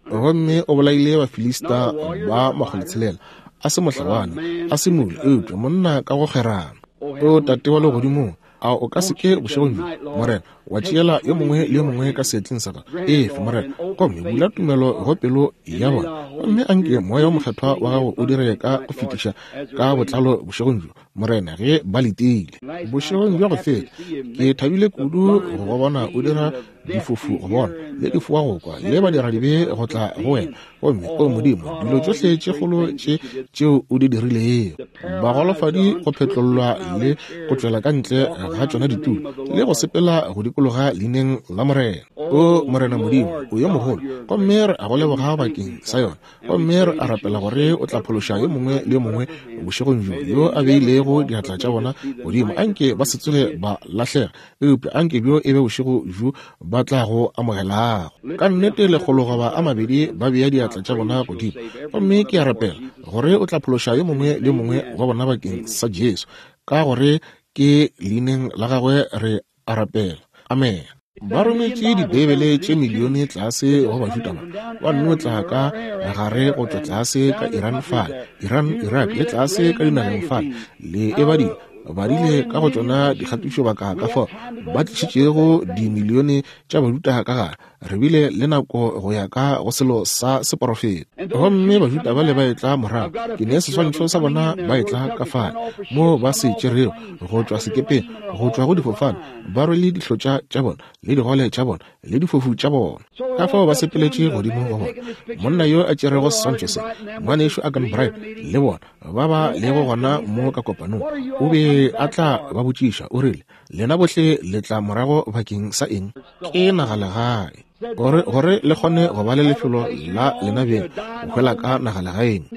Gomme o bolaile Bafilista ba makgolotshelela, a se mohlabani, a se mole, eupša monna ka go kgerana. O Tate wa legodimong, a o ka se ke bošegong bjo, Morena, wa tšeela yo mongwe le yo mongwe ka seatleng sa gago? Efe, Morena, gomme bula tumelo go pelo ya bona, gomme anke Moya wo Mokgethwa wa gago o dire ka go fetiša ka botlalo bošegong bjo, Morena, ge ba letile. Bošegong bja go feta ke thabile kudu go go bona o dira difofu go bona, le difoa go kwa, le badiradibe go tla go wena. Gomme o Modimo, dilo tšohle tše kgolo tše tšeo o di dirilego, bagolofadi go phetlollwa le go tšwela ka ntle ga tšona ditulo, le go sepela go dikologa leineng la Morena. O Morena Modimo, o yo mogolo, gomme re a go leboga bakeng sa yona. Gomme re a rapela gore o tla phološa yo mongwe le yo mongwe bošegong bjo yo a beilego diatla tša bona godimo. Anke ba se tsoge ba lahlega, eupša anke bjo e be bošego bjo ba tla go amogelago. Ka nnete lekgolo goba a mabedi ba bea diatla tša bona godimo, gomme ke a rapela gore o tla phološa yo mongwe le yo mongwe wa bona bakeng sa Jesu, ka gore ke leineng la gagwe re a rapela. Amen. Ba rometše Dibeibele tše milione tlase go Bajuda ba, ba nno tla ka gare go tšwa tlase ka Iran fale, Iran, Iraq, le tlase ka dinageng fale, le e badile, badile ka go tšona dikgatišobaka ka fao ba tlišitšego dimilione tša Bajuda ka gare. Re bile le nako go ya ka go selo sa seporofeta. Gomme Bajuda bale ba etla morago, ke ne seswantšho sa bona ba etla ka fale, mo ba se tšerego go tšwa sekepeng, go tšwa go difofane, ba rwele dihlotša tša bona le digole tša bona le difofu tša bona. Ka fao ba sepeletše godimo go bona monna yo a tšerego seswantšho se, ngwanešu Agan Bright, le bona ba ba lego gona mo ka kopanong, o be a tla ba botšiša, o rile, lena bohle le tla morago bakeng sa eng? Ke nagalegae. Gore, gore le kgone go ba le lefelo la lena beng, go hwela ka nagalegaeng.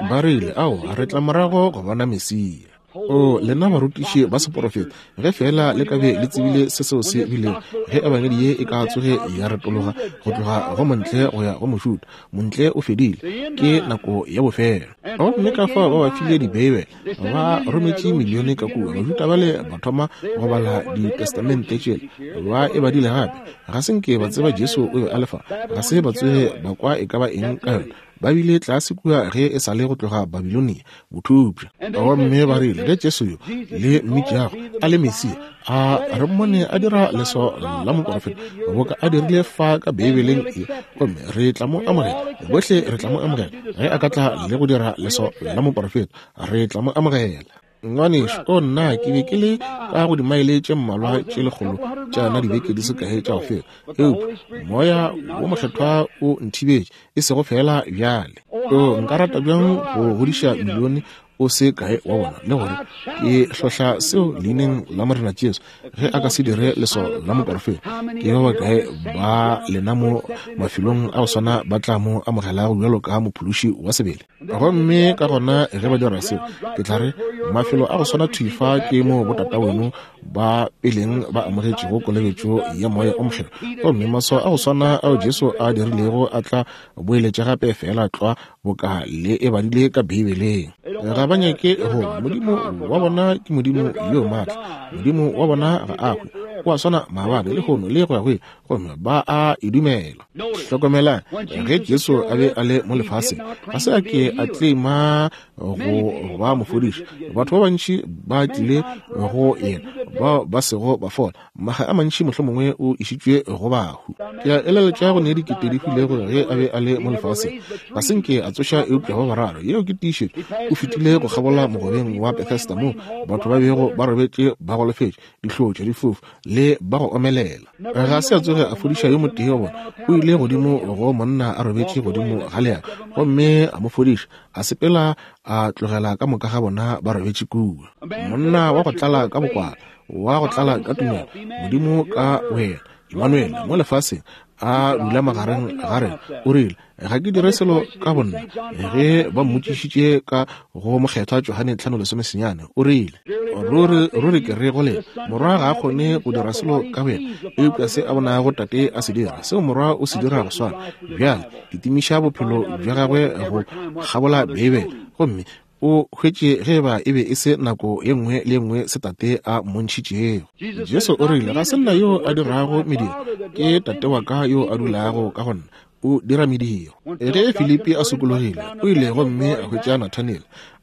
Ba rile, ao, re tla morago go bona Mesia. O, lena barutiši ba seporofeta, ge fela le ka be le tsebile se seo se bilego, ge ebangedi ye e ka tsoge ya retologa go tloga go montle go ya go mošuta, montle o fedile, ke nako ya bofelo. Gomme ka fao ba ba file Dibeibele, ba rometše milione ka kua. Bajuda bale ba thoma go bala ditestamente tšela, ba e badile gape. Ga se nke ba tseba Jesu o be a le fa, ga se ba tsoge ba kwa e ka ba eng ka yona. Ba bile tlase kua ge e sa le go tloga Babilonia, bothupša. Gomme ba rile, ge Jesu yo le mmitšago a le Mesia, a re mmone a dira leswao la moporofeta boka a dirile fa ka Beibeleng ye, gomme re tla mo amogela. Bohle re tla mo amogela. Ge a ka tla le go dira leswao la moporofeta, re tla mo amogela. Ngwanešu, o nna ke be ke le ka go dimaele tše mmalwa tše lekgolo tša na dibeke di se kae tša go feta, eupša moya wo mokgethwa o nthibetše, e sego fela bjale. O nka rata bjang go godiša milione o se kae wa bona, le gore ke hlohla seo leineng la Morena Jesu, ge a ka se dire leswao la moporofeta, ke ba bakae ba lena mo mafelong a go swana ba tla mo amogelago bjalo ka mophološi wa sebele? Gomme ka gona ge ba dira seo, ke tla re mafelo a go swana thwi fa ke mo botata weno ba peleng ba amogetšego kolobetšo ya moya o mokgethwa, gomme maswao a go swana ao Jesu a dirilego a tla boeletša gape fela tlwa boka le e badile ka Beibeleng. Ga ba nyake go Modimo wa bona ke Modimo yo maatla, Modimo wa bona ga a hwe, o a swana maabane lehono le go ya go ile, gomme ba a e dumela. Hlokomelang, ge Jesu a be a le mo lefaseng, ga se a ke a tlema go ba mofodiši. Batho ba bantši ba tlile go yena bao ba sego ba fola, maga a mantši mohlomongwe o išitšwe go bahu. Ke a eleletša go ne dikete di hwilego ge a be a le mo lefaseng, ga se nke a tsoša eupša ba bararo. Yeo ke tiišetšo. O fetile go kgabola mogobeng wa Bethesda moo batho ba bego ba robetše ba golofetše, dihlotša, difofu le ba go omelela. Ga se a tsoge a fodiša yo motee wa bona. O ile godimo go monna a robetše godimo ga leago, gomme a mo fodiša, a sepela a tlogela ka moka ga bona ba robetše kua. Monna wa go tlala ka bokwala, wa go tlala ka tumelo, Modimo ka wena, Emmanuel, mo lefaseng a dula magareng ga rena. O rile, ga ke dire selo ka bonna. Ge ba mmotšišitše ka go mokgethwa Johane tlhano lesome senyane, o rile, ruri ruri ke re go lena, morwa ga a kgone go dira selo ka boyena, eupša se a bonago tate a se dira, seo morwa o se dira go swana. Bjale ke timiša bophelo bja gagwe go kgabola Beibele, gomme o hwetše ge ba e be e se nako ye nngwe le nngwe se tate a mmontšhitšego. Jesu o rile, ga se nna yo a dirago mediro, ke tate wa ka yo a dulago ka go nna, o dira mediro. Ge Filipi a sokologile, o ile gomme a hwetša Nathaniel,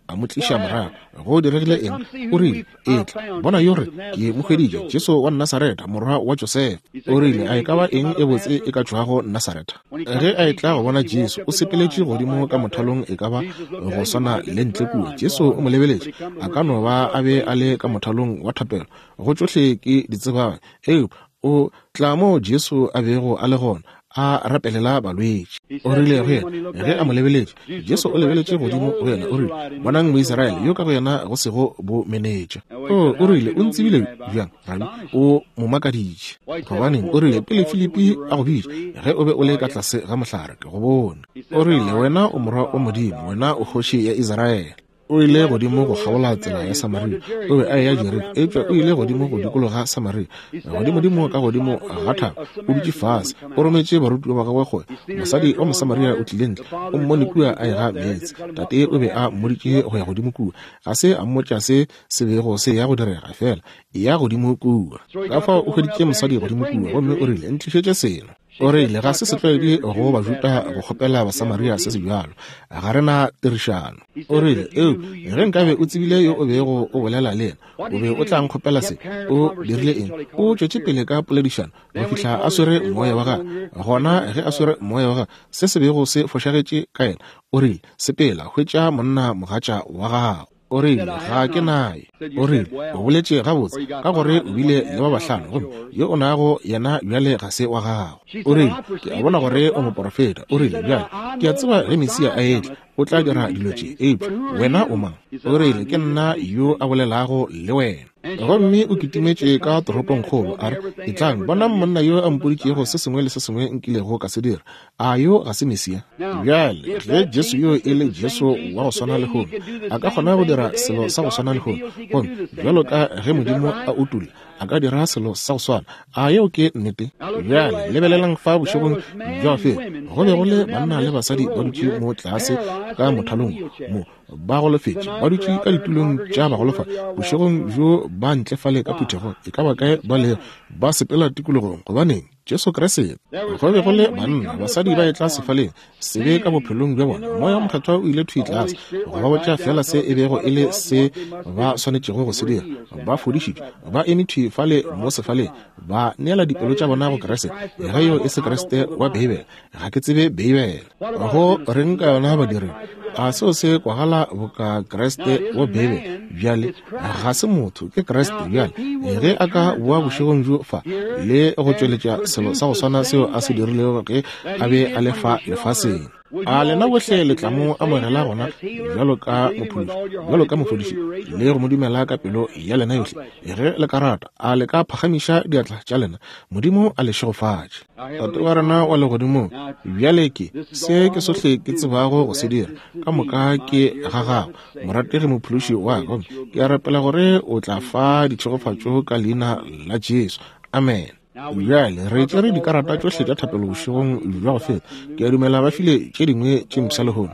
a mo tliša morago. Go diregile eng? O rile, etla bona yo re ke mo hweditše, Jesu wa Nasaretha, morwa wa Josefa. O rile, a e ka ba eng e botse e ka tšwago Nasaretha? Ge a etla go bona Jesu, o sepeletše godimo ka mothalong e ka ba go swana le ntle kua. Jesu o mo lebeletše, a ka no ba a be a le ka mothalong wa thapelo, go tšohle ke di tsebago, eupša o tla mo Jesu a bego a le gona, a rapelela balwetši. O rile go yena, ge a mo lebeletše, Jesu o lebeletše godimo go yena, o rile, bonang Moisraele yo ka go yena go sego bomenetša. O, o rile, o ntsebile bjang, Rabi? O mo makaditše. Gobaneng, o rile, pele Filipi a go bitša, ge o be o le ka tlase ga mohlare, ke go bone. O rile, wena o morwa wa Modimo, wena o kgoši ya Israele. O ile godimo go kgabola tsela ya Samaria. O be a eya Jeriko, eupša o ile godimo go dikologa Samaria. Godimodimo ka godimo ga thaba, o dutše fase, o rometše barutiwa ba gagwe gore mosadi wa Mosamaria o tlile ntle, o mmone kua a ega meetse. Tate o be a mmoditše go ya godimo kua. Ga se a mmotša se se bego se ya go direga, fela ya godimo kua. Ka fao o hweditše mosadi godimo kua, gomme o rile, ntlišetše seno. O rile, ga se setlwaedi go Bajuda go kgopela Basamaria se se bjalo. Ga re na tirišano. O rile, eo, ge nkabe o tsebile yo o bego o bolela le yena, o be o tla nkgopela se. O dirile eng? O tšwetše pele ka poledišano go fihla a swere moya wa gagwe. Gona ge a swere moya wa gagwe, se se bego se fošagetše ka yena, o rile, sepela, hwetša monna mogatša wa gago. O rile, ga ke naye. O rile, o boletše gabotse, ka gore o bile le ba bahlano, gomme yo o nago yena bjale ga se wa gago. O rile, ke a bona gore o moporofeta. O rile, bjale ke a tseba ge Mesia a etla, o tla dira dilo tše, eupša wena o mang? O rile, ke nna yo a bolelago le wena. Gomme o kitimetše ka toropongkgolo, a re, etlang, bonang monna yo a mpoditšego se sengwe le se sengwe nkilego ka se dira. A yo ga se Mesia? Bjale, ge Jesu yo e le Jesu wa go swana lehono, a ka kgona go dira selo sa go swana lehono, gomme bjalo ka ge Modimo a utolla, a ka dira selo sa go swana. A yeo ke nnete? Bjale, lebelelang fa bošegong bja go feta, go be go le banna le basadi ba dutše mo tlase ka mothalong mo, ba golofetše, ba dutše ka ditulong tša bagolofadi bošegong bjo, ba ntle fale ka phuthegong, e ka ba kae ba lego, ba sepela tikologong. Gobaneng? Jesu Kriste. Go be go le banna, basadi ba etla sefaleng, sebe ka bophelong bja bona. Moya o Mokgethwa o ile thwi tlase go ba botša fela se e bego e le se ba swanetšego go se dira. Ba fodišitšwe, ba eme thwi fale mo sefaleng, ba neela dipelo tša bona go Kriste. Ge yo e se Kriste wa Beibele, ga ke tsebe Beibele. Go reng ka yona badiri? A seo se kwagala boka Kriste wa Beibele? Bjale ga se motho, ke Kriste. Bjale ge a ka boa bošegong bjo fa le go tšweletša selo sa go swana seo a se dirilego ge a be a le fa lefaseng, a lena bohle le tla mo amogela gona bjalo ka mophološi, bjalo ka mofodiši, le go mo dumela ka pelo ya lena yohle? Ge le ka rata, a le ka phagamiša diatla tša lena? Modimo a le šegofatše. Tate wa rena wa legodimong, bjale ke se ke sohle ke tsebago go se dira, ka moka ke ga gago, morategi mophološi wa ka. Ke a rapela gore o tla fa ditšhegofatšo ka leina la Jesu. Amen. Bjale re tšere dikarata tšohle tša thapelo bošegong bja go feta. Ke a dumela ba file tše dingwe tše mpsha lehono.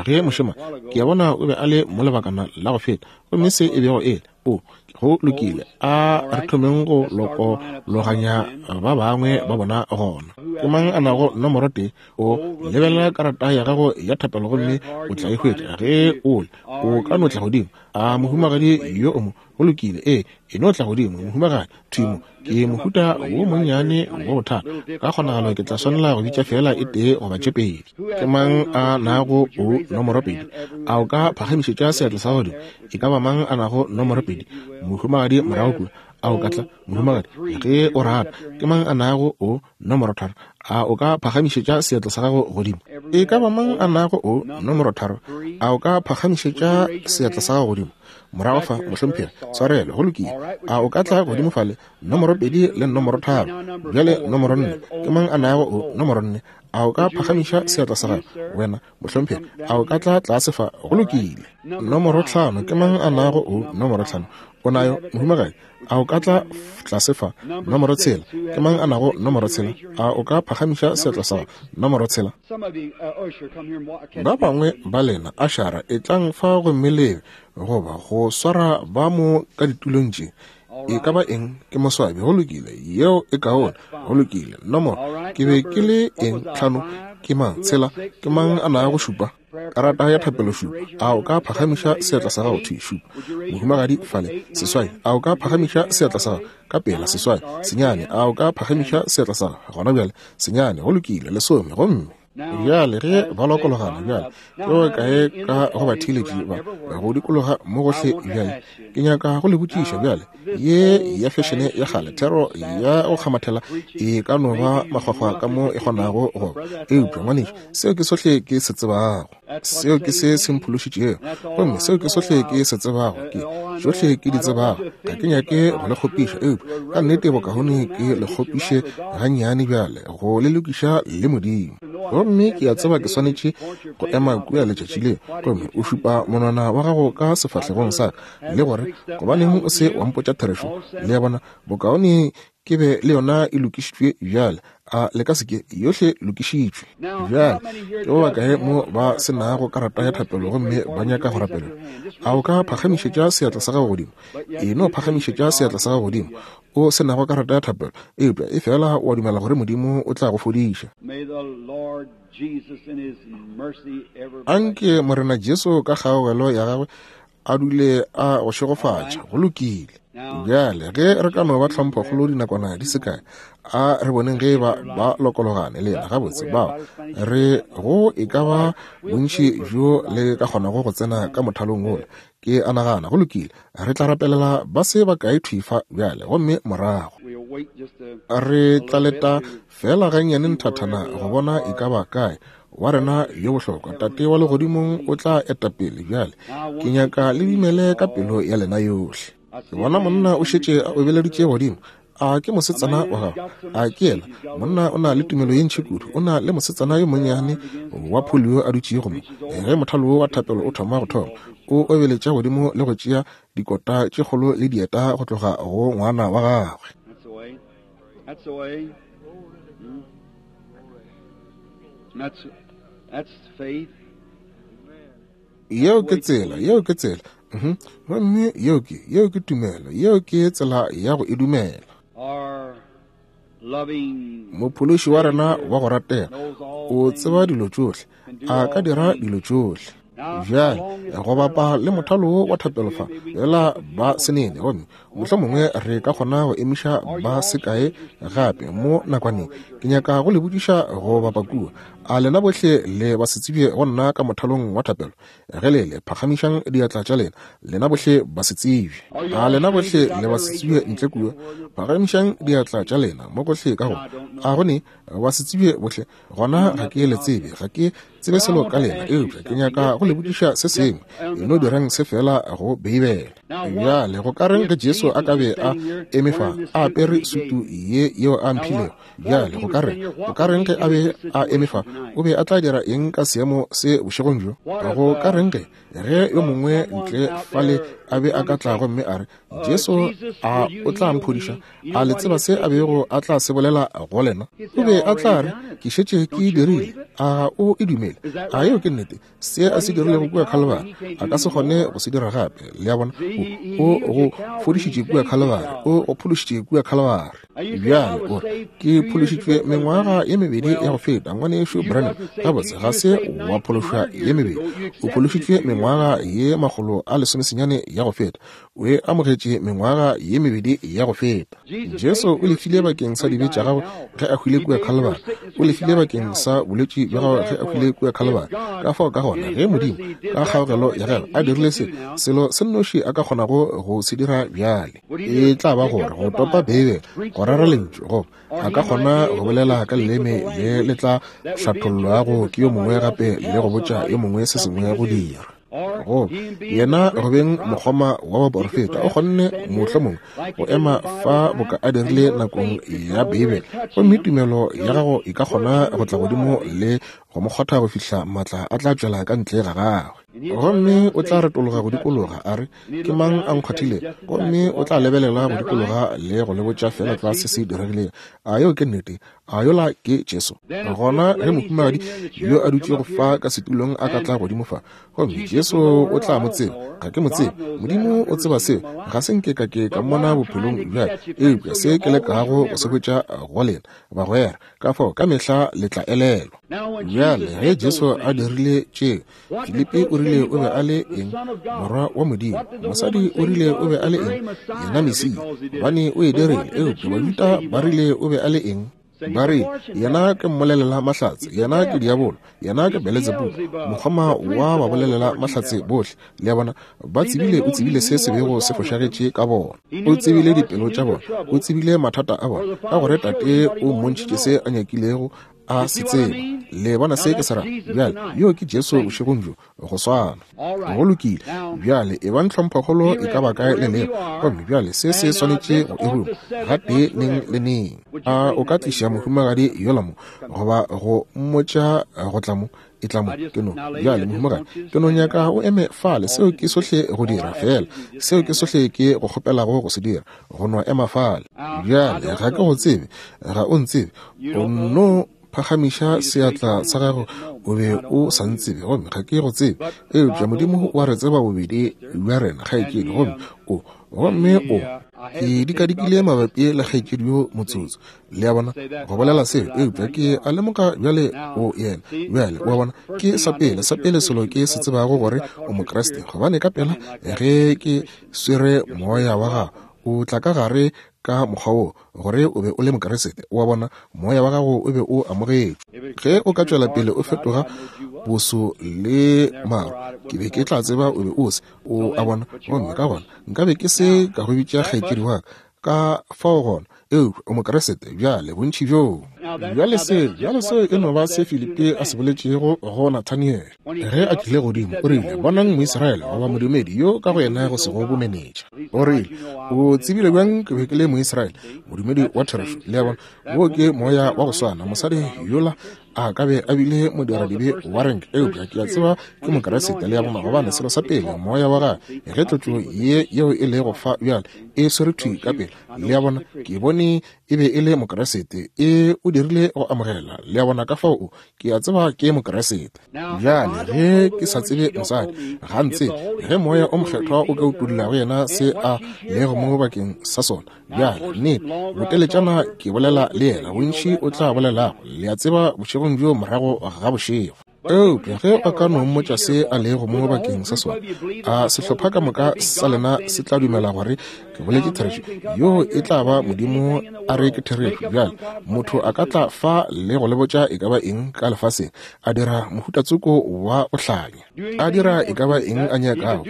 Ge mošema, ke a bona o be a le mo lebakana la go feta, gomme se e bego e le o go lokile. A re thomeng go lokologanya ba bangwe ba bona gona. Ke mang a nago nomoro tee? O lebelela karata ya gago ya thapelo gomme o tla e hwetša. Ge o le, o ka no tla godimo. A mohumagadi yo o mo, go lokile, ee, e no tla godimo, mohumagadi thwi mo. Ke mohuta wo monnyane wa bothata, ka kgonagalo ke tla swanela go bitša fela e tee goba tše pedi. Ke mang a nago o nomoro pedi? A o ka phagamišetša seatla sa godimo? E ka ba mang a nago nomoro pedi? Mohumagadi morago kua. A o ka tla, mohumagadi, ge o rata? Ke mang a nago o nomoro tharo? A o ka phagamišetša seatla sa gago godimo? E ka ba mang a nago o nomoro tharo? A o ka phagamišetša seatla sa gago godimo? Morago fa, mohlomphegi, tshwarelo, go lokile. A o ka tla godimo fale? Nomoro pedi le nomoro tharo. Bjale nomoro nne. Ke mang a nago o nomoro nne? A o ka phagamiša seatla sa gago? Wena, mohlomphegi, a o ka tla tlase fa? Go lokile. Nomoro tlhano. Ke mang a nago o nomoro tlhano? O nayo, mohumagadi? A o ka tla tlase fa? Nomoro tshela. Ke mang a nago nomoro tshela? A o ka phagamiša seatla sa gago? Nomoro tshela. Ba bangwe ba lena, ašara, etlang fa gomme lebe, goba go swara ba mo ka ditulong tše. E ka ba eng? Ke moswabi. Go lokile, yeo e kaone. Go lokile. Nomoro, ke be ke le eng? Tlhano. Ke mang? Tshela. Ke mang a nago šupa? Karata ya thapelo šupa. A o ka phagamiša seatla sa gago? Thwi, šupa. Mohumagadi fale, seswai. A o ka phagamiša seatla sa gago? Ka pela, seswai. Senyane. A o ka phagamiša seatla sa gago? Gona bjale, senyane. Go lokile, lesome. Gomme bjale ge ba lokologana bjale, ke go kae ka go batheeletši ba go dikologa mo gohle? Bjale ke nyaka go le botšiša bjale, ye ya fešene ya kgale, thero ya go kgamathela e ka no ba makgwakgwa ka mo e kgonago go ba, eupša ngwanešu, seo ke sohle ke se tsebago. Seo ke se se mphološitšego, gomme seo ke sohle ke se tsebago, ke tšohle ke di tsebago. Ga ke nyake go le kgopiša, eupša ka nnete bokaone ke le kgopiše gannyane bjale, go le lokiša le Modimo. Gomme ke a tseba ke swanetše go ema kua letšatši leo, gomme o šupa monwana wa gago ka sefahlegong sa ka, le gore gobaneng o se wa mpotša therešo. Le a bona, bokaone ke be le yona e lokišitšwe bjale. A le ka se ke yohle lokišitšwe bjale? Ke ba bakae mo ba se nago karata ya thapelo gomme ba nyaka go rapelelwa? A o ka phagamišetša seatla sa gago godimo? E no phagamišetša seatla sa gago godimo o se nago karata ya thapelo, eupša e fela wa dumela gore Modimo o tla go fodiša. Anke Morena Jesu ka kgaogelo ya gagwe a dule a go šegofatša. Go lokile. Bjale ge re ka no ba tlhomphokgolo dinakwana di se kae, a re boneng ge ba ba lokologane le yena gabotse. Bao re go e ka ba bontši bjo le ka kgonago go tsena ka mothalong wola, ke a nagana. Go lokile, re tla rapelela ba se ba kae thwi fa bjale, gomme morago re tla leta fela gannyane nthathana go bona e ka ba kae wa rena yo bohlokwa Tate wa legodimong o tla eta pele. Bjale ke nyaka le dumele ka pelo ya lena yohle. Ke bona monna o šetše a obeleditše godimo. A ke mosetsana wa gago? A ke yena? Monna o na le tumelo ye ntši kudu. O na le mosetsana yo monnyane wa polio a dutšego mo. Ge mothalo wa thapelo o thoma go thoma, o obeletša godimo le go tšea dikota tše kgolo le dieta go tloga go ngwana wa gagwe. Yeo ke tsela, yeo ke tsela. Gomme yeo ke, yeo ke tumelo, yeo ke tsela ya go e dumela. Mophološi wa rena wa go ratega o tseba dilo tšohle, a ka dira dilo tšohle. Bjale go bapa le mothalo wa thapelo fa fela ba senene, gomme mohlomongwe re ka kgona go emiša ba sekae gape mo nakwaneng. Ke nyaka go le botšiša go bapa kua, a lena bohle le ba se tsebje go nna ka mothalong wa thapelo? Ge le le phagamišang diatla tša lena, lena bohle ba se tsebje. A lena bohle le ba se tsebje ntle kua? Phagamišang diatla tša lena mo gohle ka go. A go ne ba se tsebje bohle? Gona ga ke le tsebe, ga ke tsebe selo ka lena, eupša ke nyaka go le botšiša se sengwe. E no dirang se fela go Beibele. Bjale go ka reng ge Jesu a ka be a eme fa a apere sutu ye yeo a mphilego? Bjale go ka reng, go ka reng ge a be a eme fa, o be a tla dira eng ka seemo se bošegong bjo? Go ka reng ge ge yo mongwe ntle fale a be a ka tla gomme a re, Jesu a o tla mphodiša? A le tseba se a bego a tla se bolela go lena? O be a tla re, ke šetše ke dirile. A o e dumele? A yeo ke nnete? Se a se dirilego kua Calvary a ka se kgone go se dira gape. Le a bona, o go fodišitše kua Calvary, o go phološitše kua Calvary. Bjale o re, ke phološitšwe mengwaga ye mebedi ya go feta, ngwanešu Branham. Gabotse ga se wa phološwa ye mebedi, o phološitšwe mengwaga ye makgolo a lesomesenyane ya go feta. O e amogetše mengwaga ye mebedi ya go feta. Jesu o lefile bakeng sa dibe tša gago ge a hwile kua Calvary. O lefile bakeng sa bolwetši bja gago ge a hwile kua Calvary. Ka fao ka gona ge Modimo ka kgaogelo ya gagwe a dirile se, selo se nnoši a ka kgonago go se dira bjale e tla ba gore go topa Beibele, go rera lentšu, goba a ka kgona go bolela ka leleme le le tla hlathollwago ke yo mongwe gape le go botša yo mongwe se sengwe go dira. Go yena go beng mokgoma wa baporofeta, o kgonne mohlomongwe go ema fa boka a dirile nakong ya Beibele, gomme tumelo ya gago e ka kgona go tla godimo le go mo kgotha go fihla maatla a tla tšwela ka ntle ga gagwe. Gomme o tla retologa go dikologa a re, ke mang a nkgwathile? Gomme o tla lebelela go dikologa le go le botša fela tlwa se se diregilego. A yeo ke nnete? A yola ke Jesu? Gona ge mohumagadi yo a dutšego fa ka setulong a ka tla godimo fa, gomme Jesu o tla mo tseba. Ga ke mo tsebe, Modimo o tseba seo. Ga se nke ka ke ka mmona bophelong bjale, eupša se ke lekago go se hwetša go lena bagwera, ka fao ka mehla le tla elelwa. Bjale ge Jesu a dirile tšeo, Filipi o rile o be a le eng? Morwa wa Modimo. Mosadi o rile o be a le eng? Yena Mesia, gobane o e dirile. Eupša Bajuda ba rile o be a le eng? Ba re, yena ke mmolelela mahlatse, yena ke diabolo, yena ke Beletsebubu, mokgoma wa ba bolelela mahlatse bohle. Le a bona, ba tsebile, o tsebile se se bego se fošagetše ka bona, o tsebile dipelo tša bona, o tsebile mathata a bona, ka gore Tate o mmontšhitše se a nyakilego a se tseba. Le bona se ke se ra? Bjale, yo ke Jesu bošegong bjo, go swana. Go lokile. Bjale, e bang tlhomphokgolo e ka ba kae le lego. Gomme bjale se se swanetše go e ruma gatee neng le neng. A o ka tliša mohumagadi yola mo, goba go mmotša go tla mo? E tla mo, ke no. Bjale, mohumagadi, ke no nyaka o eme fale. Seo ke sohle go dira fela. Seo ke sohle ke go kgopelago go se dira, go no ema fale. Bjale, ga ke go tsebe, ga o ntsebe. O no phagamiša seatla sa gago, o be o sa ntsebe, gomme ga ke go tsebe. Eupša Modimo wa re tseba bobedi bja rena, kgaetšedi. Gomme o, gomme o, ke dikadikile mabapi le kgaetšedi yo motsotso. Le a bona, go bolela seo, eupša ke a lemoga bjale o yena. Bjale, o a bona, ke sa pele, sa pele selo ke se tsebago gore o Mokriste, gobane ka pela ge ke swere moya wa gago, o tla ka gare ka mokgwa wo, gore o be o le Mokriste. O a bona, moya wa gago o be o amogetšwe. Ge o ka tšwela pele o fetoga boso le maro, ke be ke tla tseba o be o se. O a bona, gomme ka gona nka be ke se ka go bitša kgaetšedi wa ka. Ka fao gona, eupša o Mokriste bjale, bontši bjoo. Bjale se, bjale seo e no ba se Filipi a se boletšego go Nathaniel ge a tlile godimo. O rile, bonang Moisraele goba modumedi yo ka go yena go sego bomenetša. O rile, o tsebile bjang ke be ke le Moisraele, modumedi wa therešo? Le a bona, wo ke moya wa go swana. Mosadi yola a ka be a bile modiradibe wa renke, eupša ke a tseba ke Mokriste. Le a bona, gobane selo sa pele, moya wa gagwe, ge tlotšo ye yeo e lego fa bjale e swere thwi ka pele. Le a bona, ke bone e be e le Mokriste, e o dirile go amogela. Le a bona, ka fao ke a tseba ke Mokriste. Bjale ge ke sa tsebe mosadi, ga ntsebe, ge moya o mokgethwa o ka utolla go yena se a lego mo bakeng sa sona. Bjale nnete, boteletšana ke bolela le yena, bontši o tla bolelago, le a tseba, bošegong bjo morago ga bošego. Eupša ge a ka no mmotša se a lego mo bakeng sa sona, a sehlopha ka moka sa lena se tla dumela gore ke boletše therešo. Yo e tla ba Modimo a re ke therešo. Bjale motho a ka tla fa le go le botša e ka ba eng ka lefaseng, a dira mohutatsoko wa go hlanya, a dira e ka ba eng a nyakago,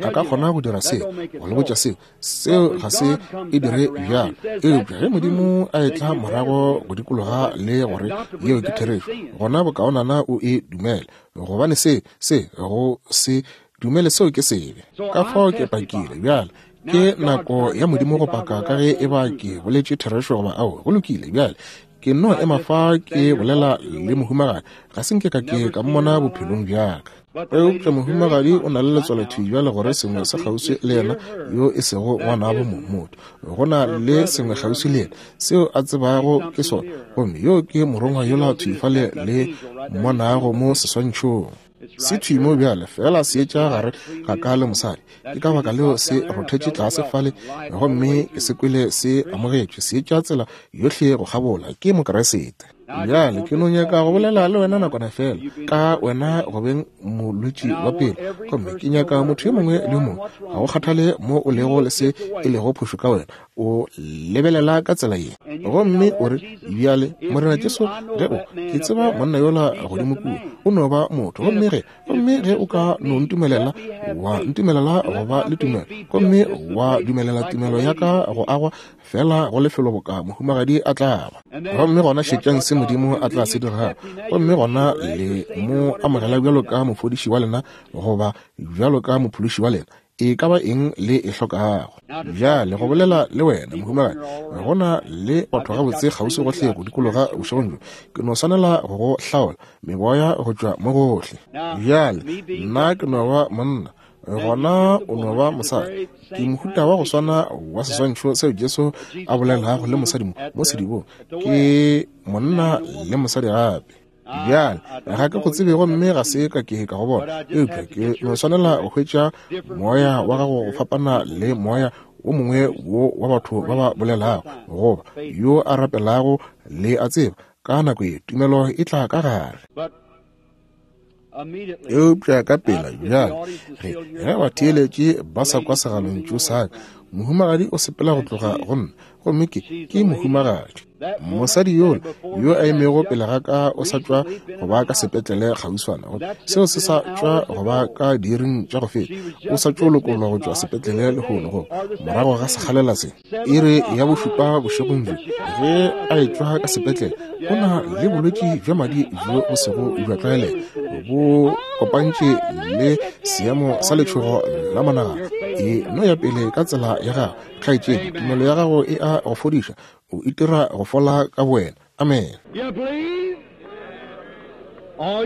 a ka kgona go dira seo, go le botša seo, seo ga se e dire bjalo. Eupša ge Modimo a etla morago go dikologa le gore yeo ke therešo, gona bokaonana o e dumele, gobane se, se go se dumele seo ke sebe. Ka fao ke pakile. Bjale ke nako ya Modimo go paka ka ge e ba ke boletše therešo goba ao. Go lokile. Bjale ke no ema fa ke bolela le mohumagadi, ga se nke ka ke ka mmona bophelong bjaka. Eupša mohumagadi o na le letswalo thwi bjale gore sengwe se kgauswi le yena yo e sego ngwanabo motho. Go na le sengwe kgauswi le yena seo a tsebago ke sona, gomme yo ke morongwa yola thwi fale le mmonago mo seswantšhong. Se thwi mo bjale, fela se etša gare ga ka le mosadi. Ke ka baka leo se rothetše tlase fale, gomme ke se kwele se amogetšwe, se etša tsela yohle go kgabola. Ke Mokriste. Bjale ke no nyaka go bolela le wena nakwana fela ka wena go beng molwetši wa pelo, gomme ke nyaka motho yo mongwe le yo mongwe, ga go kgathale mo o lego le se e lego phošo ka wena, o lebelela ka tsela ye, gomme o re, bjale Morena Jesu, ge o, ke tseba monna yola godimo kua, o no ba motho, gomme ge, gomme ge o ka no ntumelela, wa ntumelela go ba le tumelo, gomme wa dumelela tumelo ya ka go agwa fela go lefelo boka mohumagadi a tla ba. Gomme gona šetšang se Modimo a tla se dirago, gomme gona le mo amogela bjalo ka mofodiši wa lena goba bjalo ka mophološi wa lena, e ka ba eng le e hlokago. Bjale go bolela le wena mohumagadi, go na le batho gabotse kgauswi gohle go dikologa bošegong bjo, ke no swanela go go hlaola meboya go tšwa mo gohle. Bjale nna ke no ba monna, gona o no ba mosadi. Ke mohuta wa go swana wa seswantšho seo Jesu a bolelago le mosadi mo sedibong, ke monna le mosadi gape. Bjale ga ke go tsebe, gomme ga se ka ke ka go bona, eupša ke no swanela go hwetša moya wa gago go fapana le moya o mongwe wo wa batho ba ba bolelago goba yo a rapelago. Le a tseba, ka nako ye tumelo e tla ka gare. Eupša ka pela bjale ge ge batheeletše ba sa kwa segalontšu sa ka, Mohumagadi o sepela go tloga go nna, gomme ke ke mohumagadi. Mosadi yola yo a emego pele ga ka o sa tšwa go ba ka sepetlele kgauswana, seo se sa tšwa go ba ka diiring tša go feta. O sa tšo lokollwa go tšwa sepetlele lehono, go morago ga sekgalela se iri ya bošupa bošegong bjo ge a etšwa ka sepetlele. O na le bolwetši bja madi bjo bo sego bja tlwaelega, bo kopantše le seemo sa letšhogo la monagano. E no ya pele ka tsela ya gago, kgaetšedi, tumelo ya gago e a go fodiša. O itira go fola ka bowena. Amen. A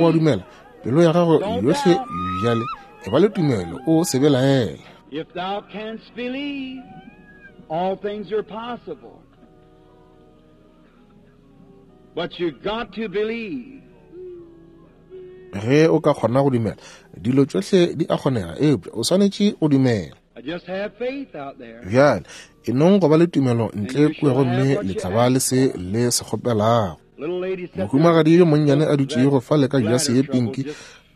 o a dumela? Pelo ya gago yohle bjale e ba le tumelo, o se belaele. If thou canst believe, all things are possible. But you got to believe. Ge o ka kgona go dumela, dilo tšohle di a kgonega, eupša o swanetše go dumela. Just have faith out there. Bjale e nong go ba le tumelo ntle kua, gomme le tla ba le se le se kgopelago. Mohumagadi yo monnyane a dutšego fale ka jase ye pinki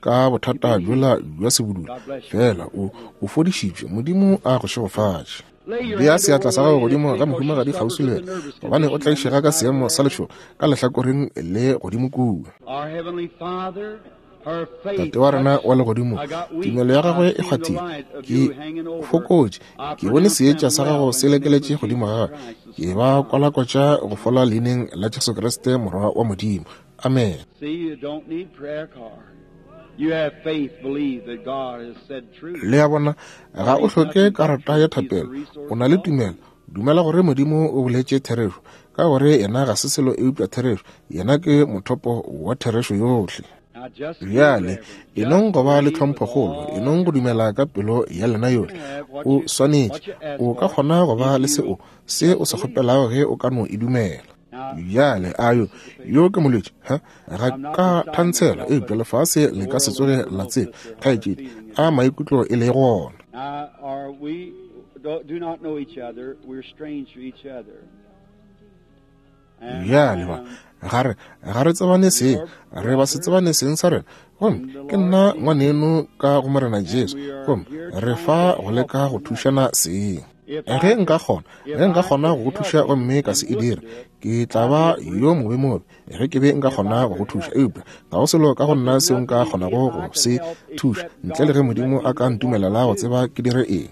ka bothata bjola bja sebudula, fela o o fodišitšwe. Modimo a go šegofatše. Bea seatla sa gago godimo ga mohumagadi kgauswi le wena, gobane o tlaišega ka seemo sa letšhogo ka lehlakoreng le godimo kua. Tate wa rena wa legodimo, tumelo ya gagwe e kgwathile. Ke fokotše, ke bone seetša sa gago se lekeletše godimo ga gagwe. Ke ba kwalakwatša go fola leineng la Jesu Kriste, Morwa wa Modimo. Amen. Le a bona, ga o hloke karata ya thapelo, o na le tumelo. Dumela gore Modimo o boletše therešo, ka gore yena ga se selo eupša therešo. Yena ke mothopo wa therešo yohle. Bjale e nong go ba le tlhomphokgolo, e nong go dumela ka pelo ya lena yohle. O swanetše, o ka kgona go ba le seo se o se kgopelago ge o ka no e dumela. Bjale a yo yo ke molwetši, ha ga ka thantshela, eupša lefase le ka se tsoge la tseba, kgaetšedi, a maikutlo e le gona. Bjale ba ga re ga re tsebane seng, re ba se tsebane seng sa rena, gomme ke nna ngwaneno ka go Morena Jesu, gomme re fa go leka go thušana seng. Ge nka kgona, ge nka kgona go go thuša gomme ka se e dire, ke tla ba yo mobe mobe ge ke be nka kgona go go thuša, eupša ga go selo ka go nna seo nka kgonago go se thuša ntle le ge Modimo a ka ntumelela go tseba ke dire eng.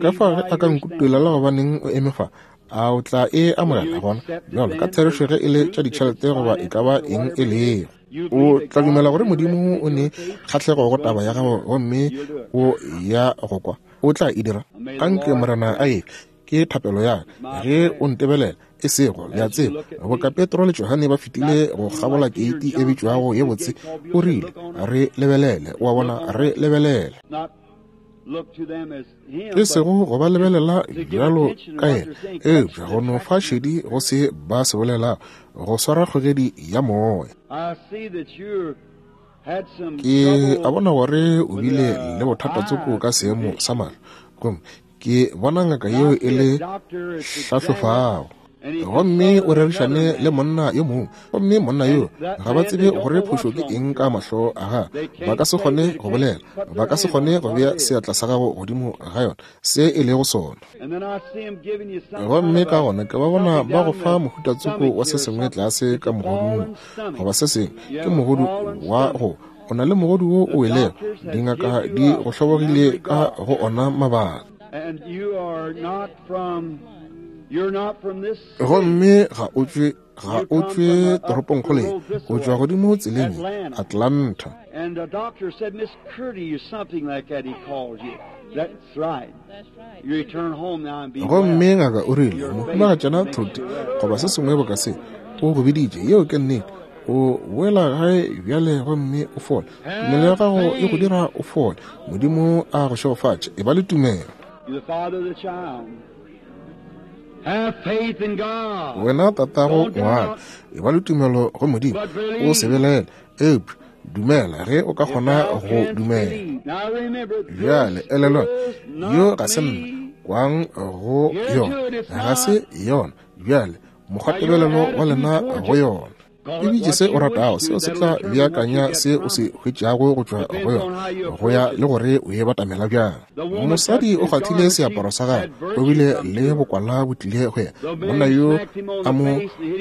Ka fa ge a ka nkutulela gobaneng o eme fa, a o tla e amogela gona bjalo ka therešo ge e le tša ditšhelete goba e ka ba eng e lego. O tla dumela gore Modimo o ne kgahlego go taba ya gago gomme o ya go kwa, o tla e dira. Anke Morena a e ke thapelo ya ge o ntebelela, e sego le a tseba, boka Petro le Johane ba fetile go kgabola keiti e bitšwago ye botse, o rile re lebelele, wa bona, re lebelele. E sego go ba lebelela bjalo ka yena, eupša go no fa šedi go se ba se bolelago, go swara kgogedi ya moya. Ke a bona gore o bile le bothata tsoko ka seemo sa mahlo, gomme ke bona ngaka yeo e le hlahlofago, gomme o rerišane le monna yo mongwe, gomme monna yo ga ba tsebe gore phošo ke eng ka mahlo a gagwe. Ba ka se kgone go bolela, ba ka se kgone go bea seatla sa gago godimo ga yona, se e lego sona. Gomme ka gona ke ba bona ba go fa mohuta tsoko wa se sengwe tlase ka mogodung goba se sengwe, ke mogodu wa go o na le mogodu wo o welego, dingaka di go hlobogile ka go ona mabaka. Gomme ga o tšwe ga o tšwe toropongkgolo ye, o tšwa godimo tseleng Atlanta. Gomme ngaka o rile, mohumagatšana Thote goba se sengwe boka se, o go biditše. Yeo ke nnete. O boela gae bjale gomme o fole. Tumelo ya gago e go dira o fole. Modimo a go šegofatše. E ba le tumelo. Wena tatago ngwana, e ba le tumelo go Modimo, o se belaele, eupša dumela ge o ka kgona go dumela. Bjale elelwa, yo ga se nna, kwang go yona, ga se yona. Bjale mokgwatebelelo wa lena go yona. E bitše se o ratago, seo se tla beakanya se o se hwetšago go tšwa go yona, go ya le gore o e batamela bjang. Mosadi o kgathile seaparo sa gagwe, o bile le bokwala bo tlile go yena. Monna yo a mo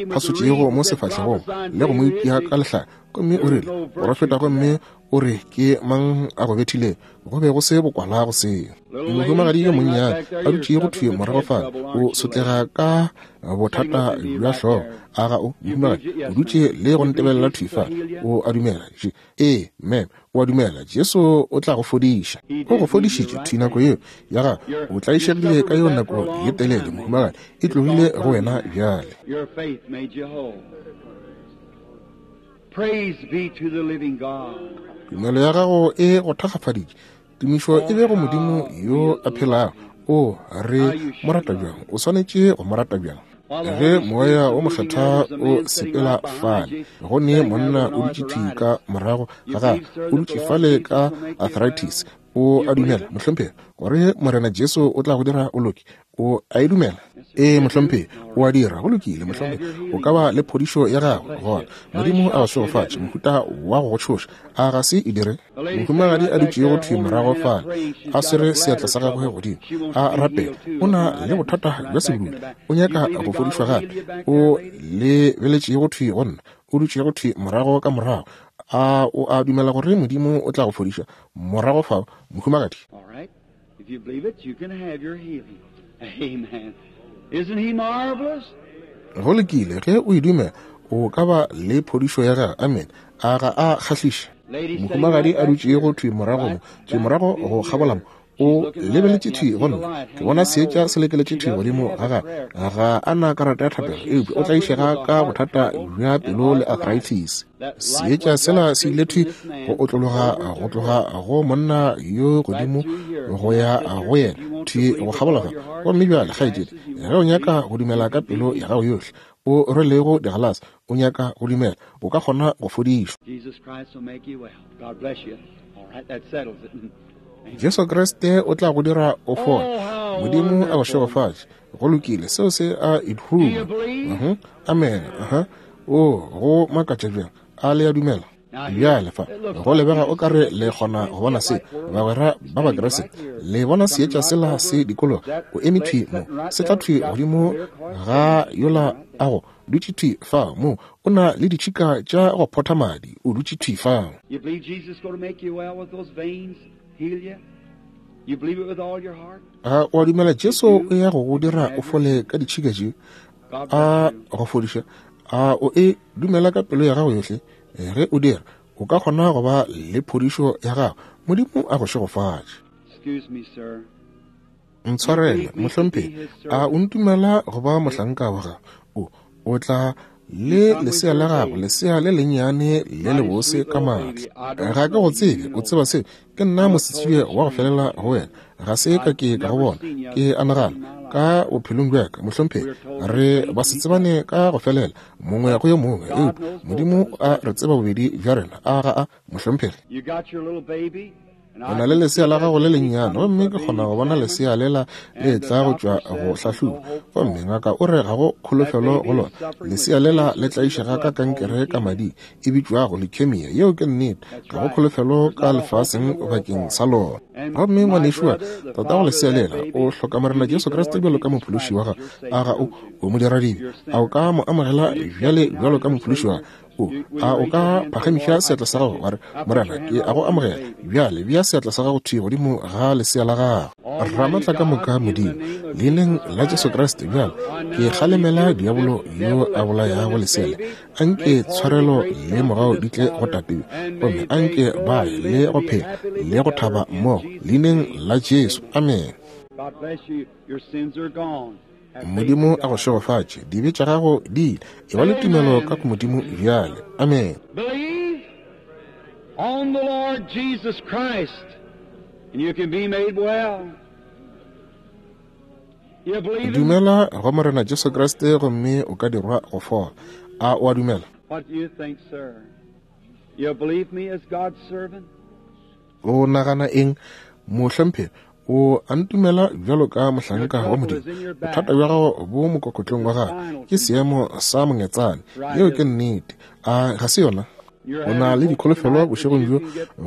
phasotšego mo sefahlegong le go mo itia ka lehlaka, gomme o rile, porofeta gomme o re ke mang a go bethile, go be go se bokwala go seo. Mohumagadi yo monnyane a dutšego thwi morago fale, o sotlega ka bothata bja hlogo. A ga o, mohumagadi, o dutše le go ntebelela thwi fale, o a dumela? Ee, ma'am, o a dumela Jesu o tla go fodiša. O go fodišitše thwi nako yeo ya gago. O tlaišegile ka yeo nako ye telele, mohumagadi, e tlogile go wena bjale. Praise be to the living God. Tumelo ya gago e go thakgafaditše. Tumišo e be go Modimo yo a phelago. O re mo rata bjang? O swanetše go mo rata bjang? Ge moya o mokgethwa o sepela fale, go ne monna o dutše thwi ka morago ga gagwe, o dutše fale ka arthritis. O a dumela, mohlomphegi, gore Morena Jesu o tla go dira o loke? O a e dumela? Ee, mohlomphegi, o a dira. Go lokile, mohlomphegi, o ka ba le phodišo ya gago gona. Modimo a go šegofatše. Mohuta wa go go tšhoša, a ga se e dire? Mohumagadi a dutšego thwi morago fale, a swere seatla sa gagwe godimo, a rapela, o na le bothata bja sebulula, o nyaka go fodišwa gape. O lebeletšego thwi go nna, o dutšego thwi morago ka morago. A o a dumela gore Modimo o tla go fodiša morago fao, mohumagadi? All right. If you believe it, you can have your healing. Amen. Isn't he marvelous? Go lokile, ge o e dumela, o ka ba le phodišo ya gago. Amen. A ga a kgahliše? Mohumagadi a dutšego thwi morago mo, thwi morago go kgabola mo, o lebeletše thwi go nna. Ke bona seetša se lekeletše thwi godimo ga gagwe. Ga a na karata ya thapelo, eupša o tlaišega ka bothata bja pelo le arthritis. Seetša sela se ile thwi go otlologa go tloga go monna yo godimo go ya go yena, thwi go kgabola fa. Gomme bjale, kgaetšedi, ge o nyaka go dumela ka pelo ya gago yohle, o rwelego digalase, o nyaka go dumela, o ka kgona go fodišwa. Jesus Christ will make you well. God bless you. All right, that settles it. Jesu Kriste o tla go dira o fole. Modimo a go šegofatše. Go lokile, seo se a ithuma. Uh-huh. Amen. Uh-huh. O go makatša bjang. A le a dumela? Bjale fa go lebega o kare le kgona go bona se, bagwera ba Bakriste. Le bona seetša sela se dikologa, o eme thwi mo, se tla thwi godimo ga yola a go dutše thwi fa mo, o na le ditšhika tša go photha madi, o dutše thwi fa. You believe Jesus is going to make you well with those veins, heal you? You believe it with all your heart? A o a dumela Jesu o ya go go dira o fole ka ditšhika tše, a go fodiša? A o e dumela ka pelo ya gago yohle? Ge o dira, o ka kgona go ba le phodišo ya gago. Modimo a go šegofatše. Excuse me, sir. Ntshwarele, mohlomphegi, a o ntumela go ba mohlanka wa gago? O o tla le lesea la gago, lesea le lennyane le lebose ka maatla. Ga ke go tsebe, o tseba seo. Ke nna mosetsebje wa go felela go wena. Ga se ka ke ka go bona, ke a nagana ka bophelong bja ka, mohlomphegi, re ba se tsebane ka go felela mongwe go yo mongwe, eupša Modimo a re tseba bobedi bja rena. A ga a, mohlomphegi? You got your little baby, and O na le lesea la gago le lennyane, gomme ke kgona go bona lesea lela le tla go tšwa go hlahloba, gomme ngaka o re ga go kholofelo go lona. Lesea lela le tlaišega ka kankere ka mading, e bitšwago leukemia. Yeo ke nnete, ga go kholofelo ka lefaseng bakeng sa lona. Gomme ngwanešu wa ka, tatago lesea lela, o hloka Morena Jesu Kriste bjalo ka mophološi wa gago. A ga o, o modiradibe? A o ka mo amogela bjale bjalo ka mophološi wa gago? O a o ka phagamiša seatla sa gago wa re, Morena, ke a go amogela bjale? Bea seatla sa gago thwi godimo ga lesea la gago. Ramatla ka moka Modimo, leineng la Jesu Kriste bjale ke kgalemela diabolo yo a bolayago lesea le. Anke tshwarelo le mogau di tle go tate yo, gomme anke ba ye le go phela le go thaba mmogo, leineng la Jesu. Amen. God bless you. Your sins are gone. Have faith in Modimo a go God. šegofatše. Dibe tša gago di ile. E ba le tumelo ka go Modimo bjale. Amen. Believe on the Lord Jesus Christ, and you can be made well. You believe him? Dumela go Morena Jesu Kriste gomme o ka dirwa go fola. A o a dumela? What do you think, sir? You believe me as God's servant? O nagana eng, mohlomphegi? O a ntumela bjalo ka mohlanka wa Modimo? Bothata bja gago bo mokokotlong wa gago, ke seemo sa mongetsane. Yeo ke nnete. A ga se yona? O na le dikholofelo bošegong bjo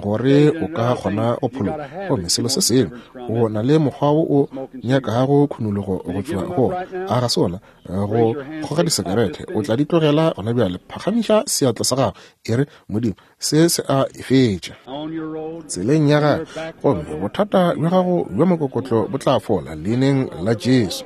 gore o ka kgona go phologa. Gomme selo se sengwe, o na le mokgwa wo o nyakago khunologo go tšwa go ona. A ga se ona? Go kgoga disekerete, o tla di tlogela gona bjale. Phagamiša seatla sa gago, e re, Modimo, se se a e fetša tseleng ya gago, gomme bothata bja gago bja mokokotlo bo tla fola leineng la Jesu.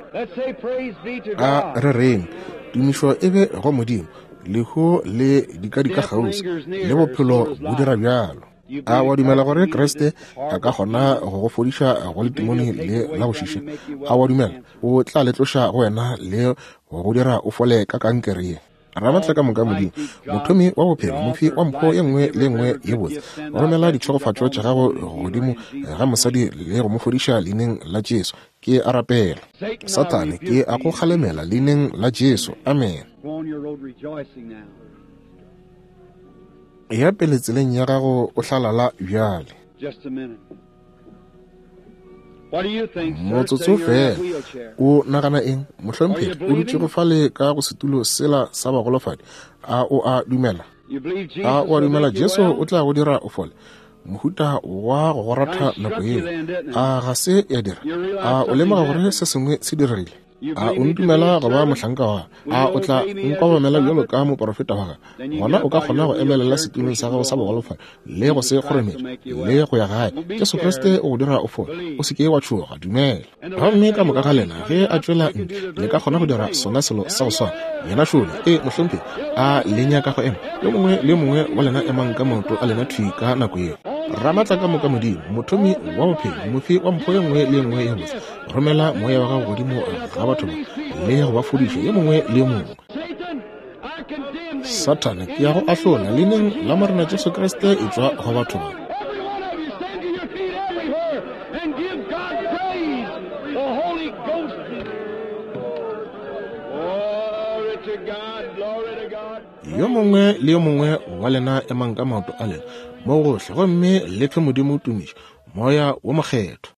A re reng, tumišo e be go Modimo. Lehu le dikadika kgauswi le bophelo bo dira bjalo. A wa dumela gore Kriste a ka kgona go go fodiša go letimone le la go šiša? A wa dumela o tla le tloša go wena le go go dira o fole ka kankere ye? Ramatla ka moka Modimo, mothomi wa bophelo, mofi wa mpho ye nngwe le nngwe ye botse, romela ditšhegofatšo tša gago godimo ga mosadi le go mo fodiša leineng la Jesu. Ke a rapela. Sathane, ke a go kgalemela leineng la Jesu. Amen. Ya pele tseleng ya gago o hlalala bjale. Motsotso fela. O nagana eng, mohlomphegi? O dutšego fale ka go setulo sela sa bagolofadi. A o a dumela? A o a dumela Jesu o tla go dira o fole? Mohuta wa go go ratha nako yeo, a ga se ya dira? A o lemoga gore se sengwe se diregile? A o ntumela go ba mohlanka wa? A o tla nkobamela bjalo ka moporofeta wa ka? Gona o ka kgona go emelela setulong sa gago sa bogolofadi le go se kgorometše le go ya gae. Jesu Kriste o go dira o fole. O se ke wa tšhoga, dumela. Gomme ka moka ga lena ge a tšwela ntle, le ka kgona go dira sona selo sa go swana. Yena šole, e mohlomphegi, a le nyaka go ema? Yo mongwe le yo mongwe wa lena emang ka maoto a lena thwi ka nako yeo. Ramatla ka moka Modimo, mothomi wa bophelo, mofi wa mpho ye nngwe le ye nngwe ye botse, romela moya wa gago godimo ga batho ba le go ba fodiša yo mongwe le yo mongwe. Sathane, ke ya go ahlola leineng la Morena Jesu Kriste, e tšwa go batho ba. Yo mongwe le yo mongwe wa lena emang ka maoto a lena mo gohle, gomme le fe Modimo tumišo, Moya wo Mokgethwa.